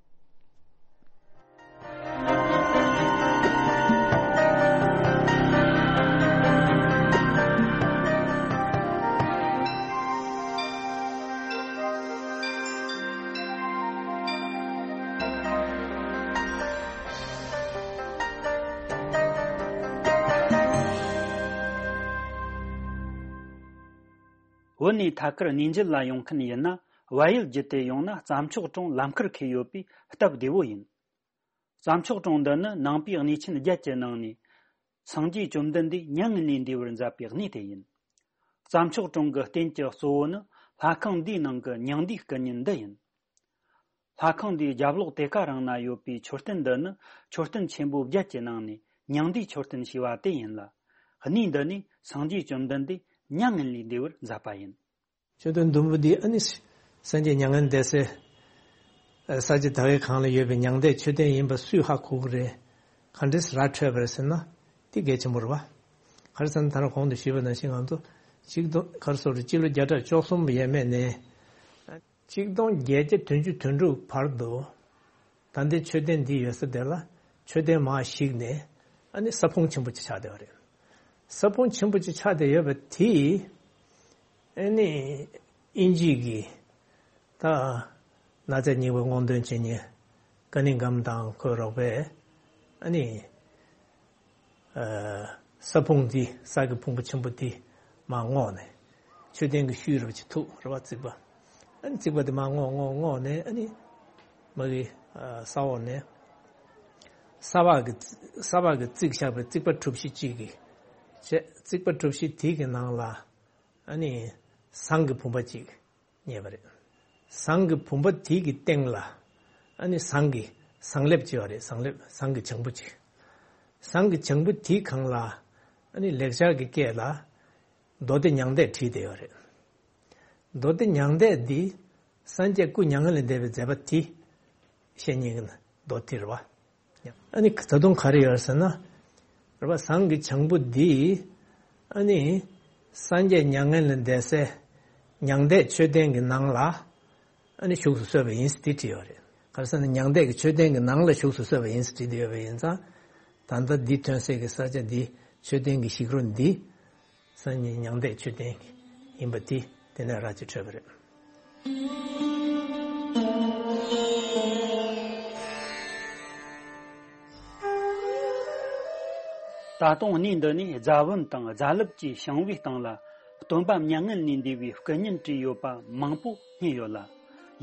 བོད་ནས་ཐད་ཀར་གནས་མཇལ་ལ་ཡོང་མཁན་ཡིན་ན། བལ་ཡུལ་བརྒྱུད་དེ་ཡོང་ན་རྩྭ་མཆོག་གྲོང་ལམ་ཁར་འཁེལ་ཡོད་པས་སྟབས་བདེ་བོ་ཡིན། རྩྭ་མཆོག་གྲོང་འདི་ནི་ནང་པའི་གནས་ཆེན་བརྒྱད་ཀྱི་ནང་ནས། སངས་རྒྱས་བཅོམ་ལྡན་འདས་མྱ་ངན་ལས་འདས་པར་མཛད་པའི་གནས་དེ་ཡིན། རྩྭ་མཆོག་གྲོང་གི་རྟེན་གྱི་གཙོ་བོ་ནི་ལྷ་ཁང་འདིའི་ནང་གི་མྱང་འདས་སྐུ་བརྙན་འདི་ཡིན། ལྷ་ཁང་འདིའི་རྒྱབ་ལོགས་དེ་ཀ་རང་ན་ཡོད་པའི་མཆོད་རྟེན་འདི་ནི་མཆོད་རྟེན་ཆེན་པོ་བརྒྱད་ཀྱི་ནང་ནས་མྱང་འདས་མཆོད་རྟེན་ཞེས་པ་དེ་ཡིན་ལ། གནས་འདི་ནས་སངས་རྒྱས་བཅོམ་ལྡན་འདས་མྱ་ངན་ལས་འདས་པར་མཛད་པ་ཡིན། མཆོད་རྟེན་ཟླུམ་པོ་འདི་ཨ་ནི་སངས་རྒྱས་མྱ་ངན་འདས་སའི་ས་ཆ་དག་གི་སྒང་ལ་ཡོད་པའི་མྱང་འདས་མཆོད་རྟེན་ཡིན་པ་སུས་ཧ་གོ་གི་རེད། ག་འདྲས་ར་འཕྲོད་པ་རེད་ཟེར་ན། འདི་གལ་ཆེན་པོ་རེད་བ། ག་རེ་ཟེར་ན་ད་ནི་གོང་དུ་ཞུས་པ་ནང་བཞིན་ང་ཚོ་ཆིག་སྟོང་ག་རེ་ཟེར་དགོས་རེད། སྤྱི་ལོ་བརྒྱ་ཕྲག་བཅུ་གསུམ་ཡས་མས་ནས། ཆིག་སྟོང་བརྒྱད་བརྒྱ་བདུན་ཅུ་དོན་དྲུག་བར་དུ། ད་ལྟའི་མཆོད་རྟེན་འདི་ཡོད་ས་དེ་ལ་མཆོད་རྟེན་མར་བཤིག་ནས་ཨ་ནི་ས་ཕུང་ཆེན་པོ་ཅིག་ཆགས་བསྡད་པ་རེད། ས་ཕུང་ཆེན་པོ་ཅིག་ཆགས་བསྡད་ཡོད་པ་དེ། ཨ་ནི་དབྱིན་ཇི་གི་ད་གནའ་རྫས་རྙིང་པ་སྔོག་འདོན་བྱེད་མཁན་ཀ་ནིང་གམ་དང་ཁོའི་རོགས་པས་ཨ་ནི། ས་ཕུང་འདི་ས་གི་ཕུང་པོ་ཆེན་པོ་འདི་མར་བསྔོགས་ནས་མཆོད་རྟེན་གྱི་ཤུལ་རེ་བ་ཅིག་ཐུག་རེ་བ་རྩིག་པ། ཨ་ནི་རྩིག་པ་དེ་མར་བསྔོགས་བསྔོགས་བསྔོགས་ནས་ཨ་ནི་མ་གི་ས་འོག་ནས་ས་བག་གི་ས་བག་གི་བརྩིགས་བཞག་པའི་རྩིག་པ་གྲུ་བཞི་གཅིག་གི་བྱས། རྩིག་པ་གྲུ་བཞི་དེ་གི་ནང་ལ་ཨ་ནི་ཟངས་ཀྱི་བུམ་པ་གཅིག་རྙེད་པ་རེད། ཟངས་ཀྱི་བུམ་པ་དེ་གི་སྟེང་ལ་ཨ་ནི་ཟངས་ཀྱི་ཟངས་ལེབ་ཅིག་ཡོད་རེད། ཟངས་ལེབ། ཟངས་ཀྱི་བྱང་བུ་ཅིག་ཟངས་ཀྱི་བྱང་བུ་དེའི་སྒང་ལ་ཨ་ནི་ལེགས་སྦྱར་གྱི་སྐད་ལ་མདོ་སྡེ་མྱང་འདས་བྲིས་བསྡད་ཡོད་རེད། མདོ་སྡེ་མྱང་འདས་འདི་སངས་རྒྱས་སྐུ་མྱ་ངན་ལས་འདས་པའི་མཛད་པ་དེ་བཤད་མཁན་གྱི་མདོ་དེ་རེད་བ། ཨ་ནི་ད་དུང་ག་རེ་ཡོད་ཟེར་ན། རེད་བ། ཟངས་ཀྱི་བྱང་བུ་འདི་ཨ་ནི་སངས་རྒྱས་མྱ་ངན་ལས་འདས་སའི་མྱང་འདས་མཆོད་རྟེན་གྱི་ནང་ལ་ཨ་ནི་བཞུགས་སུ་གསོལ་བ་ཡིན་ཟེར་དེ་བྲིས་ཡོད་རེད། ག་རེ་ཟེར་ན་མྱང་འདས་ཀྱི་མཆོད་རྟེན་གྱི་ནང་ལ་བཞུགས་སུ་གསོལ་བ་ཡིན་ཟེར་བྲིས་བསྡད་ཡོད་པ་ཡིན་ཙང་། ད་ལྟ་འདི་ཐོན་སའི་གི་ས་ཆ་འདི་མཆོད་རྟེན་གྱི་ཞིག་རོ་འདི་སངས་རྒྱས་མྱང་འདས་མཆོད་རྟེན་ཡིན་པ་དེ་དེ་ནས་ར་ཅིག་འཕྲོད་པ་རེད། ད་དུང་གནས་འདི་ནས་རྫ་བུམ་དང་རྫ་ལེབ་བཅས་བྱིང་བའི་སྟེང་ལ། སྟོན་པ་མྱ་ངན་ལས་འདས་པའི་སྐུ་བརྙན་བྲིས་ཡོད་པ་མང་པོ་རྙེད་ཡོད་ལ།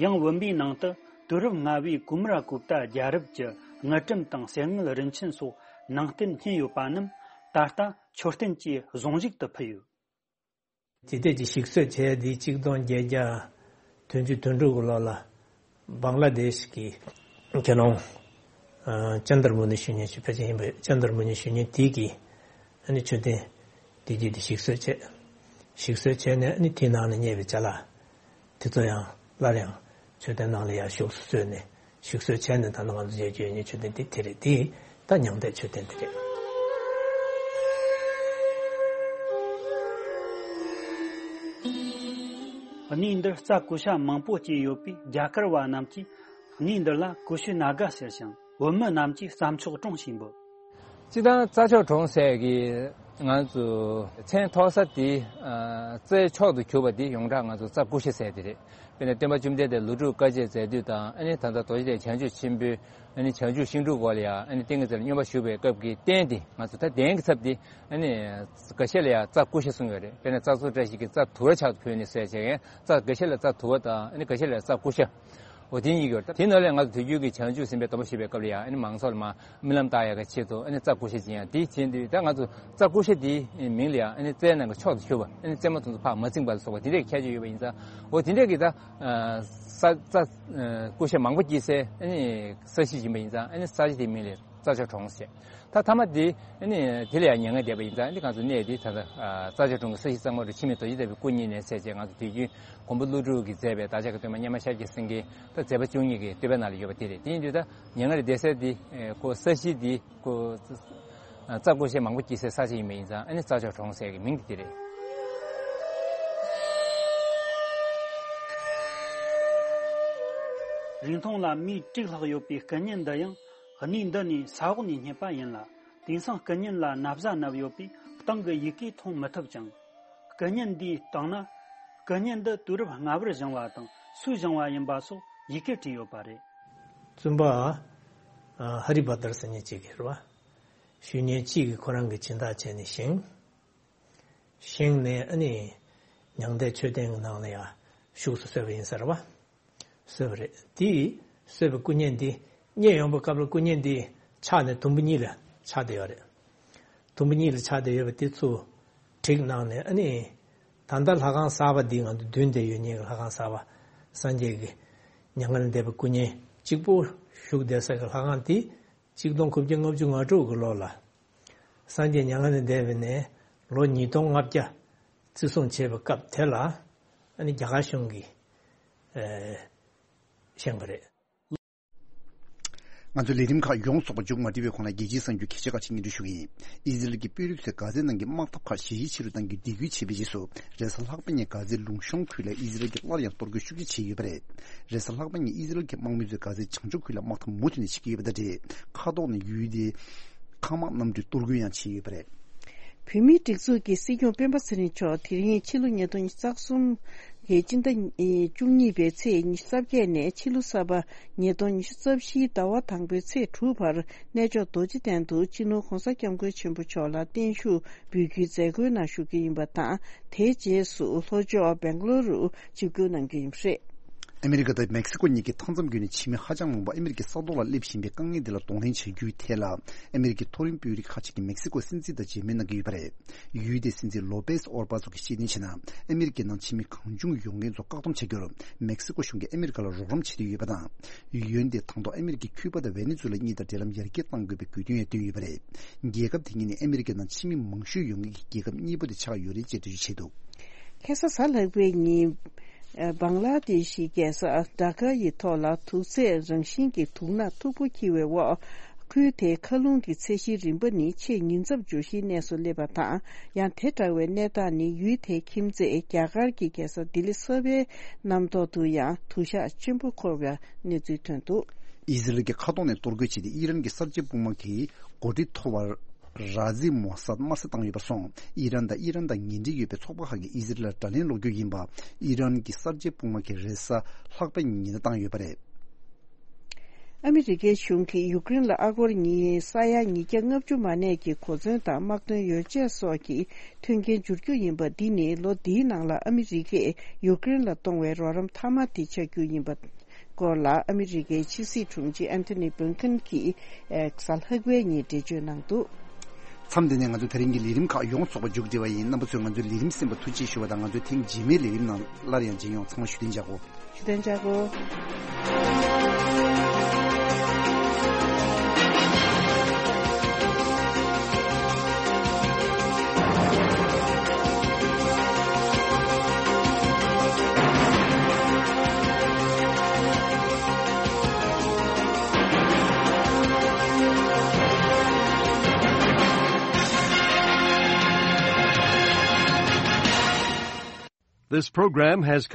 ཡང་བུམ་པའི་ནང་དུ་དུས་རབས་ལྔ་བའི་ཀུ་མ་ར་གུབ་ཏ་རྒྱལ་རབས་ཀྱི་དངུལ་ཀྲམ་དང་གསེར་དངུལ་རིན་ཆེན་སོགས་ནང་རྟེན་རྙེད་ཡོད་པ་རྣམས། ད་ལྟ་མཆོད་རྟེན་གྱི་གཟུངས་གཞུག་ཏུ་ཕུལ་ཡོད། དེ་དུས་ཀྱི་ཞིག་གསོ་བྱས་དེ་གཅིག་སྟོང་བརྒྱད་བརྒྱ་དོན་བཅུ་དོན་དྲུག་གི་ལོ་ལ། བང་ལ་དེཤ་གི་དགེ་སློང་ཨ་ཅན་དར་མུ་ནི་ཞུ་མཁན་ཞིག་ཕལ་ཆེར་ཡིན་པས། ཅན་དར་མུ་ནི་ཞུ་མཁན་དེ་གིས་ཨ་ནི་མཆོད་རྟེན་དེ་རྗེས་དེ་ཞིག་གསོ་བྱས། ཞིག་གསོ་བྱས་ནས་ཨ་ནི་དེའི་ནང་ནས་རྙེད་པའི་ཅ་ལག་དེ་ཚོ་ཡང་སླར་ཡང་མཆོད་རྟེན་ནང་ལ་ཡར་བཞུགས་སུ་གསོལ་ནས། ཞིག་གསོ་བྱས་ནས་ད་ནང་ང་ཚོ་མཇལ་རྒྱུ་ཡོད་མཁན་མཆོད་རྟེན་དེ་དེ་རེད། དེ་ད་མྱང་འདས་མཆོད་རྟེན་དེ་རེད། གནས་འདིར་རྩྭ་ཀུ་ཤ་མང་པོ་སྐྱེས་ཡོད་པས། རྒྱ་གར་བ་རྣམས་ཀྱིས་གནས་འདི་ལ་ཀུ་ཤུ་ན་ག་ཟེར་ཞིང་། བོད་མི་རྣམས་ཀྱིས་རྩྭ་མཆོག་གྲོང་ཞེས་འབོད། སྤྱིར་བཏང་རྩྭ་མཆོག་གྲོང་ཟེར་གྱི་ང་ཚོ་མཚན་ཐོགས་ས་དེ། ཨ་རྩྭའི་མཆོག་ཏུ་གྱུར་པ་དེ་ཡོངས་གྲགས་ང་ཚོ་རྩྭ་ཀུ་ཤ་ཟེར་དེ་རེད། དཔེར་ན་སྟོན་པ་བཅོམ་ལྡན་འདས་ལོ་དྲུག་དཀའ་སྤྱད་མཛད་དུས་དང་། ཨ་ནི་ད་ལྟ་རྡོ་རྗེ་གདན་བྱང་ཆུབ་ཆེན་པོའི་ཨ་ནི་བྱང་ཆུབ་ཤིང་དྲུང་འོག་ལ་ཡང་། ཨ་ནི་ཏིང་ངེ་འཛིན་ལ་སྙོམས་པར་ཞུགས་པའི་སྐབས་ཀྱི་རྟེན་དེ། ང་ཚོ་ད་གདན་གྱི་ཚབ་དེ་ཨ་ནི་འགའ་ཤས་ལ་ཡང་རྩྭ་ཀུ་ཤ་གསུངས་ཡོད་རེད། དཔེར་ན་རྩྭ་མཆོག་བཀྲ་ཤིས་ཀྱི་རྩྭ་དུ་བ་ཕྱག་ཏུ་ཕུལ་ནས་ཟེར་བྱས། ཡང་རྩྭ་འགའ་ཤས་ལ་རྩྭ་དུ་བ་དང་། ཨ་ནི་འགའ་ཤས་ལ་རྩྭ་ཀུ་ཤ། འོ་དེ་གཉིས་ཡོད་རེད། དེ་ནང་ལས་ང་ཚོ་དུས་རྒྱུན་གྱི་བྱང་ཆུབ་སེམས་དཔའི་སྡོམ་པ་ཞུ་བའི་སྐབས་ལ་ཡང་། ཨ་ནི་མང་ཚོགས་ལ་མར་སྨོན་ལམ་བཏབ་ཡག་གི་ཆེད་དུ། ཨ་ནི་རྩྭ་ཀུ་ཤ་སྦྱིན་ཡག་དེ་བྱེད་དུས། ད་ང་ཚོ་རྩྭ་ཀུ་ཤ་དེའི་མིང་ལ་ཡང་། ཨ་ནི་རྩྭའི་ནང་གི་མཆོག་ཏུ་གྱུར་པ། ཨ་ནི་རྩེ་མོ་དེ་ཚོ་ཕར་མ་བརྫིས་པ་ལ་སོགས་པ་དེ་འདྲའི་ཁྱད་ཆོས་ཡོད་པ་ཡིན་ཙང་། འོ་དེ་འདྲའི་གི་ད་ས་རྩྭ་ཀུ་ཤ་མང་པོ་སྐྱེས་སའི་ཨ་ནི་ས་གཞི་ཡིན་པ་ཡིན་ཙང་། ཨ་ནི་ས་གཞི་དེའི་མིང་ལ་རྩྭ་མཆོག་གྲོང་ཟེར། ད་མཐའ་མ་དེ་ཨ་ནི་དེ་ལ་ཡང་མྱ་ངན་འདས་པ་ཡིན་ཙང་། ཨ་ནི་ང་ཚོ་གནས་དེ་ད་ལྟ་རྩྭ་མཆོག་གྲོང་གི་ས་གཞི་གཙང་མ་རུ་འཆི་མེད་རྡོ་རྗེ་ལྟ་བུའི་སྐུ་བརྙེས་ནས་ཟེར་བྱས། ང་ཚོ་དུས་རྒྱུན་མགོན་པོ་ཀླུ་སྒྲུབ་ཀྱིས་མཛད་པའི་བདག་ཅག་གི་སྟོན་པ་སྙེ་མ་ཤཱཀྱ་སེང་གེ་ད་མཛད་པ་བཅུ་གཉིས་ཀྱི་བསྟོད་པའི་ནང་ལ་ཡོད་པ་དེ་རེད། དེ་ཡིན་དུས་ད་མྱ་ངན་ལས་འདས་སའི་དེ་ཀོ་ས་གཞི་དེ་ཀོ་རྩྭ་ཀུ་ཤ་མང་པོ་སྐྱེས་སའི་ས་ཆ་ཡིན་པ་ཡིན་ཙང་། ཨ་ནི་རྩྭ་མཆོག་གྲོང་ཟེར་གྱི་མིང་དེ་དེ་རེད། རིང་ཐུང་ལ་མིའི་དྲུག་ལྷག་ཡོད་པའི་སྐུ་བརྙན་འདི་ཡང་གནས་འདི་ནས་ས་འོག་ནས་རྙེད་པ་ཡིན་ལ། དེང་སང་སྐུ་བརྙན་ལ་ན་བཟའ་མནབས་ཡོད་པས་སྟེང་གི་ཡི་གེ་མཐོང་མི་ཐུབ་ཅིང་། སྐུ་བརྙན་འདིའི་སྟེང་ན་སྐུ་བརྙན་འདི་དུས་རབས་སྔ་བར་བཞེངས་པ་དང་སུས་བཞེངས་པ་ཡིན་པ་སོགས་ཡི་གེ་བྲིས་ཡོད་པ་རེད། བཙུན་པ་ཨ་ཧ་རི་བྷ་དར་ཟེར་མཁན་གཅིག་གིས་རེད་བ། ཞུ་མཁན་གཅིག་གིས་ཁོ་རང་གི་སྦྱིན་བདག་བྱས་ནས་བཞེངས། བཞེངས་ནས་ཨ་ནི་མྱང་འདས་མཆོད་རྟེན་གྱི་ནང་ལ་ཡང་བཞུགས་སུ་གསོལ་བ་ཡིན་ས་རེད་བ། གསོལ་བ་རེད། དེ་གསོལ་བའི་སྐུ་བརྙན་འདི་རྙེད་ཡོང་བའི་སྐབས་ལ་སྐུ་བརྙན་འདི་ཆག་ནས་དུམ་བུ་གཉིས་ལ་ཆག་བསྡད་ཡོད་རེད། དུམ་བུ་གཉིས་ལ་ཆག་བསྡད་ཡོད་པ་དེ་ཚུར་བསྒྲིགས་གནང་ནས། ཨ་ནི་ད་ལྟ་ལྷ་ཁང་གསར་པ་འདི་ང་ཚོ་མདུན་དེར་ཡོད་མཁན་གྱི་ལྷ་ཁང་གསར་པ། སངས་རྒྱས་ཀྱི་མྱ་ངན་ལས་འདས་པའི་སྐུ་བརྙན་གཅིག་པོ་བཞུགས་བསྡད་ས་གི་ལྷ་ཁང་དེ། ཆིག་སྟོང་དགུ་བརྒྱ་ལྔ་བཅུ་ང་དྲུག་གི་ལོ་ལ་སངས་རྒྱས་མྱ་ངན་ལས་འདས་པ་ནས་ལོ་ཉིས་སྟོང་ལྔ་བརྒྱ་བརྩི་སྲུང་བྱས་པའི་སྐབས་དེ་ལ། ཨ་ནི་རྒྱ་གར་གཞུང་གིས་ཨེ་བཞེངས་པ་རེད། ང་ཚོའི་ལས་རིམ་ཁག་ཡོངས་རྫོགས་པ་མཇུག་མ་སྒྲིལ་བའི་གོང་ལ། རྒྱལ་སྤྱིའི་གསར་འགྱུར་ཁྱད་ཆོས་ཁག་ཅིག་སྙན་སྒྲོན་ཞུ་གི་ཡིན། ཨི་ཟི་རལ་གྱི་དཔོན་རིགས་ཚོས་གྷ་ཛའི་ནང་གི་དམག་འཐབ་ཁག་ཞི་ཞི་ཆེ་རུ་གཏང་རྒྱུའི་འདེད་སྐུལ་བྱས་པའི་རྗེས་སུ། རེས་གཟའ་ལྷག་པ་ཉིན་གྷ་ཛའི་ལུང་གཤོང་ཁུལ་ལ་ཨི་ཟི་རལ་གྱིས་སླར་ཡང་གཏོར་རྒོལ་ཤུགས་ཆེ་བྱས་ཡོད་པ་རེད། རེས་གཟའ་ལྷག་པ་ཉིན་ཨི་ཟི་རལ་གྱི་དམག་མི་ཚོས་གྷ་ཛའི་བྱང་ཕྱོགས་ཁུལ་ལ་དམག་འཐབ་མུ་མཐུད་ནས་བྱེད་ཀྱི་ཡོད་པ་དང་འབྲེལ། མཁའ་ཐོག་ནས་ཡུལ་དེའི་མཁའ་དམག་གནམ་གྲུས་གཏོར་རྒོལ་ཡང་བྱས་ཡོད་པ་རེད། བོད་མིའི་སྒྲིག་འཛུགས་ཀྱི་སྲིད་སྐྱོང་སྤེན་པ་ཚེ་རིང་མཆོག་དེ་རིང་ཕྱི་ལོ་ཉིས་སྟོང་ཉི་ཤུ་རྩ་གསུམ་གྱི་སྤྱི་ཟླ་བཅུ་གཉིས་པའི་ཚེས་ཉི་ཤུ་རྩ་བརྒྱད་ནས་ཕྱི་ལོ་གསར་པ་ཉིས་སྟོང་ཉི་ཤུ་རྩ་བཞིའི་ཟླ་བ་དང་པོའི་ཚེས་དྲུག་བར་གནས་མཆོག་རྡོ་རྗེ་གདན་དུ་སྤྱི་ནོར་༧གོང་ས་༧སྐྱབས་མགོན་ཆེན་པོ་མཆོག་ལ་བརྟན་བཞུགས་འབུལ་རྒྱུའི་མཛད་སྒོའི་ནང་ཞུགས་ཀྱི་ཡིན་པ་དང་། དེའི་རྗེས་སུ་ལྷོ་ཕྱོགས་སྦེང་ལོར་རུ་ཆིབས་བསྒྱུར་གནང་རྒྱུ་ཡིན་པ་རེད། ཨ་མི་རི་ཀ་དང་མེག་སི་ཀོ་གཉིས་ཀྱི་མཐའ་མཚམས་བརྒྱུད་ནས་ཕྱི་མི་ཧ་ཅང་མང་པོ་ཨ་མི་རི་ཀའི་ས་ཐོག་ལ་སླེབས་བཞིན་པའི་དཀའ་ངལ་འདི་ལ་གདོང་ལེན་བྱ་རྒྱུའི་ཐད་ལ། ཨ་མི་རི་ཀའི་མཐོ་རིམ་དཔོན་རིགས་ཁག་ཅིག་གིས་མེག་སི་ཀོ་སྲིད་འཛིན་དང་མཇལ་མོལ་གནང་གི་ཡོད་པ་རེད། ཡུལ་དེའི་སྲིད་འཛིན་ལོ་པེས་ཨོར་བྷ་སོགས་ཀྱིས་ཤེས་བསྟན་བྱས་ན། ཨ་མི་རི་ཀའི་ནང་ཕྱི་མི་གང་བྱུང་ཡོང་མཁན་ཚོ་བཀག་སྡོམ་བྱ་རྒྱུར་མེག་སི་ཀོ་གཞུང་གིས་ཨ་མི་རི་ཀ་ལ་རོགས་རམ་བྱེད་འདོད་ཡོད་པ་དང་། ཡུལ་དེས་དང་ཐོག་ཨ་མི་རི་ཀས་ཁྱུ་པ་དང་ཝེ་ནེ་ཛུ་ལ་གཉིས་དང་འབྲེལ་ལམ་ཡར་རྒྱས་གཏང་དགོས་པའི་དགོས་འདུན་ཡང་བཏོན་ཡོད་པ་རེད། རྒྱལ་ཁབ་དེ་གཉིས་ནི་ཨ་མི་རི་ཀའི་ནང་ཕྱི་མི་མང་ཤོས་ཡོང་མཁན་གྱི་རྒྱལ་ཁབ་གཉིས་པོ་དེ་ཆགས་ཡོད་རེད་ཅེས་འགྲེལ་བརྗོད་བྱས་འདུག། ཁ་སང་གཟའ་ལྷག་པའི་ཉིན། ཨ་བང་ལ་དེ་ཤི་རྒྱལ་ས་ཌ་ཀ་ཡི་ཐོག་ལ་དུག་རྫས་རང་བཞིན་གྱི་དུག་སྣ་མཐུག་པོ་འཁྱིལ་བའི་འོག་ཁུལ་དེའི་མཁའ་རླུང་གི་ཚད་གཞིའི་རིམ་པ་ནི་ཆེས་ཉེན་ཚབས་འབྱུང་གཞིའི་གནས་སུ་སླེབས་པ་དང་། ཡང་དེ་འདྲ་བའི་གནས་སྟངས་ནི་ཡུལ་དེའི་ཁྱིམ་མཚེས་རྒྱ་གར་གྱི་རྒྱལ་ས་ལྡི་ལི་གསར་པའི་གནམ་ཐོག་ཏུ་ཡང་དུ་ཞག་ཆེན་པོ་འཁོར་བའི་གནས་ཚུལ་ཐོན་འདུག། ཨི་ཟི་རལ་གྱི་མཁའ་ཐོག་ནས་གཏོར་རྒོལ་བྱས་ཏེ་ཨི་རན་གྱི་གསར་བརྗེ་དཔུང་དམག་གི་འགོ་ཁྲིད་མཐོ་བ་ར་ཛི་མོ་སཱད་དམར་གསོད་བཏང་ཡོད་པར་སོང་། ཨི་རན་དང་ཨི་རན་དང་ངན་འབྲེལ་ཡོད་པའི་ཚོགས་པ་ཁག་གིས་ཨི་ཟི་རལ་ལ་དགྲ་ལན་སློག་རྒྱུ་ཡིན་པ་ཨི་རན་གྱི་གསར་བརྗེ་དཔུང་དམག་གིས་རེས་གཟའ་ལྷག་པའི་ཉིན་བཏང་ཡོད་པ་རེད། ཨ་མི་རི་ཀའི་གཞུང་གིས་ཡུཀ་རེན་ལ་ཨ་སྒོར་ཉིས་ས་ཡ་ཉིས་བརྒྱ་ལྔ་བཅུ་མ་གནས་ཀྱི་གོ་མཚོན་དང་དམག་དོན་ཡོ་བྱད་སོགས་ཀྱི་མཐུན་རྐྱེན་འབྱོར་རྒྱུ་ཡིན་པ། འདི་ནི་ལོ་འདིའི་ནང་ལ་ཨ་མི་རི་ཀས་ཡུཀ་རེན་ལ་གཏོང་བའི་རོགས་རམ་མཐའ་མ་དེ་ཆགས་རྒྱུ་ཡིན་པ་སྐོར་ལ། ཨ་མི་རི་ཀའི་ཕྱི་སྲིད་དྲུང་ཆེ་ཨན་ཐོ་ནི་བྷིན་ཁིན་གྱིས་གཟའ་ལྷག་པའི་ཉིན་འགྲེལ་བརྗོད་གནང་འདུག། མཚམས་འདི་ནས་ང་ཚོ་དེ་རིང་གི་ལས་རིམ་ཁག་ཡོངས་རྫོགས་པ་མཇུག་སྒྲིལ་བ་ཡིན། རྣམ་པ་ཚོས་ང་ཚོའི་ལས་རིམ་གསན་པར་ཐུགས་རྗེ་ཞུ་བ་དང་། ང་ཚོའི་ཐེངས་རྗེས་མའི་ལས་རིམ་ནང་སླར་ཡང་མཇལ་ཡོང་། ཚང་མ་བཞུགས་གདན་འཇགས་དགོས། ཞུ་དན་ཅག་གོ། This program has come